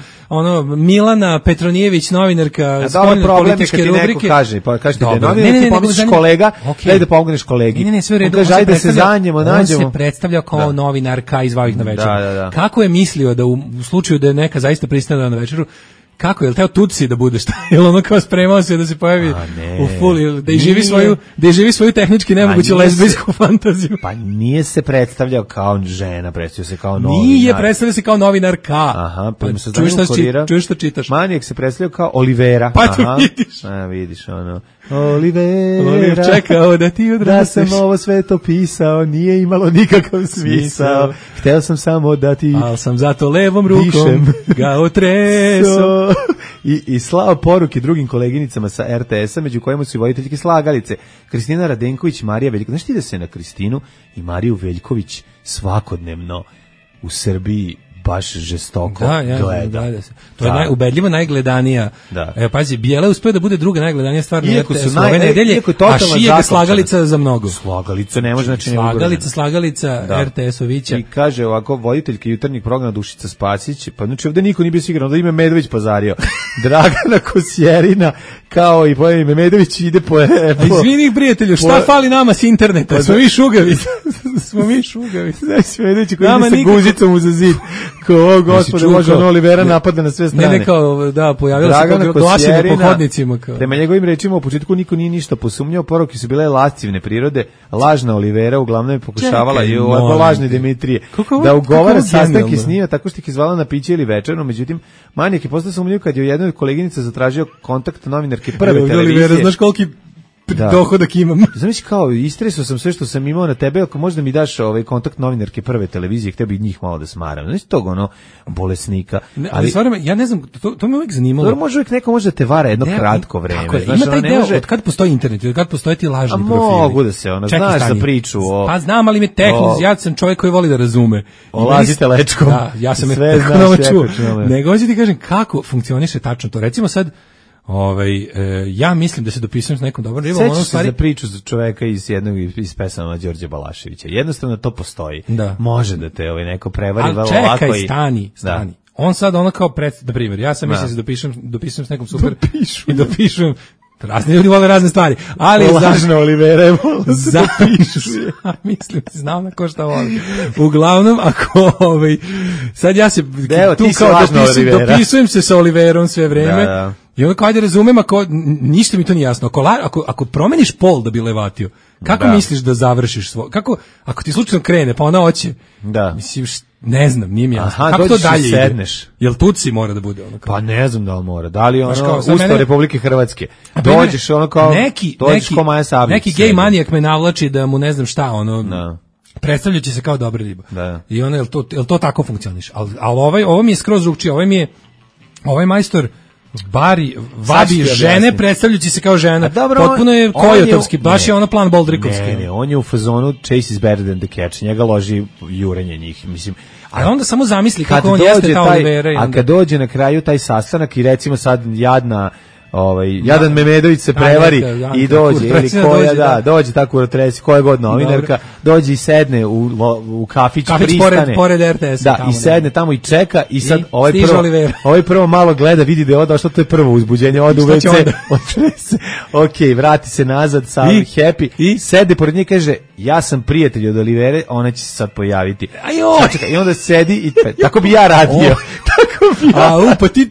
Speaker 5: Milana Petronijević, novinarka spoljne političke rubrike.
Speaker 6: Kaže, pa kažete da je novinar, ti pomisliš kolega, daj da pomogneš kolegi.
Speaker 5: Ne, sve u redu.
Speaker 6: Kaže, ajde se zanjemo, nađemo.
Speaker 5: On se predstavljao kao novinarka i zvao ih na večeru.
Speaker 6: Da.
Speaker 5: Kako je mislio da u slučaju da je neka zaista pristane na večeru, kako, je li teo Tutsi da bude šta? Je li ono kao spremao se da se pojavi u full, da živi svoju tehnički nemoguću lezbijsku fantaziju?
Speaker 6: Pa nije se predstavljao kao žena, predstavljao se kao novinar.
Speaker 5: Nije, predstavljao se kao novinarka.
Speaker 6: Aha, pa se
Speaker 5: čuješ što čitaš.
Speaker 6: Manijak se predstavljao kao Olivera.
Speaker 5: Pa to vidiš.
Speaker 6: Vidiš ono. Olivera,
Speaker 5: čekao da ti odrasteš.
Speaker 6: Da sam ovo sve to pisao, nije imalo nikakav smisao. Hteo sam samo da ti...
Speaker 5: Al sam zato levom rukom ga otreso.
Speaker 6: I slao poruke drugim koleginicama sa RTS-a, među kojima su i voditeljke slagalice. Kristina Radenković, Marija Veljković. Znaš ti da se na Kristinu i Mariju Veljković svakodnevno u Srbiji baš žestoko gleda.
Speaker 5: To je ubedljivo najgledanija. Evo, pazi, Bijela je uspeo da bude druga najgledanija stvar na RTS ove nedelje, a Šije ga slagalica za mnogo.
Speaker 6: Slagalica ne može, znači
Speaker 5: Slagalica RTS-ovića.
Speaker 6: I kaže ovako, voditeljka jutarnjeg programa Dušica Spasić, pa znači ovde niko nije bio siguran, da ime Medović pozario. Dragana Kosjerina, kao i pojem ime Medović ide po...
Speaker 5: Izvini, prijatelju, šta fali nama s interneta? Smo mi šugavi.
Speaker 6: Znači, Medović koji ide sa guzicom uza zid. Ko, gospode, može Olivera napada na sve strane.
Speaker 5: Ne, kao, pojavila se kao glasine po hodnicima.
Speaker 6: Prema njegovim rečima, u početku niko nije ništa posumnjao, poruke su bile lascivne prirode, lažna Olivera uglavnom je pokušavala i lažne Dimitrije da ugovara sastanke s njima tako što ih izvala na piće ili večerno, međutim, manijak je postao sumnjiv kad je u jednoj koleginice zatražio kontakt novinarke Prve televizije.
Speaker 5: Olivera, znaš koliki dohodak imam.
Speaker 6: Znači kao, istresao sam sve što sam imao na tebe, ako možda mi daš kontakt novinarke Prve televizije, htio bih njih malo da smaram. Znači tog bolesnika.
Speaker 5: Ali stvarno, ja ne znam, to me uvijek zanimalo.
Speaker 6: Dobro, neko može da te vara jedno kratko vreme.
Speaker 5: Tako je, ima taj deo, od kad postoji internet, od kad postoje ti lažni profili.
Speaker 6: Mogu da se, znaš za priču o...
Speaker 5: Pa znam, ali mi ja sam čovjek koji voli da razume.
Speaker 6: Olazite lečkom.
Speaker 5: Da, ja sam je čuo. Nego hoću ti kažem kako funkcioniše tačno to. Recimo sad, ja mislim da se dopisujem s nekom dobrom ribom.
Speaker 6: Sećaš se za priču za čoveka iz pesama Đorđe Balaševića. Jednostavno to postoji.
Speaker 5: Da.
Speaker 6: Može da te neko prevari
Speaker 5: vrlo lako. Ali čekaj, stani. On sad kao na primjer, ja sam mislim da se dopisujem s nekom super i dopišem. Razni ljudi vole razne stvari, ali
Speaker 6: lažna Olivera je
Speaker 5: zapišu. Mislim, znam na ko šta voli. Uglavnom, ako sad ja se tu kao dopisujem se sa Oliverom sve vreme. Da. I onda kao ajde razumem, ništa mi to nije jasno. Ako promeniš pol da bi levatio, kako misliš da završiš ako ti slučajno krene, pa ona hoće.
Speaker 6: Da.
Speaker 5: Mislim, ne znam, nije mi jasno. Kako to dalje ide? Jel Tutsi mora da bude ono kao?
Speaker 6: Pa ne znam da li mora. Da li Ustav Republike Hrvatske? Dođeš kao Maja Sablić.
Speaker 5: Neki gej manijak me navlači da mu ne znam šta, predstavljajući se kao dobra riba.
Speaker 6: Da.
Speaker 5: I jel to tako funkcioniše? Ali ovo mi je skroz drugčije. Ovaj majstor vabi žene predstavljajući se kao žena. Potpuno je kojotovski, baš je ono plan Boldrikovski.
Speaker 6: Ne, on je u fazonu chase is better than the catch, njega loži jurenje njih, mislim.
Speaker 5: A onda samo zamisli kako on jeste ta Olivera.
Speaker 6: A kad dođe na kraju taj sastanak i recimo sad jadan Memedović se prevari i dođe, ili koja dođe tako koja god novinarka, dođe i sedne u kafić pristane.
Speaker 5: Pored RTS.
Speaker 6: Da, i sedne tamo i čeka i sad ovaj prvo malo gleda, vidi da je došlo, to je prvo uzbuđenje, ode u WC, otrese, vrati se nazad, sam happy, i sede pored nje, kaže, ja sam prijatelj od Olivere, ona će se sad pojaviti. I onda sedi i tako bi ja radio.
Speaker 5: Pa ti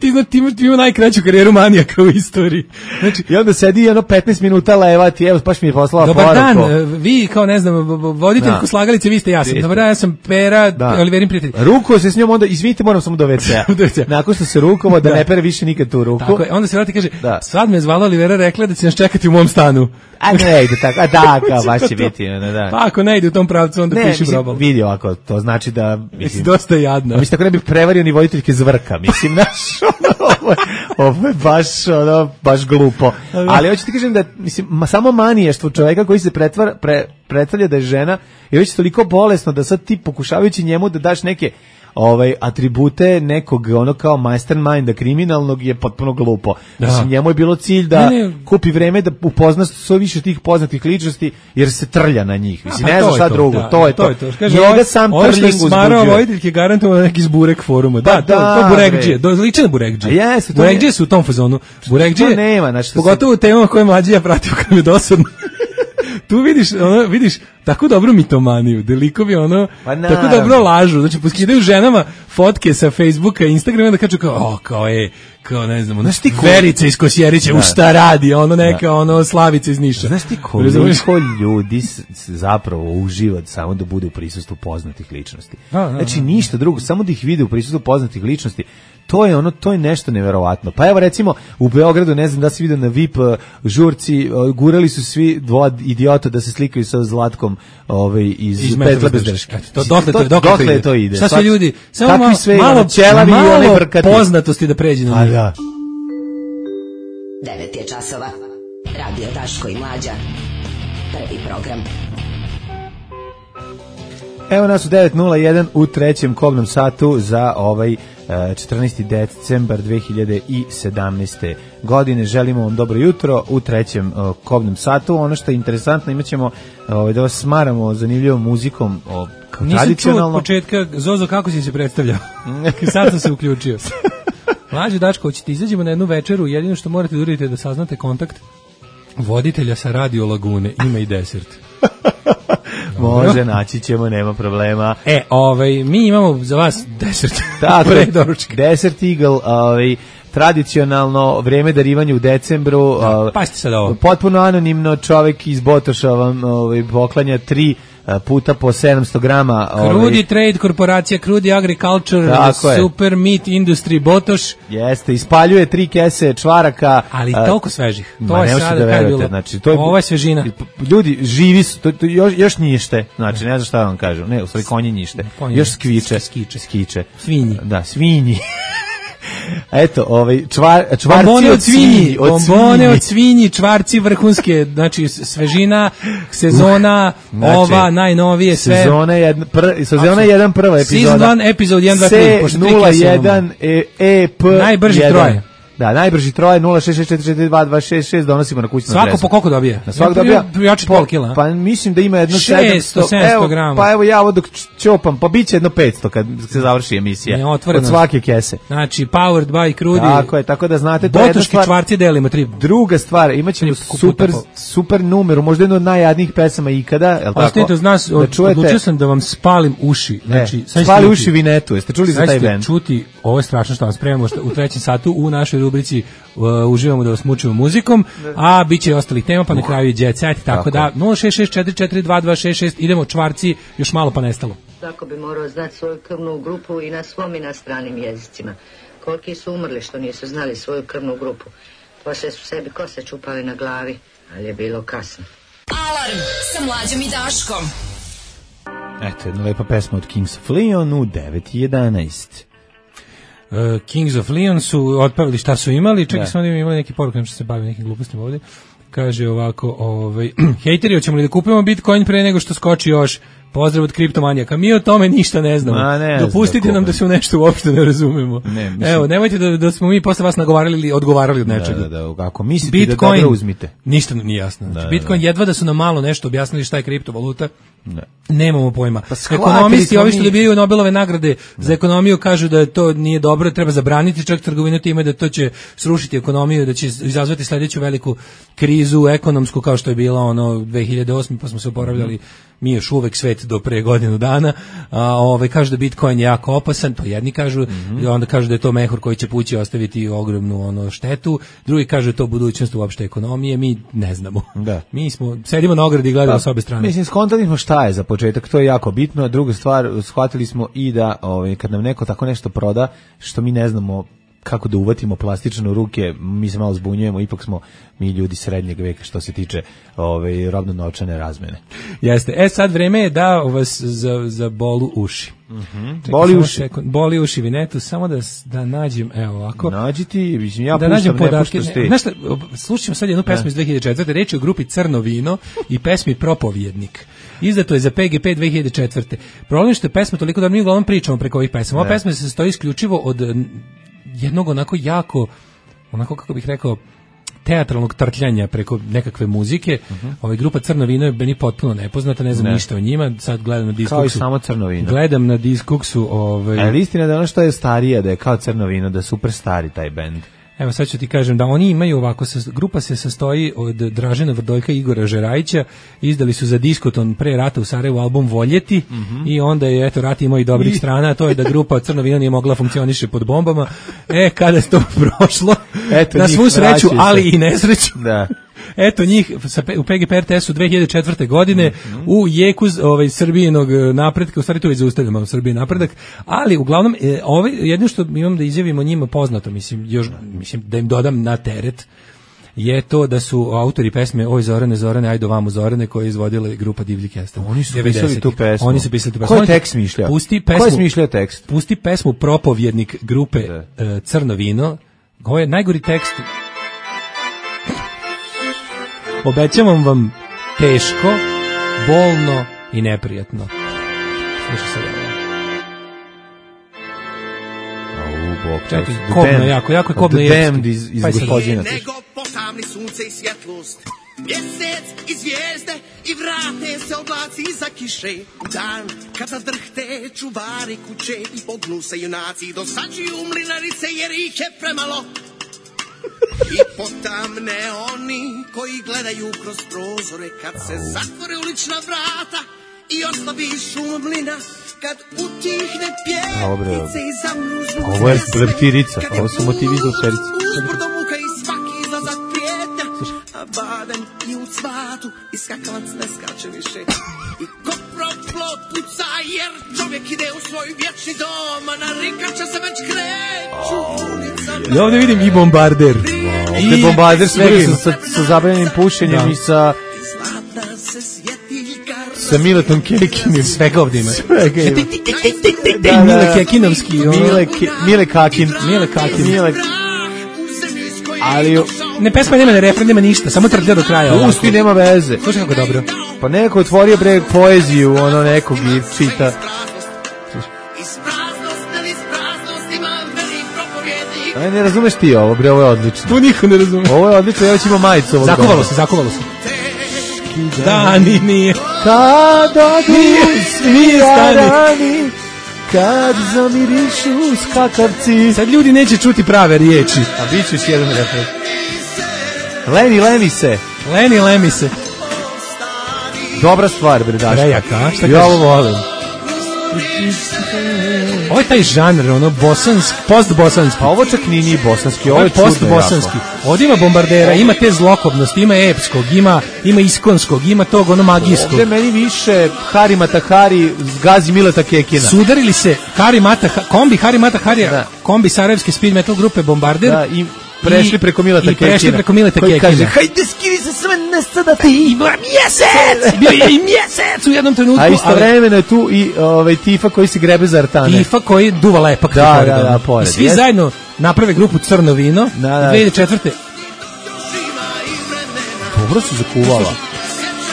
Speaker 5: ima najkraću karijeru manijaka u istoriji.
Speaker 6: Znači, i onda sedi 15 minuta levati, evo, baš mi je poslala poruku.
Speaker 5: Dobar dan, vi kao, ne znam, voditeljku slagalice, vi ste jasan. Dobar dan, ja sam Pera, Oliverin prijatelj.
Speaker 6: Ruko se s njom, onda, izvinite, moram samo do WC-a. Nakon što se rukovo, da ne pere više nikad tu ruku.
Speaker 5: Tako je, onda se vrati i kaže, sad me zvala Olivera, rekla da će nas čekati u mom stanu.
Speaker 6: A ne ide tako, kao baš će biti.
Speaker 5: Pa ako ne ide u tom pravcu, onda piši probal.
Speaker 6: Vidi ovako, to znači da...
Speaker 5: Mislim, dosta jadno.
Speaker 6: Mislim, tako ne bi prevario ni voditeljke zvrka, mislim, ovo je baš glupo. Ali hoću ti kažem da, mislim, samo maniještvo čoveka koji se predstavlja da je žena i već toliko bolesno da sad ti pokušavajući njemu da daš neke atribute nekog ono kao masterminda kriminalnog je potpuno glupo. Mislim, njemu je bilo cilj da kupi vreme da upozna sve više tih poznatih ličnosti jer se trlja na njih. Mislim, ne znam šta drugo. To je to. Njega sam trling uzbuđuje. Smara
Speaker 5: voditeljke garantovano neki zburek foruma. Da, to Burekđije. Liče na Burekđije. Burekđije su u tom fazonu. Burekđije, pogotovo u temama koje mlađi ja pratio kad je dosadno. Tu vidiš tako dobru mitomaniju, da likovi tako dobro lažu, znači poskidaju ženama fotke sa Facebooka i Instagrama da kažu kao ne znam, Verica iz Kosjerića, u šta radi, neka Slavica iz Niša.
Speaker 6: Znaš ti koliko ljudi zapravo uživa samo da bude u prisustvu poznatih ličnosti. Znači ništa drugo, samo da ih vide u prisustvu poznatih ličnosti. To je nešto neverovatno. Pa evo recimo u Beogradu, ne znam da si vidio na VIP žurci, gurali su svi dvoje idiota da se slikaju sa Zlatkom iz Petle bez drške. Dokle to ide?
Speaker 5: Šta sve ljudi, samo malo poznatosti da pređe na njih.
Speaker 10: 9 je časova. Radio Daško i Mlađa. Prvi program.
Speaker 6: Evo nas u 9:01 u trećem kobnom satu za 14. decembar 2017. godine. Želimo vam dobro jutro u trećem kobnom satu. Ono što je interesantno, imat ćemo da vas smaramo zanimljivom muzikom
Speaker 5: Nisam čuo od početka, Zozo, kako si se predstavljao? Sad sam se uključio. Mlađe Dačko, hoćete izađemo na jednu večeru, jedino što morate da uradite da saznate kontakt voditelja sa Radio Lagune, ima i desert.
Speaker 6: Može, naći ćemo, nema problema.
Speaker 5: Mi imamo za vas desert.
Speaker 6: Desert Eagle, tradicionalno vreme darivanja u decembru.
Speaker 5: Pa ste sad ovo.
Speaker 6: Potpuno anonimno čovjek iz Botoša vam poklanja 3 puta po 700 grama.
Speaker 5: Krudi Trade korporacija, Krudi Agriculture, Super Meat Industry Botoš.
Speaker 6: Jeste, ispaljuje 3 kese čvaraka.
Speaker 5: Ali toliko svežih.
Speaker 6: To je sada kaj bilo. Znači,
Speaker 5: ovo je svežina.
Speaker 6: Ljudi, živi su, još njište. Znači, ne znam šta vam kažu. Ne, u stvari konji njište. Još skviče. Skiče.
Speaker 5: Svinji.
Speaker 6: Da, svinji. Eto, čvarci
Speaker 5: bombone od svinji, čvarci vrhunske, znači svežina, sezona, najnovije sve.
Speaker 6: Sezona 1 prva epizoda.
Speaker 5: Season 1, epizod 1, 2, 3.
Speaker 6: C01 EP.
Speaker 5: Najbrži troje.
Speaker 6: Da, najbrži troje 066442266 donosimo na kućnu adresu.
Speaker 5: Svako po koliko dobija?
Speaker 6: Na svako dobija
Speaker 5: jači pol kila.
Speaker 6: Pa mislim da ima jedno
Speaker 5: 700 grama.
Speaker 6: Pa evo ja ovo dok čopam, pa biće jedno 500 kad se završi emisija. Od svake kese.
Speaker 5: Znači powered by Krudi.
Speaker 6: Tako je, tako da znate to je jedna stvar.
Speaker 5: Botoški čvarci delimo 3.
Speaker 6: Druga stvar, imaćemo super numeru, možda jedno od najjadnijih pesama ikada, je l' tako?
Speaker 5: Ostanite uz nas, odlučio sam da vam spalim uši. Znači,
Speaker 6: spali uši Vinetu, jeste čuli za taj bend?
Speaker 5: Čuti, ovo je strašno što vam spremamo u trećem satu u našoj rubrici uživamo da vas mučimo muzikom, a bit će i ostalih tema, pa na kraju i Jet Set, tako da 066442266, idemo čvarci, još malo pa nestalo.
Speaker 12: Svako bi morao znati svoju krvnu grupu i na svom i na stranim jezicima. Koliki su umrli što nisu znali svoju krvnu grupu. Poslije su sebi kose čupali na glavi, ali je bilo kasno.
Speaker 2: Alarm sa Mlađom i Daškom.
Speaker 6: Eto, jedna lepa pesma od Kings of Leon u 9:11.
Speaker 5: Kings of Leon su otpevali šta su imali, čekaj smo da imali neki poruk, nešto se bavi nekim glupostima ovdje. Kaže ovako, hejteri, hoćemo li da kupimo Bitcoin pre nego što skoči još? Pozdrav od kriptomanijaka. Mi o tome ništa ne znamo. Dopustite nam da se u nešto uopšte ne razumemo. Evo, nemojte da smo mi posle vas nagovarali ili odgovarali od nečega.
Speaker 6: Ako mislite Bitcoin, da dobro uzmite.
Speaker 5: Ništa nam nije jasno. Bitcoin jedva da su nam malo nešto objasnili šta je kriptovaluta. Nemamo pojma. Ekonomisti, ovi što dobijaju Nobelove nagrade za ekonomiju, kažu da to nije dobro, treba zabraniti čak trgovinu time, da to će srušiti ekonomiju, da će izazvati sledeću veliku krizu ekonomsku kao što je bila 2008. pa smo se oporavljali mi još uvek svet do pre godinu dana. Kažu da Bitcoin je jako opasan, to jedni kažu, onda kažu da je to mehur koji će pući ostaviti ogromnu štetu, drugi kažu da je to budućnost uopšte ekonomije, mi ne znamo. Mi sedimo na ogradi i gledamo s obe strane.
Speaker 6: Mislim, skontali smo šta je za početak, to je jako bitno, a druga stvar, shvatili smo i da kad nam neko tako nešto proda, što mi ne znamo kako da uvatimo plastično u ruke, mi se malo zbunjujemo, ipak smo mi ljudi srednjeg veka što se tiče robno-novčane razmene.
Speaker 5: Jeste. Sad vreme je da vas za bolu uši. Boli uši Vinetu, samo da nađem, evo ovako.
Speaker 6: Nađi ti, ja
Speaker 5: da nađem podatke. Znaš šta, slušamo sad jednu pesmu iz 2004. Reč je o grupi Crno vino i pesmi Propovjednik. Izdato je za PGP 2004. Problem što je pesma toliko da mi uglavnom pričamo preko ovih pesama. Ova pesma se sastoji isključivo od jednog onako jako, onako kako bih rekao, teatralnog trtljanja preko nekakve muzike. Grupa Crno vino je meni potpuno nepoznata, ne znam ništa o njima. Sad gledam na Discogsu.
Speaker 6: Kao i samo Crno vino.
Speaker 5: Gledam na Discogsu.
Speaker 6: Ali istina da ono što je starija, da je kao Crno vino, da je super stari taj bend.
Speaker 5: Evo sad ću ti kažem da oni imaju ovako, grupa se sastoji od Dražena Vrdoljka i Igora Žerajića, izdali su za Diskoton pre rata u Sarajevu album Voljeti i onda je, eto, rat imao i dobrih strana, a to je da grupa Crno vino nije mogla funkcioniše pod bombama. Kada je to prošlo, eto, na svu sreću, ali i nesreću.
Speaker 6: Da.
Speaker 5: Eto njih u PGP RTS-u 2004. godine u jeku Srbijinog napretka, u stvari to je zaustavljamo Srbije napredak, ali uglavnom jedno što imam da izjavimo njima poznato, mislim da im dodam na teret, je to da su autori pesme Oj Zorane, ajde vamo Zorane, koje je izvodila grupa Divlji Kestan.
Speaker 6: Oni su pisali tu pesmu.
Speaker 5: Oni su pisali tu pesmu.
Speaker 6: Ko je tekst smišljao? Ko je smišljao tekst?
Speaker 5: Pusti pesmu Propovjednik grupe Crno vino. Ovo je najgori tekst. Obećavam vam teško, bolno i neprijatno. Slušaj sad ovo. Čekaj, kobno jako je kobno
Speaker 6: Damned iz Gospodina.
Speaker 13: Nego potamni sunce i svjetlost, mjesec i zvijezde i vrate se oblaci iza kiše. Dan kada drhte čuvari kuće i pognu se junaci, dosađuju mlinarice jer ih je premalo. I potamne oni koji gledaju kroz prozore kad se zatvore ulična vrata i oslabi šum mlina, kad utihne pjevnice i zamru zvuci.
Speaker 6: Ovo je leptirica, ovo su motivi za leptiricu.
Speaker 13: Uzbrdo muka i svaki izlazak prijetnja, a baden i u cvatu i skakavac ne skače više. I koproplo puca jer čovjek ide u svoj vječni dom, a na rikača se već kreću ulicama.
Speaker 5: Ja ovdje vidim i bombarder.
Speaker 6: Ovdje bombarder sa zabavljenim pušenjem i sa Miletom Kekinim.
Speaker 5: Svega ovdje ima.
Speaker 6: Mile Kekinovski. Mile Kakin. Ali
Speaker 5: ne, pesma nema ne refren, nema ništa, samo trlja do kraja.
Speaker 6: Pusti, nema veze.
Speaker 5: Slušaj kako dobro.
Speaker 6: Pa neko otvorio bre poeziju, ono nekog i čita. Ne razumeš ti ovo, bre, ovo je odlično.
Speaker 5: Tu niko ne razume.
Speaker 6: Ovo je odlično, ja već imam majicu ovog doma.
Speaker 5: Zakovalo se. Dani nije.
Speaker 6: Kad odu svi dani, kad zamirišu skakavci.
Speaker 5: Sad ljudi neće čuti prave riječi.
Speaker 6: A bit ću još jedan refren. Leni se. Dobra stvar, bre, Daško.
Speaker 5: Prejaka, šta
Speaker 6: ja ovo volim.
Speaker 5: Ovo je taj žanr, ono bosanski, post-bosanski.
Speaker 6: Pa ovo čak nije bosanski, ovo je
Speaker 5: post-bosanski. Ovdje ima bombardera, ima te zlokobnosti, ima epskog, ima iskonskog, ima tog ono magijskog.
Speaker 6: Ovdje meni više Hari Matahari gazi Mileta Kekina.
Speaker 5: Sudarili se kombi Hari Mataharija, kombi sarajevske speed metal grupe Bombarder.
Speaker 6: Da, i prešli preko Mileta Kekina.
Speaker 5: Koji
Speaker 6: kaže, hajde skiri se sve nesta ti.
Speaker 5: Ima mjesec! Bio je i mjesec u jednom trenutku.
Speaker 6: A istovremeno je tu i Tifa koji se grebe za artane.
Speaker 5: Tifa koji duva lepak.
Speaker 6: Da, pored.
Speaker 5: I svi zajedno naprave grupu Crno vino. 2004.
Speaker 6: Dobro su zakuvala.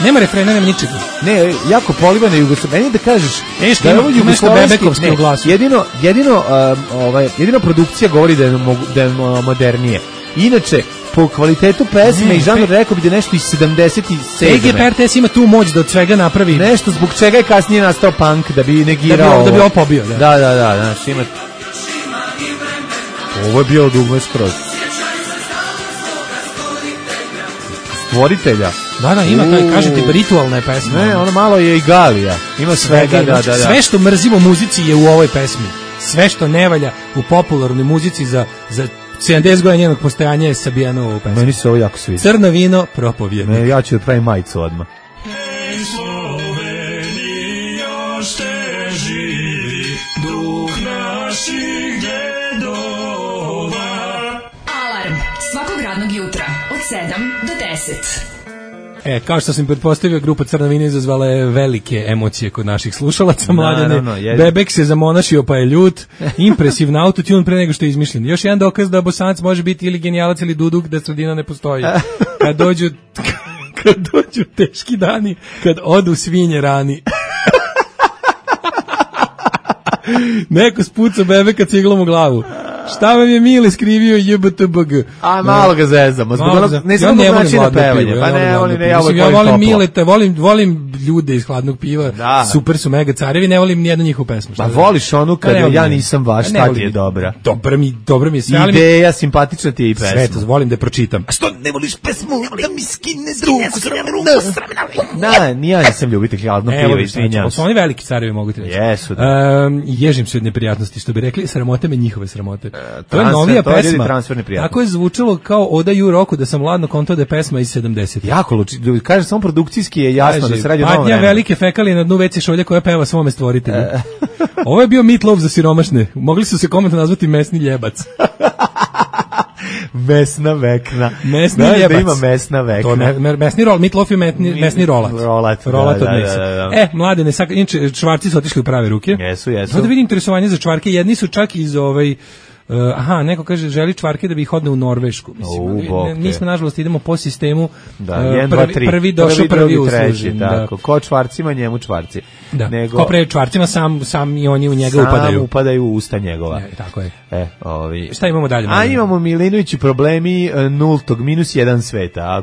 Speaker 5: Nema refrena, nema ničega.
Speaker 6: Ne, jako polivana Jugoslavija. Meni da kažeš
Speaker 5: da je ovo jugoslovenski glas.
Speaker 6: Jedino produkcija govori da je modernije. Inače, po kvalitetu pesme i žanru rekao bi da nešto iz 77.
Speaker 5: PGP RTS ima tu moć da od svega napravi.
Speaker 6: Nešto zbog čega je kasnije nastao punk, da bi negirao
Speaker 5: da bi ovo pobio.
Speaker 6: Da, znači ima... Ovo je bilo dugme skroz. Stvoritelja.
Speaker 5: Da, ima taj, kažete, ritualna je pesma.
Speaker 6: Ne, ono malo je i Galija. Ima svega, da.
Speaker 5: Sve što mrzimo u muzici je u ovoj pesmi. Sve što ne valja u popularnoj muzici za 70 godina njenog postojanja je sabijano u ovu pesmu.
Speaker 6: Meni se ovo jako sviđa.
Speaker 5: Crno vino, propovjednik.
Speaker 6: Ja ću da pravim majicu odmah.
Speaker 8: Hej Slovenija, još te živi, duh naših djedova
Speaker 2: od 7 do 10.
Speaker 5: Kao što sam pretpostavio, grupa Crna vina izazvala je velike emocije kod naših slušalaca. Mladene, Bebek se zamonašio pa je ljut, impresivna autotune pre nego što je izmišljen. Još jedan dokaz da Bosanac može biti ili genijalac ili duduk, da sredina ne postoji. Kad dođu teški dani, kad odu svinje rani. Neko spuca Bebeka ciglom u glavu. Šta vam je Mile skrivio JBTBG?
Speaker 6: A malo ga zezamo.
Speaker 5: Ja ne volim hladno pivo. Ja volim Mileta, volim ljude iz hladnog piva. Super su mega carevi, ne volim nijednu njihovu pesmu.
Speaker 6: Pa voliš onu kada ja nisam baš, ta ti je dobra.
Speaker 5: Dobro mi je sve.
Speaker 6: Ideja, simpatična ti je i pesma.
Speaker 5: Sve to, volim da je pročitam.
Speaker 6: A što ne voliš pesmu? Da mi skine drugu. Da, ja nisam ljubitelj hladnog piva, izvinjam.
Speaker 5: Su oni veliki carevi, mogu ti reći.
Speaker 6: Jesu.
Speaker 5: Ježim se od neprijatnosti, što bi rekli, sramote me njihove sramote. To je novija pesma. Tako je zvučalo kao Oda Ju Roku, da sam ladno kontao da je pesma iz 70.
Speaker 6: Jako luči. Kaže, samo produkcijski je jasno da se radi o novom vremenu.
Speaker 5: Patnja velike fekalije na dnu WC šolje koja peva svome stvoritelju. Ovo je bio Meatloaf za siromašne. Mogli su se komentno nazvati mesni ljebac.
Speaker 6: Mesna vekna.
Speaker 5: Mesni ljebac.
Speaker 6: Da ima mesna vekna.
Speaker 5: Mesni rol, Meatloaf je mesni rolat. Rolat od mesa. Mladene, inače čvarci su otišli u prave ruke.
Speaker 6: Jesu.
Speaker 5: Da vidim interesovanje za čvarke. Jedni su čak iz neko kaže želi čvarke da bi ih odne u Norvešku. Nismo nažalost idemo po sistemu prvi došao, prvi usluži.
Speaker 6: Ko čvarcima, njemu čvarci.
Speaker 5: Ko pre čvarcima, sam i oni u njega upadaju.
Speaker 6: Sam upadaju u usta njegova.
Speaker 5: Tako je.
Speaker 6: Šta
Speaker 5: imamo dalje?
Speaker 6: A imamo Milinovići problemi nultog, -1 sveta.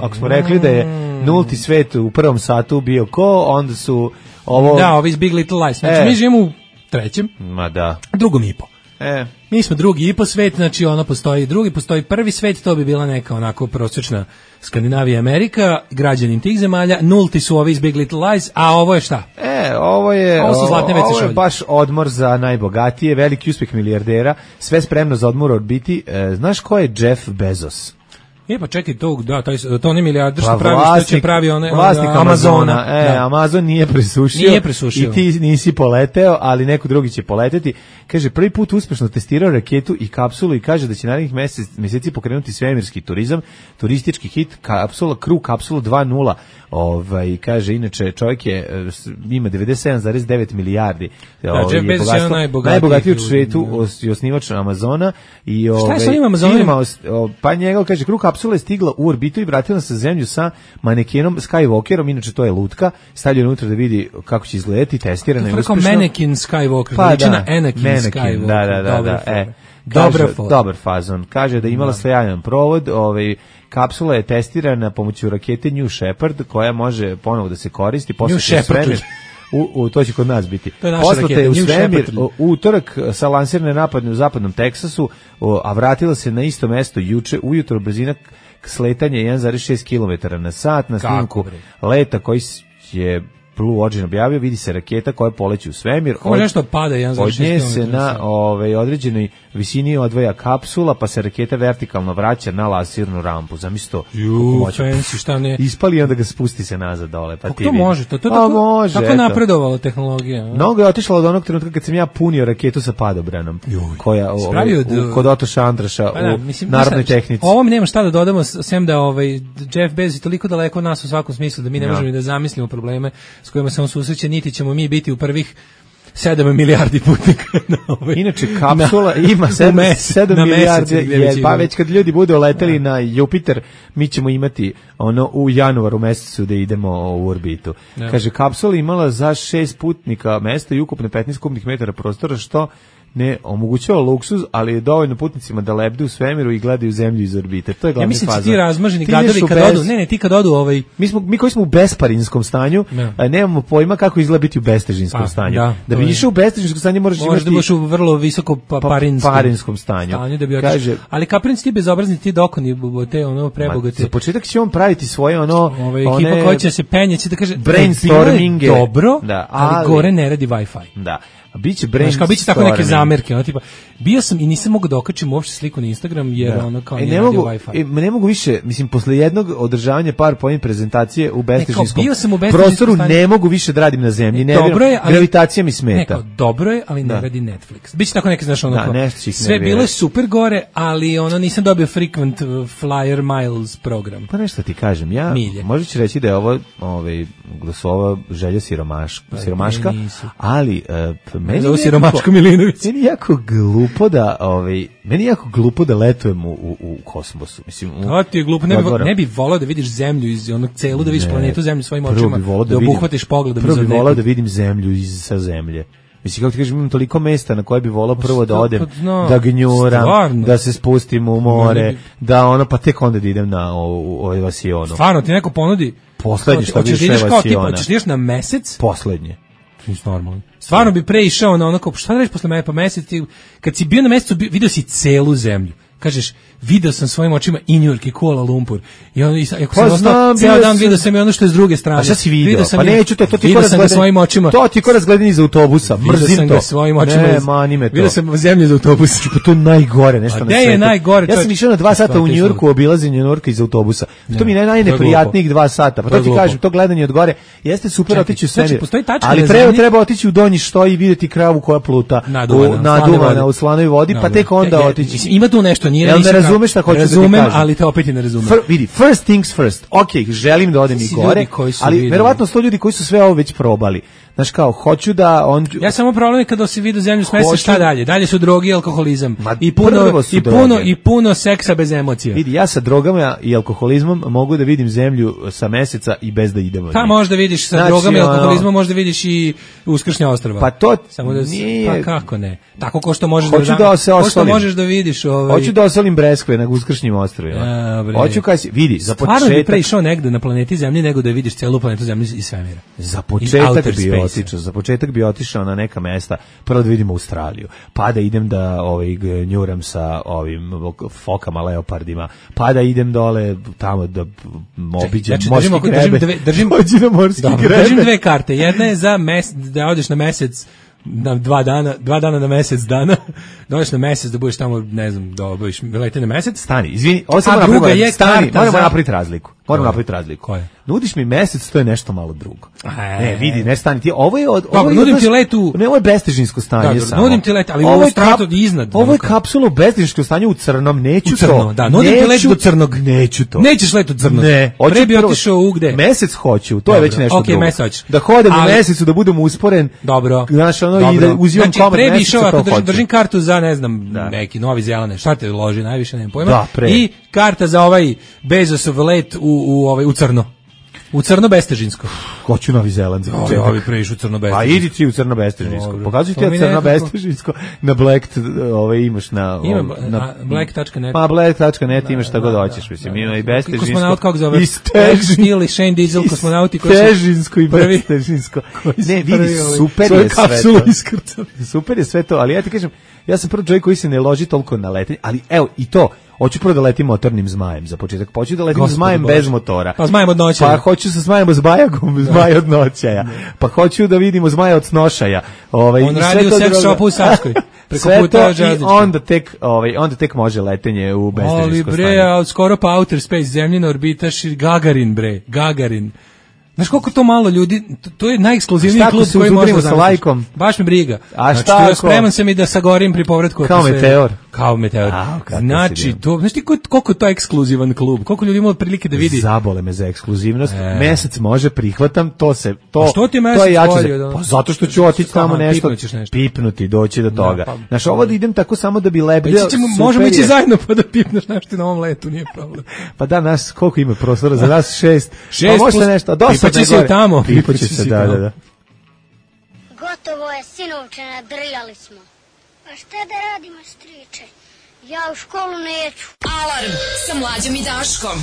Speaker 6: Ako smo rekli da je nulti svet u prvom satu bio ko, onda su ovo...
Speaker 5: Da, ovi iz Big Little Lies. Znači mi živimo u trećem, drugom i po. Mi smo drugi i po svet, znači postoji prvi svet, to bi bila neka onako prosječna Skandinavija i Amerika, građanin tih zemalja, nulti su ovi iz Big Little Lies, a ovo je šta?
Speaker 6: Ovo je baš odmor za najbogatije, veliki uspjeh milijardera, sve spremno za odmor odbiti. Znaš ko je Jeff Bezos?
Speaker 5: Pa čekaj, to ne milijarder što pravi
Speaker 6: vlasnik Amazona. Amazon nije presušio. I ti nisi poleteo, ali neko drugi će poleteti. Kaže, prvi put uspešno testirao raketu i kapsulu i kaže da će narednih mjeseci pokrenuti svemirski turizam, turistički hit kapsula, Crew kapsulu 2.0. Kaže, inače čovjek ima 97,9 milijardi.
Speaker 5: Jeff Bezos je
Speaker 6: najbogatiji u svijetu i osnivač Amazona.
Speaker 5: Šta je sa ovim Amazonom?
Speaker 6: Pa njegov, kaže, Crew kapsula je stigla u orbitu i vratila se na zemlju sa manekenom Skywalkerom, inače to je lutka, stavlja unutra da vidi kako će izgledati, testirana i uspješno.
Speaker 5: Kao manekin Skywalker, ličina Anakin Skywalker.
Speaker 6: Dobar fazon. Kaže da je imala sjajan provod, kapsula je testirana pomoću rakete New Shepard, koja može ponovo da se koristi.
Speaker 5: New Shepard.
Speaker 6: To će kod nas biti. Poslata je u svemir utorak sa lansirane napadne u zapadnom Teksasu, a vratila se na isto mesto juče ujutro, brzina sletanja 1,6 km na sat. Na snimku leta koji je Blue Origin objavio, vidi se raketa koja poleće u svemir.
Speaker 5: Nešto pada 1,6 km.
Speaker 6: Od nje se na određenoj visini odvaja kapsula, pa se raketa vertikalno vraća na lansirnu rampu. Zamisli to.
Speaker 5: Fancy, šta ne.
Speaker 6: Ispali i onda ga spusti se nazad dole. Pa
Speaker 5: to može, to tako napredovala tehnologija.
Speaker 6: Mnogo je otišla od onog trenutka kad sam ja punio raketu sa padobranom. Koja kod Otoša Andraša u narodnoj tehnici.
Speaker 5: Ovo mi nema šta da dodamo, sem da Jeff Bezos je toliko daleko od nas u svakom smislu da mi ne možemo da zamislimo probleme s kojima se on susreće, niti ćemo mi biti u prvih 7 milijardi putnika.
Speaker 6: Inače, kapsula ima 7 milijardi, pa već kad ljudi budu leteli na Jupiter, mi ćemo imati u januaru mesecu da idemo u orbitu. Kaže, kapsula imala za 6 putnika mesta i ukupno 15 kubnih metara prostora, što ne omogućava luksuz, ali je dovoljno putnicima da lebde u svemiru i gledaju zemlju iz orbite. To je glavni fazon.
Speaker 5: Ja mislim ti razmaženi gadovi kad odu, ti kad odu
Speaker 6: Mi koji smo u besparinskom stanju, nemamo pojma kako izgleda biti u bestežinskom stanju. Da bi išao u bestežinskom stanju moraš
Speaker 5: da budeš u vrlo visoko
Speaker 6: parinskom stanju.
Speaker 5: Kaže, ali kaprinci ti bezobrazni, ti dokoni te prebogate.
Speaker 6: Za početak će on praviti svoje
Speaker 5: ekipa koja će se penjeći da kaže
Speaker 6: brainstorminge.
Speaker 5: Dobro, ali gore ne radi Wi-Fi.
Speaker 6: Da. biće brainstorming.
Speaker 5: Biće tako neke zamerke, ono tipa bio sam i nisam mogao da okačim uopšte sliku na Instagram jer ono kao
Speaker 6: ne mogu Wi-Fi. Ne mogu više, mislim posle jednog održavanja PowerPoint prezentacije u beztežinskom prostoru ne mogu više da radim na zemlji. Ne, gravitacija mi smeta.
Speaker 5: Dobro je, ali ne radi Netflix. Biće tako neke znaš ono sve bilo je super gore, ali ono nisam dobio frequent flyer miles program.
Speaker 6: Pa nešto ti kažem, ja možda ću reći da je ovo glasova želja siromaška, ali meni je
Speaker 5: siromaško Milinović.
Speaker 6: Meni je jako glupo da letujem u kosmosu. Mislim,
Speaker 5: to ti je glupo, ne bi volao da vidiš zemlju iz onog celu, da vidiš planetu zemlju svojim očima, da obuhvatiš pogledom.
Speaker 6: Prvo bi volao da vidim zemlju sa zemlje. Mislim, kako ti kažem, imam toliko mesta na koje bi volao prvo da odem, da gnjuram, da se spustim u more, da pa tek onda da idem na ovaj vasionu.
Speaker 5: Stvarno, ti neko ponudi?
Speaker 6: Poslednje što bi išao vasiona.
Speaker 5: Hoćeš da ideš na mesec?
Speaker 6: Poslednje.
Speaker 5: Normalno. Stvarno bi pre išao na ono kao, šta da reći posle mesec, kad si bio na mesecu, vidio si celu zemlju. Kažeš, video sam svojim očima i New York i Kuala Lumpur. I ono, ako sam ostao cijel dan, vidio sam i ono što je s druge strane.
Speaker 6: A šta si video? Pa neću to ti ko
Speaker 5: razgledani svojim očima.
Speaker 6: To ti ko razgledani iz autobusa. Mrzim to.
Speaker 5: Svojim očima.
Speaker 6: Ne, mani me to.
Speaker 5: Vidio sam zemlju iz autobusa.
Speaker 6: To je najgore nešto na svetu.
Speaker 5: A gde je najgore?
Speaker 6: Ja sam išao na 2 sata u New Yorku, obilaženje New Yorka iz autobusa. To mi je najneprijatnijih 2 sata. Pa to ti kažem, to gledanje od gore jeste super otići u svemir. Ali treba otići u donji štoj i vidjeti kravu koja pluta naduvana u slanoj vodi, pa tek onda otići.
Speaker 5: Ima tu nešto, nije
Speaker 6: šta hoću da ti kažem.
Speaker 5: Ali te opet i ne razumem.
Speaker 6: Vidi, first things first. Ok, želim da odem i gore, ali verovatno su to ljudi koji su sve ovo već probali. Znaš kao, hoću da
Speaker 5: Ja samo problem je kada si vidio zemlju s meseca, šta dalje? Dalje su droge i alkoholizam. I puno seksa bez emocija.
Speaker 6: Vidi, ja sa drogama i alkoholizmom mogu da vidim zemlju sa meseca i bez da idemo.
Speaker 5: Pa možda vidiš sa drogama i alkoholizmom, možda vidiš i Uskršnja ostrva.
Speaker 6: Pa to
Speaker 5: samo da
Speaker 6: nije...
Speaker 5: Pa kako ne? Tako ko što možeš možeš da vidiš
Speaker 6: Hoću da osolim breskve na Uskršnjim ostrvima. Hoću kaj si, vidi, za početak...
Speaker 5: Stvarno bi pre išao negde na planeti Zemlji nego da vidiš celu planetu Zemlju iz svemira.
Speaker 6: Za početak bi otišao na neka mesta, prvo da vidimo Australiju, pa da idem da gnjuram sa ovim fokama, leopardima, pa da idem dole tamo da obiđem morski grebe.
Speaker 5: Držim 2 karte. Jedna je za da odeš na mesec na 2 dana na mesec dana, dođeš na mesec da budeš tamo, ne znam, da obaviš lete na mesec.
Speaker 6: Stani, izvini, ovo samo moramo napraviti razliku. Nudiš mi mesec, to je nešto malo drugo. Ne, vidi, ne stani ti. Ovo je
Speaker 5: nudim ti letu.
Speaker 6: Ne, ovo je bestežinsko stanje samo.
Speaker 5: Nudim ti let, ali ovo je stratu iznad.
Speaker 6: Ovo je kapsulno bestežinsko stanje u crnom, neću to.
Speaker 5: Da, nudim ti let do crnog.
Speaker 6: Neću to.
Speaker 5: Nećeš let do crnog.
Speaker 6: Ne,
Speaker 5: pre bi otišao u gde?
Speaker 6: Mesec hoću, to je već nešto drugo.
Speaker 5: Mesec.
Speaker 6: Da hodem u mesecu, da budem usporen.
Speaker 5: Dobro.
Speaker 6: Znaš, ono i da uzimam komad meseca, to hoću.
Speaker 5: Držim kartu za, ne znam, neki Novi Zeland, šta te loži, najviše nemam pojma. I karta za ovaj Bezosov let u crno. U crno bestežinsko.
Speaker 6: Hoću Novi Zeland.
Speaker 5: Ovi preišu crno bestežinsko.
Speaker 6: A idi ti u crno bestežinsko. Pokazuj ti ja crno bestežinsko. Na Black imaš na
Speaker 5: black.net.
Speaker 6: Pa black.net imaš šta god hoćeš, mislim. Ima i bestežinsko.
Speaker 5: Kosmonaut kako zove? Steele i Shane Diesel kosmonauti koji su
Speaker 6: Stežinsko i bestežinsko. Ne, vidi, super je sve to. Super je sve to, ali ja ti kažem, ja sam prvo čovjek koji se ne loži toliko na letenje, ali evo i to. Hoću prvo da letim motornim zmajem za početak. Hoću da letim zmajem bez motora.
Speaker 5: Pa zmajem od noćaja.
Speaker 6: Pa hoću sa zmajem od zmaj od noćaja. Pa hoću da vidimo zmaja od snošaja.
Speaker 5: On radi u sex shopu u Savskoj.
Speaker 6: Preko puta i onda tek može letenje u bestežinsko stanje.
Speaker 5: Ali bre, skoro pa outer space, zemljina orbitaš Gagarin. Znaš koliko to malo ljudi, to je najekskluzivniji klub koji može zamisliti. Baš me briga.
Speaker 6: A šta
Speaker 5: spreman sam i da sagorim pri povratku. Kao meteor. Znači, to, znaš ti koliko je to ekskluzivan klub? Koliko ljudi ima prilike da vidi?
Speaker 6: Zabole me za ekskluzivnost. Mesec može, prihvatam,
Speaker 5: što ti mesec bolje?
Speaker 6: Pa zato što ću otići tamo nešto, pipnuti, doći do toga. Znaš, ovo da idem tako samo da bi lebdeo.
Speaker 5: Možemo ići zajedno pa da pipneš nešto na ovom letu, nije problem.
Speaker 6: Pa da, nas, koliko ima prostora? Za nas 6. Pa možete nešto, dosta.
Speaker 5: Pipaće se tamo.
Speaker 6: Pipaće se, da.
Speaker 14: Gotovo je, sinovče, nadrljali smo. Pa šta da radimo, striče? Ja u školu neću.
Speaker 2: Alarm sa Mlađom i Daškom.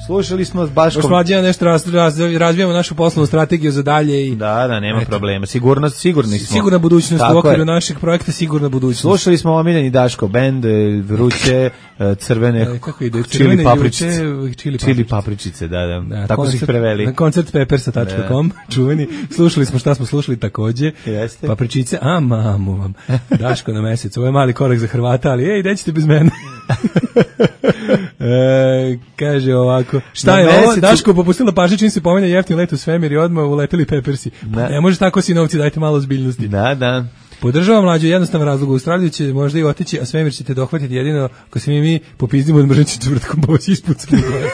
Speaker 6: Slušali smo s Baškom.
Speaker 5: Baš mlađe nešto razvijamo našu poslovnu strategiju za dalje.
Speaker 6: Da, nema problema. Sigurni smo.
Speaker 5: Sigurna budućnost u okviru našeg projekta, sigurna budućnost.
Speaker 6: Slušali smo omiljeni Daško bend, vruće, crvene, čili papričice, da. Tako su ih preveli.
Speaker 5: Na koncertpeppersa.com, čuveni. Slušali smo šta smo slušali takođe. Papričice, a mamu vam. Daško na mesec, ovo je mali korak za Hrvata, ali ej, nećete bez mene. Kaže ovako, šta je ovo? Daško popustila pažnju čim se pomene jeftin let u svemir i odmah uleteli Peppersi. Ne može tako, sinovci, dajte malo ozbiljnosti.
Speaker 6: Da.
Speaker 5: Podržavam mlađu, jednostavan razlog. U Australiju će možda i otići, a svemir ćete dohvatiti jedino ako se mi popizdimo od mržeći četvrtkom, pa vas ispucati gore.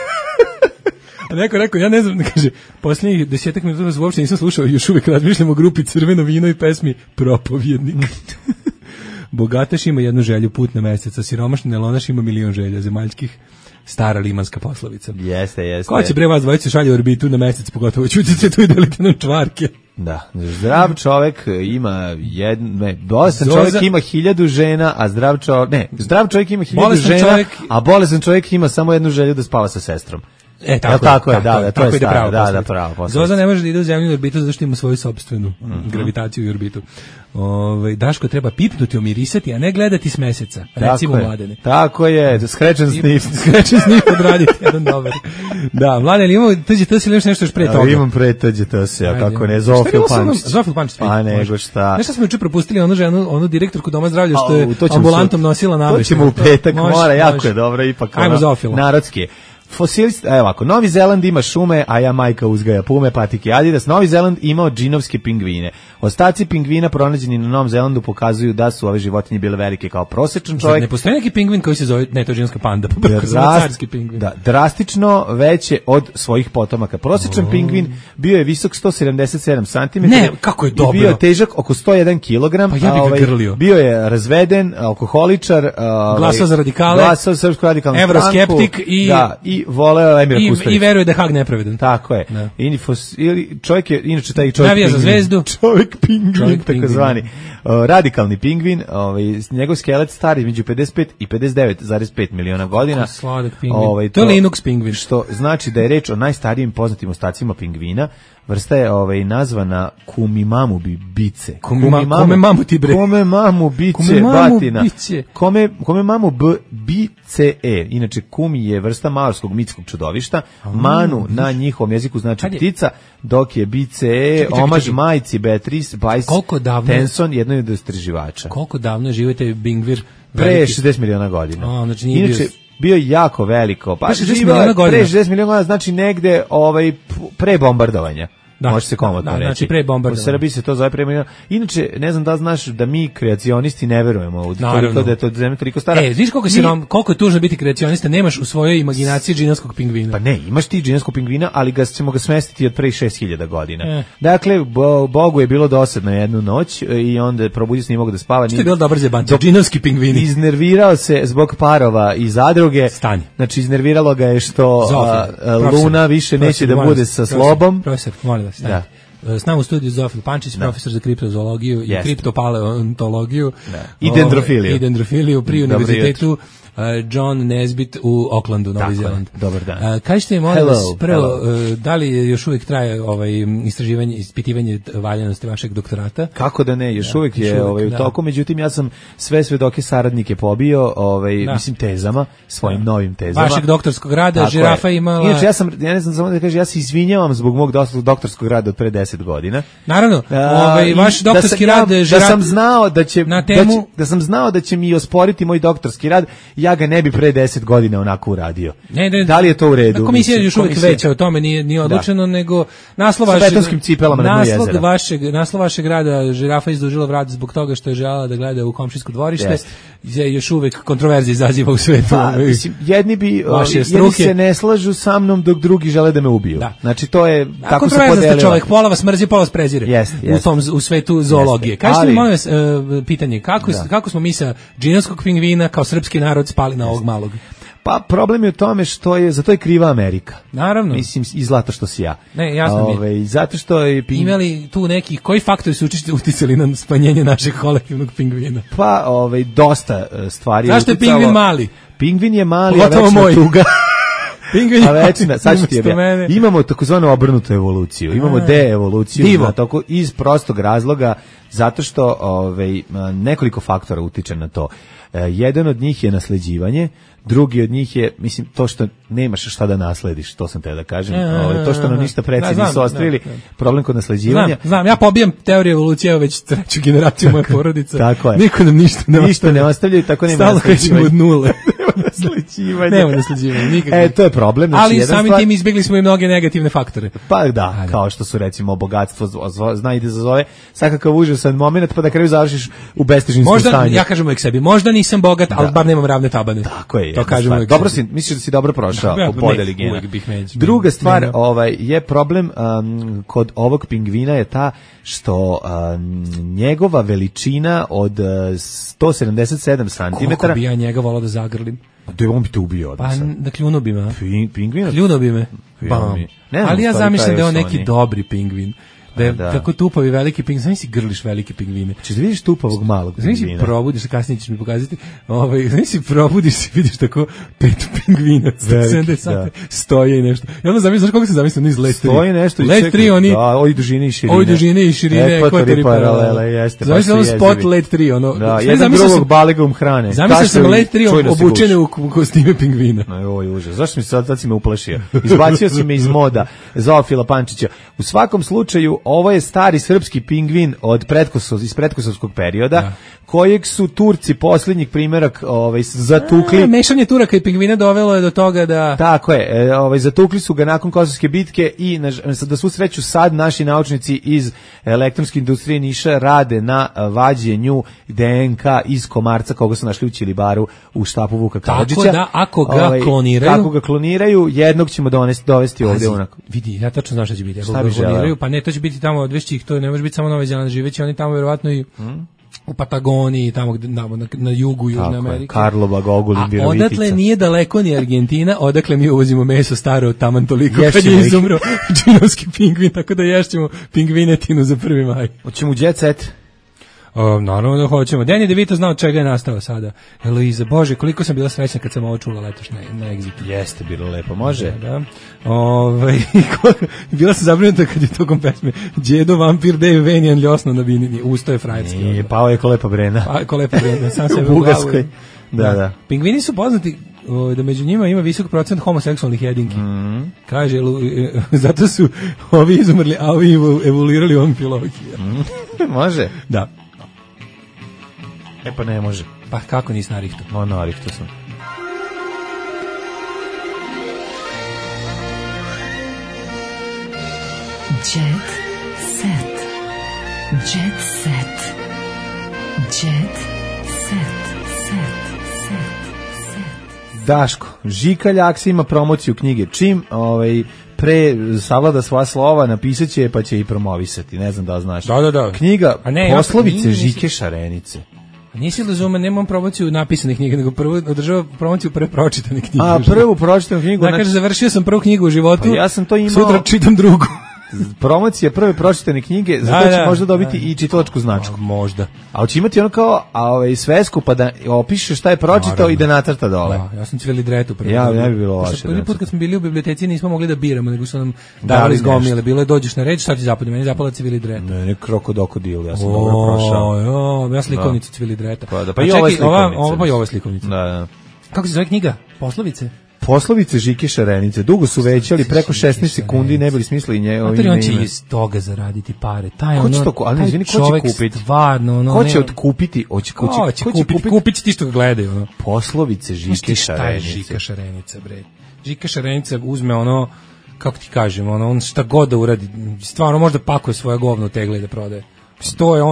Speaker 5: A neko rekao, ja ne znam, kaže, posljednjih 10 minuta uopšte nisam slušao, još uvijek razmišljam o grupi Crveno vino i pesmi Propovjednik. Bogataš ima jednu želju, put na mesec, a siromašni nelonaš ima milion želja zemaljskih. Stara limanska poslovica.
Speaker 6: Jeste.
Speaker 5: Ko će bre vas dvojice šalje u orbitu na mesec, pogotovo ćutite tu i delite nam čvarke.
Speaker 6: Da, zdrav čovjek ima bolestan čovjek ima 1000 žena, a zdrav čovjek ima 1000 žena, a bolestan čovjek ima samo jednu želju, da spava sa sestrom. Tako je, to je pravo. Da,
Speaker 5: Zoza ne može da ide u zemljinu orbitu zato što ima svoju sopstvenu gravitaciju i orbitu. Daško treba pipnuti, omirisati, a ne gledati s meseca. Recimo Mladene.
Speaker 6: Tako je, skrečen snif
Speaker 5: odraditi, jedan dobar. Da, Mladene, imamo tuđe tose ili nešto još pre toga?
Speaker 6: Imam pre tuđe tose, a kako ne, Zofil Pančić.
Speaker 5: Zofil Pančić.
Speaker 6: Pa nego šta.
Speaker 5: Nešto smo juče propustili onu ženu, onu direktorku Doma zdravlja što je ambulantom nosila nameštaj.
Speaker 6: To ćemo u petak, mora, jako je dobro, ipak narodski. Fosilist, evo ovako, Novi Zeland ima šume, a Jamajka uzgaja pume, patike Adidas. Novi Zeland imao džinovske pingvine. Ostaci pingvina pronađeni na Novom Zelandu pokazuju da su ove životinje bile velike kao prosječan čovjek.
Speaker 5: Ne postoji neki pingvin koji se zove, ne, to je džinovska panda, carski pingvin.
Speaker 6: Da, drastično veće od svojih potomaka. Prosječan pingvin bio je visok 177 cm.
Speaker 5: Ne, kako je dobro.
Speaker 6: I bio je težak oko 101 kg.
Speaker 5: Pa ja bih ga grlio.
Speaker 6: Bio je razveden, alkoholičar,
Speaker 5: glasao za radikale,
Speaker 6: glasao za Srpsku radikalnu stranku.
Speaker 5: Evroskeptik i
Speaker 6: voleo Emira Kusturića.
Speaker 5: I veruje da je Hag nepravedan.
Speaker 6: Tako je. Čovjek je, inače taj čovjek
Speaker 5: navija za zvezdu.
Speaker 6: Čovjek pingvin, takozvani. Radikalni pingvin, njegov skelet stari između 55 i 59,5 miliona godina.
Speaker 5: Sladak pingvin. To je Linux pingvin.
Speaker 6: Što znači da je reč o najstarijim poznatim ostacima pingvina. Vrsta je nazvana Kumimamu bice.
Speaker 5: Kome mamu ti bre?
Speaker 6: Kome mamu bice batina. Kome mamu bice. Inače kumi je vrsta maorskog mitskog čudovišta. Manu na njihovom jeziku znači ptica, dok je bice omaž majci Beatrice Weiss Tenson, jednoj od istraživača.
Speaker 5: Koliko davno je živite Bingvir?
Speaker 6: Pre 60 miliona godina.
Speaker 5: Znači nije
Speaker 6: inače bio jako veliko. Pa pre 60 miliona godina znači negde pre bombardovanja. Može se komotno reći.
Speaker 5: Znači pre bombardovanja.
Speaker 6: U Srbiji se to zove pre bombardovanja. Inače, ne znam da znaš da mi kreacionisti ne verujemo u da je to zemlja toliko stara.
Speaker 5: Znaš koliko je tužno biti kreacionista, nemaš u svojoj imaginaciji džinovskog pingvina.
Speaker 6: Pa ne, imaš ti džinovskog pingvina, ali ćemo ga smestiti od pre 6000 godina. Dakle, Bogu je bilo dosadno jednu noć i onda probudio se, nije mogo da spava.
Speaker 5: Što je bilo dobar zebanci, džinovski pingvini.
Speaker 6: Iznervirao se zbog parova i zadruge. Znači, iznerviralo ga je što Luna više neće da bude sa slobom.
Speaker 5: Profesor, molim vas. Da. S nama u studiju Zofil Pančić, profesor za kriptozoologiju i kriptopaleontologiju
Speaker 6: i
Speaker 5: dendrofiliju pri univerzitetu John Nesbitt u Aucklandu, Novi Zeland.
Speaker 6: Dobar dan.
Speaker 5: Kažete mi, molim vas, prvo, da li još uvijek traje istraživanje, ispitivanje valjanosti vašeg doktorata?
Speaker 6: Kako da ne, još uvijek je u toku, međutim ja sam sve svedoke saradnike pobio, mislim tezama, svojim novim tezama.
Speaker 5: Vašeg doktorskog rada, žirafa imala...
Speaker 6: Inače, ja ne znam samo da kažem, ja se izvinjavam zbog mog doktorskog rada od pre 10 godina.
Speaker 5: Naravno, vaš doktorski rad žirafa...
Speaker 6: Da sam znao da će mi osporiti moj doktorski rad, ja ga ne bi pre 10 godina onako uradio. Da li je to u redu?
Speaker 5: Komisija je još uvijek veća, o tome nije odlučeno, nego naslov vašeg rada žirafa izdužila vrat zbog toga što je željela da gleda u komšijsko dvorište, je još uvijek kontroverzije izaziva u svetu.
Speaker 6: Jedni se ne slažu sa mnom dok drugi žele da me ubiju. Znači to je tako se podelilo.
Speaker 5: Kontroverzan ste čovjek, pola vas mrzi, pola vas prezire u svetu zoologije. Kažete mi, molim vas, pitanje, kako smo mi sa džinovskog pingvina kao srpski narod spali na ovog malog?
Speaker 6: Pa problem je u tome što je, za to je kriva Amerika.
Speaker 5: Naravno.
Speaker 6: Mislim, i zlato što si ja.
Speaker 5: Ne, jasno mi je.
Speaker 6: Zato što je...
Speaker 5: Imali tu neki, koji faktori su uticali na smanjenje našeg kolektivnog pingvina?
Speaker 6: Pa, dosta stvari.
Speaker 5: Zašto je pingvin mali?
Speaker 6: Pingvin je mali, a večna tuga.
Speaker 5: Pingvin.
Speaker 6: A večna, sad ću ti objasniti. Imamo takozvanu obrnutu evoluciju. Imamo de-evoluciju iz prostog razloga zato što nekoliko faktora utiče na to. Jedan od njih je nasleđivanje, drugi od njih je, mislim, to što nemaš šta da naslediš, to sam te da kažem. To što nam ništa preci nisu ostavili, problem kod nasleđivanja.
Speaker 5: Znam, ja pobijam teoriju evolucije već treću generaciju moje porodice.
Speaker 6: Tako je.
Speaker 5: Niko nam ništa
Speaker 6: ne ostavljaju, tako nema
Speaker 5: nasleđivanja. Stalno krećemo od nule.
Speaker 6: Nema nasleđivanja, nikako. To je problem. Znači,
Speaker 5: ali samim tim izbjegli smo i mnoge negativne faktore.
Speaker 6: Pa da, kao što su recimo bogatstvo, zna i da zazove svakakav užasan moment, pa da kraju završiš u bestežninskom stanju.
Speaker 5: Možda, ja kažem uvijek sebi, možda nisam bogat, ali bar nemam ravne tabane.
Speaker 6: Tako je.
Speaker 5: To kažem uvijek.
Speaker 6: Dobro si, misliš da si dobro prošao u podeli gena. Druga stvar je problem kod ovog pingvina je ta što njegova veličina od 177 cm.
Speaker 5: Koliko bi ja njega volao da zagrlim?
Speaker 6: Da on bi te ubio odmah.
Speaker 5: Pa da kljuno bi me.
Speaker 6: Pingvina?
Speaker 5: Kljuno bi me. Ali ja zamišljam da je on neki dobri pingvin. Da je tako tupavi veliki pingvin, znam si grliš velike pingvine.
Speaker 6: Češ da vidiš tupavog malog pingvina?
Speaker 5: Znam si probudiš, kasnije ćeš mi pokazati, znam si probudiš i vidiš tako 5 pingvina, 70 sati, stoje i nešto. Ja onda zamislim, znaš koliko se zamislim, iz Let 3.
Speaker 6: Stoje nešto i
Speaker 5: čekaj. Let 3, oni...
Speaker 6: Da, ovi dužine i širine.
Speaker 5: Ovi dužine i širine, ekvatori paralele,
Speaker 6: jeste.
Speaker 5: Zamislim ono spot Let 3, ono...
Speaker 6: Da, jedan drugog balegom hrane.
Speaker 5: Zamislim sam Let 3 obučene u kostime pingvina.
Speaker 6: Oj, užas. Zašto mi sad si me uplašio? Izbacio si me iz moda, Zoofila Pančića. U svakom slučaju, ovo je stari srpski pingvin iz pretkosovskog perioda, kojeg su Turci posljednjih primjerak zatukli.
Speaker 5: Mešanje Turaka i pingvina dovelo je do toga da...
Speaker 6: Tako je, zatukli su ga nakon Kosovske bitke i da svu sreću sad naši naučnici iz elektronske industrije Niša rade na vađenju DNK iz komarca koga su našli u Ćilibaru u štapu Vuka Karadžića.
Speaker 5: Tako da, ako ga
Speaker 6: kloniraju, jednog ćemo dovesti ovdje onako.
Speaker 5: Vidi, ja tačno znam šta će biti. Ako ga kloniraju, pa ne, to će biti tamo odvešći ih, to ne može biti samo Novi Zeland, živeći oni tamo vjerovatno i u Patagoniji, tamo na jugu Južne Amerike.
Speaker 6: Karlova, Gogolin, Virovitica.
Speaker 5: A odatle nije daleko ni Argentina, odakle mi uvozimo meso staro taman toliko kad je izumro džinovski pingvin, tako da ješćemo pingvinetinu za 1. maj.
Speaker 6: Hoćemo u jet set?
Speaker 5: Naravno da hoćemo. Danny DeVito znao čega je nastao sada. Eloiza, Bože, koliko sam bila srećna kad sam ovo čula letoš na Exitu.
Speaker 6: Jeste, bilo lepo, može.
Speaker 5: Da. Bila sam zabrinuta kad je tokom pesme Đedo, vampir, Dave, Venijan, ljosno na binini. Usto je frajerski.
Speaker 6: Nije, pao je ko lepa brena.
Speaker 5: Ko lepa brena, sam sebe
Speaker 6: u Bugarskoj. Da.
Speaker 5: Pingvini su poznati da među njima ima visok procent homoseksualnih jedinki. Kaže, zato su ovi izumrli, a ovi evoluirali u amfilologiji.
Speaker 6: Može?
Speaker 5: Da.
Speaker 6: Pa ne može.
Speaker 5: Pa kako nisi narihto?
Speaker 6: Narihto sam.
Speaker 2: Jet set. Jet set. Jet set.
Speaker 6: Daško, Žika Ljaks ima promociju knjige. Čim pre savlada sva slova, napisat će pa će i promovisati. Ne znam da znaš.
Speaker 5: Da.
Speaker 6: Knjiga Poslovice Žike Šarenice.
Speaker 5: Nisi razume, nemam promociju napisanih knjiga, nego prvo održava promociju prepročitane knjige.
Speaker 6: A prvu pročitanu knjigu?
Speaker 5: Da, kaže, završio sam prvu knjigu u životu,
Speaker 6: pa ja sam to imao...
Speaker 5: Sutra čitam drugu.
Speaker 6: Promocija prve pročitane knjige, zato će možda dobiti i čitalačku značku.
Speaker 5: Možda.
Speaker 6: A hoće imati ono kao svesku, pa da opiše šta je pročitao i da nacrta dole.
Speaker 5: Ja sam cvili dretu.
Speaker 6: Ja ne bi bilo loše.
Speaker 5: Prvi put kad smo bili u biblioteci nismo mogli da biramo, nego su nam davali zgomile. Bilo je dođeš na reč, šta ti zapadne, meni zapala cvili dretu.
Speaker 6: Ne, krokodil, ja sam dobro prošao.
Speaker 5: Ja slikovnicu cvili dreta.
Speaker 6: Pa i ova slikovnica.
Speaker 5: Pa i ova slikovnica.
Speaker 6: Da.
Speaker 5: Kako se zove knjiga? Poslovice?
Speaker 6: Poslovice Žike Šarenice. Dugo su većali, preko 16 sekundi ne bili smislili njegovo ime.
Speaker 5: On će iz toga zaraditi pare.
Speaker 6: Ko će kupiti?
Speaker 5: Stvarno,
Speaker 6: ko će otkupiti?
Speaker 5: Kupiti ti što ga gledaju.
Speaker 6: Poslovice Žike Šarenice.
Speaker 5: Šta je Žika Šarenica, bre? Žika Šarenica uzme ono, kako ti kažem, on šta god da uradi, stvarno možda pakuje svoje govno u tegle da prodaje. To je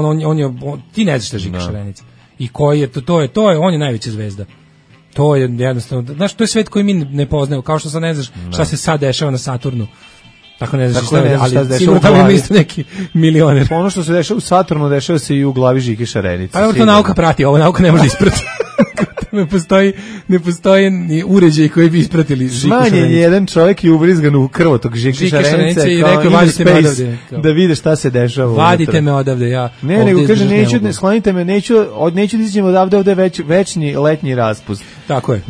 Speaker 5: ti ne znaš šta je Žika Šarenica. I koji je to je, on je najveća zvezda. To je jednostavno, znaš, to je svet koji mi ne poznajemo, kao što sad ne znaš šta se sad dešava na Saturnu. Tako ne znaš šta, ali sigurno tamo ima isto neki milioner.
Speaker 6: Ono što se dešava u Saturnu, dešava se i u glavi Žike Šarenice.
Speaker 5: Pa to nauka prati, ovo nauka ne može isprati. Ne postoji ni uređaj koji bi ispratili Žiku Šarenicu.
Speaker 6: Smanjen je jedan čovjek i ubrizgan u krvotok Žike Šarenice
Speaker 5: i rekao, vadite me odavde.
Speaker 6: Da vide šta se dešava.
Speaker 5: Vadite me odavde, ja.
Speaker 6: Ne, nego kaže, sklonite me, neću da izađem odavde, ovde večni letnji raspust.
Speaker 5: Tako je.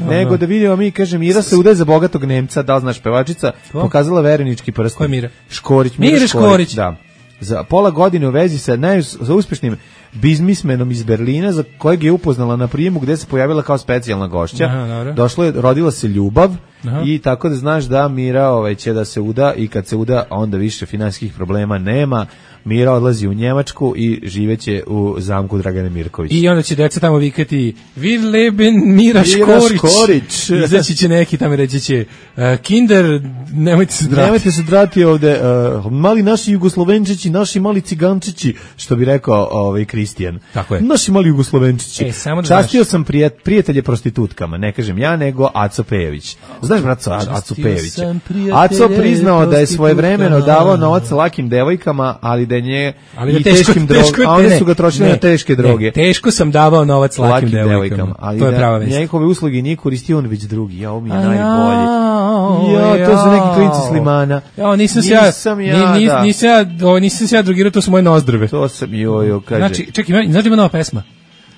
Speaker 6: Nego da vidimo mi, kaže, Mira se udaje za bogatog Nemca, da li znaš pevačica, pokazala verenički prst.
Speaker 5: Ko je Mira?
Speaker 6: Škorić.
Speaker 5: Mira Škorić.
Speaker 6: Da. Za pola godine u vezi sa uspešnim biznismenom iz Berlina, za kojeg je upoznala na prijemu gde se pojavila kao specijalna gošća. Rodila se ljubav. I tako da znaš da Mira će da se uda i kad se uda onda više finansijskih problema nema. Mira odlazi u Njemačku i živeće u zamku Dragane Mirković.
Speaker 5: I onda će deca tamo vikati Wir leben Mira Škorić. Izaći će neki tamo reći će Kinder, nemojte se drati.
Speaker 6: Nemojte se drati ovde. Mali naši Jugoslovenčići, naši mali Cigančići, što bi rekao Kristijan.
Speaker 5: Tako je.
Speaker 6: Naši mali Jugoslovenčići. Častio sam prijatelje prostitutkama, ne kažem ja, nego Aco Pejević. Znaš, brat, Aco Pejević. Aco priznao da je svojevremeno davao novac lakim devojkama, ali da je i teškim drogama, a one su ga trošili na teške droge.
Speaker 5: Teško sam davao novac lakim devojkama.
Speaker 6: Ali
Speaker 5: to je prava vest.
Speaker 6: Njegove usluge nije koristio on već drugi. Ja, ovo mi je najbolji. Ja, to su neki klinci Slimana.
Speaker 5: Ja, nisam se ja drogirao, to su moje nozdrve.
Speaker 6: To sam, kaže.
Speaker 5: Znači, čekaj, znači ima nova pesma.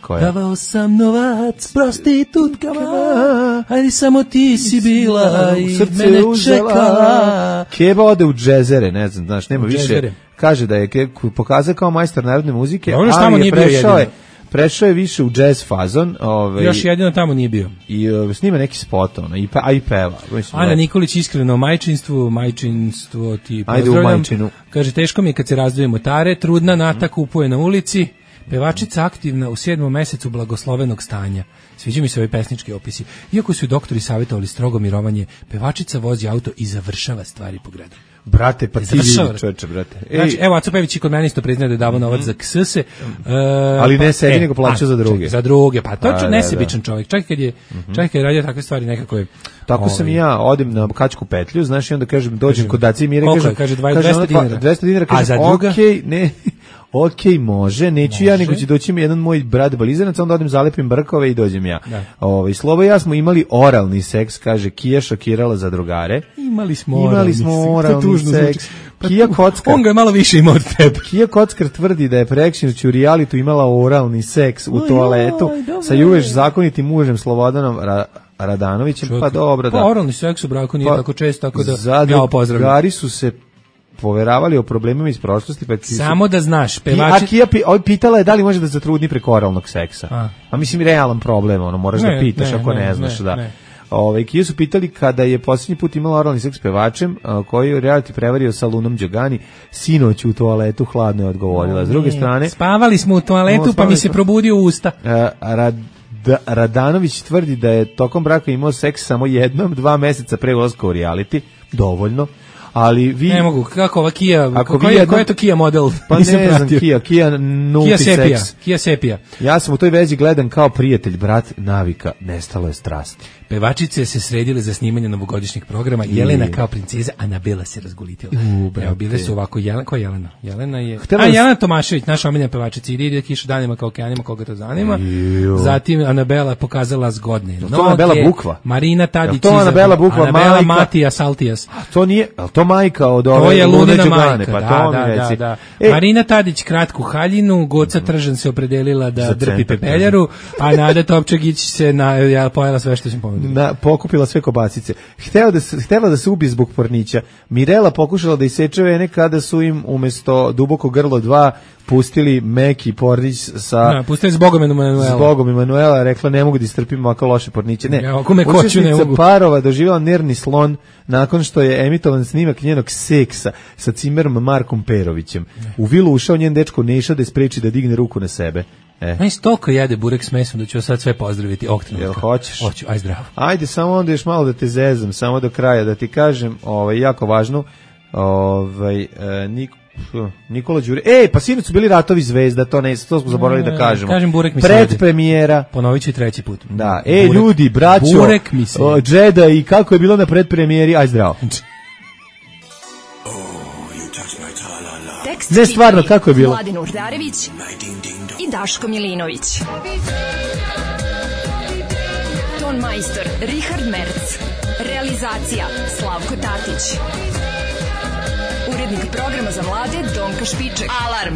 Speaker 5: Davao sam novac prostitutkama, ajde samo ti si bila i mene čekala.
Speaker 6: Keba ode u džezere, ne znam, znaš, nema više. Kaže da je pokazao kao majstor narodne muzike, ali je prešao je više u džez fazon.
Speaker 5: Još jedino tamo nije bio.
Speaker 6: I snima neki spot, a i peva.
Speaker 5: Ana Nikolić iskreno o majčinstvo ti pozdravljam.
Speaker 6: Ajde u majčinu.
Speaker 5: Kaže, teško mi je kad se razdvoje motare, trudna Nata kupuje na ulici. Pevačica aktivna u 7. mesecu blagoslovenog stanja. Sviđa mi se ovaj pesnički opisi. Iako su doktori savjetovali strogo mirovanje, pevačica vozi auto i završava stvari po gradu.
Speaker 6: Brate, pa ti vidi, čoveče, brate.
Speaker 5: Znači, evo, Aco Pejević i kod mene isto priznaje da je davao novac za ksese.
Speaker 6: Ali ne sebi, nego plaća za druge.
Speaker 5: Za druge, pa to je nesebičan čovjek. Čak kad je radio takve stvari, nekako je...
Speaker 6: Tako sam i ja, odem na Kačku petlju, znaš, i onda kažem, dođem kod Daci i Mire,
Speaker 5: kaže 200 dinara.
Speaker 6: 200 dinara, kažem, okej, ne... Okej, može, neću ja, nego će doći mi jedan moj brat Balizanac, onda odem zalepim brkove i dođem ja. Slobo i ja smo imali oralni seks, kaže, Kija šokirala za drugare.
Speaker 5: Imali smo
Speaker 6: oralni seks. Kija Kockar.
Speaker 5: On ga je malo više imao od tebe.
Speaker 6: Kija Kockar tvrdi da je preksinoć u realitu imala oralni seks u toaletu sa juveš zakonitim mužem Slobodanom Radanovićem, pa dobro da.
Speaker 5: Pa oralni seks u braku nije tako često, tako da ja pozdravljam.
Speaker 6: Zadrugari su se poveravali o problemima iz prošlosti, pa
Speaker 5: samo da znaš, pevači.
Speaker 6: Kija pitala je da li može da zatrudni preko oralnog seksa. A mislim realan problem, moraš da pitaš ako ne znaš da. Kija su pitali kada je posljednji put imala oralni seks s pevačem koji je reality prevario sa Lunom Đogani, sinoć u toaletu, hladno je odgovorila. S druge strane,
Speaker 5: spavali smo u toaletu pa mi se probudio usta.
Speaker 6: Radanović tvrdi da je tokom braka imao seks samo jednom, 2 meseca pre ulaska u reality, dovoljno. Ali vi
Speaker 5: ne mogu, kako ova Kia, koji je to Kia model?
Speaker 6: Pa ne znam, Kia nulti seks.
Speaker 5: Kia Sepia.
Speaker 6: Ja sam u toj vezi gledam kao prijatelj, brat, navika, nestalo je strasti.
Speaker 5: Pevačice se sredile za snimanje novogodišnjih programa, Jelena kao princeza, Anabela se razgolitila. Evo, bile su ovako, ko je Jelena? Jelena je... Jelena Tomašević, naša omiljena pevačica, ide kišu danima kao okeanima, koga to zanima. Zatim Anabela pokazala zgodne noge.
Speaker 6: To Anabela Bukva?
Speaker 5: Marina Tadić.
Speaker 6: To Anabela Bukva,
Speaker 5: Anabela Matija Saltijas.
Speaker 6: To nije, ali to majka od ove...
Speaker 5: To je Lunina majka, pa to mi reci. Marina Tadić kratku haljinu, Goca Tržan se opredelila da drpi pepeljaru, a Nada Topčagić se pojela sve što sam pomenuo.
Speaker 6: Pokupila sve kobasice. Htela da se ubije zbog pornića. Mirela pokušala da iseče vene kada su im umjesto Duboko grlo 2 pustili meki pornić sa...
Speaker 5: pustili s Bogom Emanuela.
Speaker 6: S Bogom Emanuela, rekla ne mogu da istrpim ovako loše porniće. Ne,
Speaker 5: učesnica
Speaker 6: parova doživjela nervni slon nakon što je emitovan snimak njenog seksa sa cimerom Markom Perovićem. U vilu ušao njen dečko Neša da je spreči da digne ruku na sebe.
Speaker 5: Meni stoko jede burek s mesom da ću sad sve pozdraviti.
Speaker 6: Jel hoćeš?
Speaker 5: Hoću, aj zdravo.
Speaker 6: Ajde, samo onda još malo da te zezam, samo do kraja da ti kažem, jako važno, Nikola Đure. Pa sinoć su bili Ratovi zvezda, to smo zaboravili da kažemo.
Speaker 5: Kažem, burek mi
Speaker 6: predpremijera.
Speaker 5: Ponovit ću i 3. put.
Speaker 6: Da, ljudi, braćo,
Speaker 5: burek mi se
Speaker 6: Džeda i kako je bilo na predpremijeri, aj zdravo. Ne, stvarno, kako je bilo?
Speaker 2: Mladen Urdarević i Daško Milinović. Ton majstor Richard Merc. Realizacija Slavko Tatić. Urednik programa za mlade Donka Špiček. Alarm!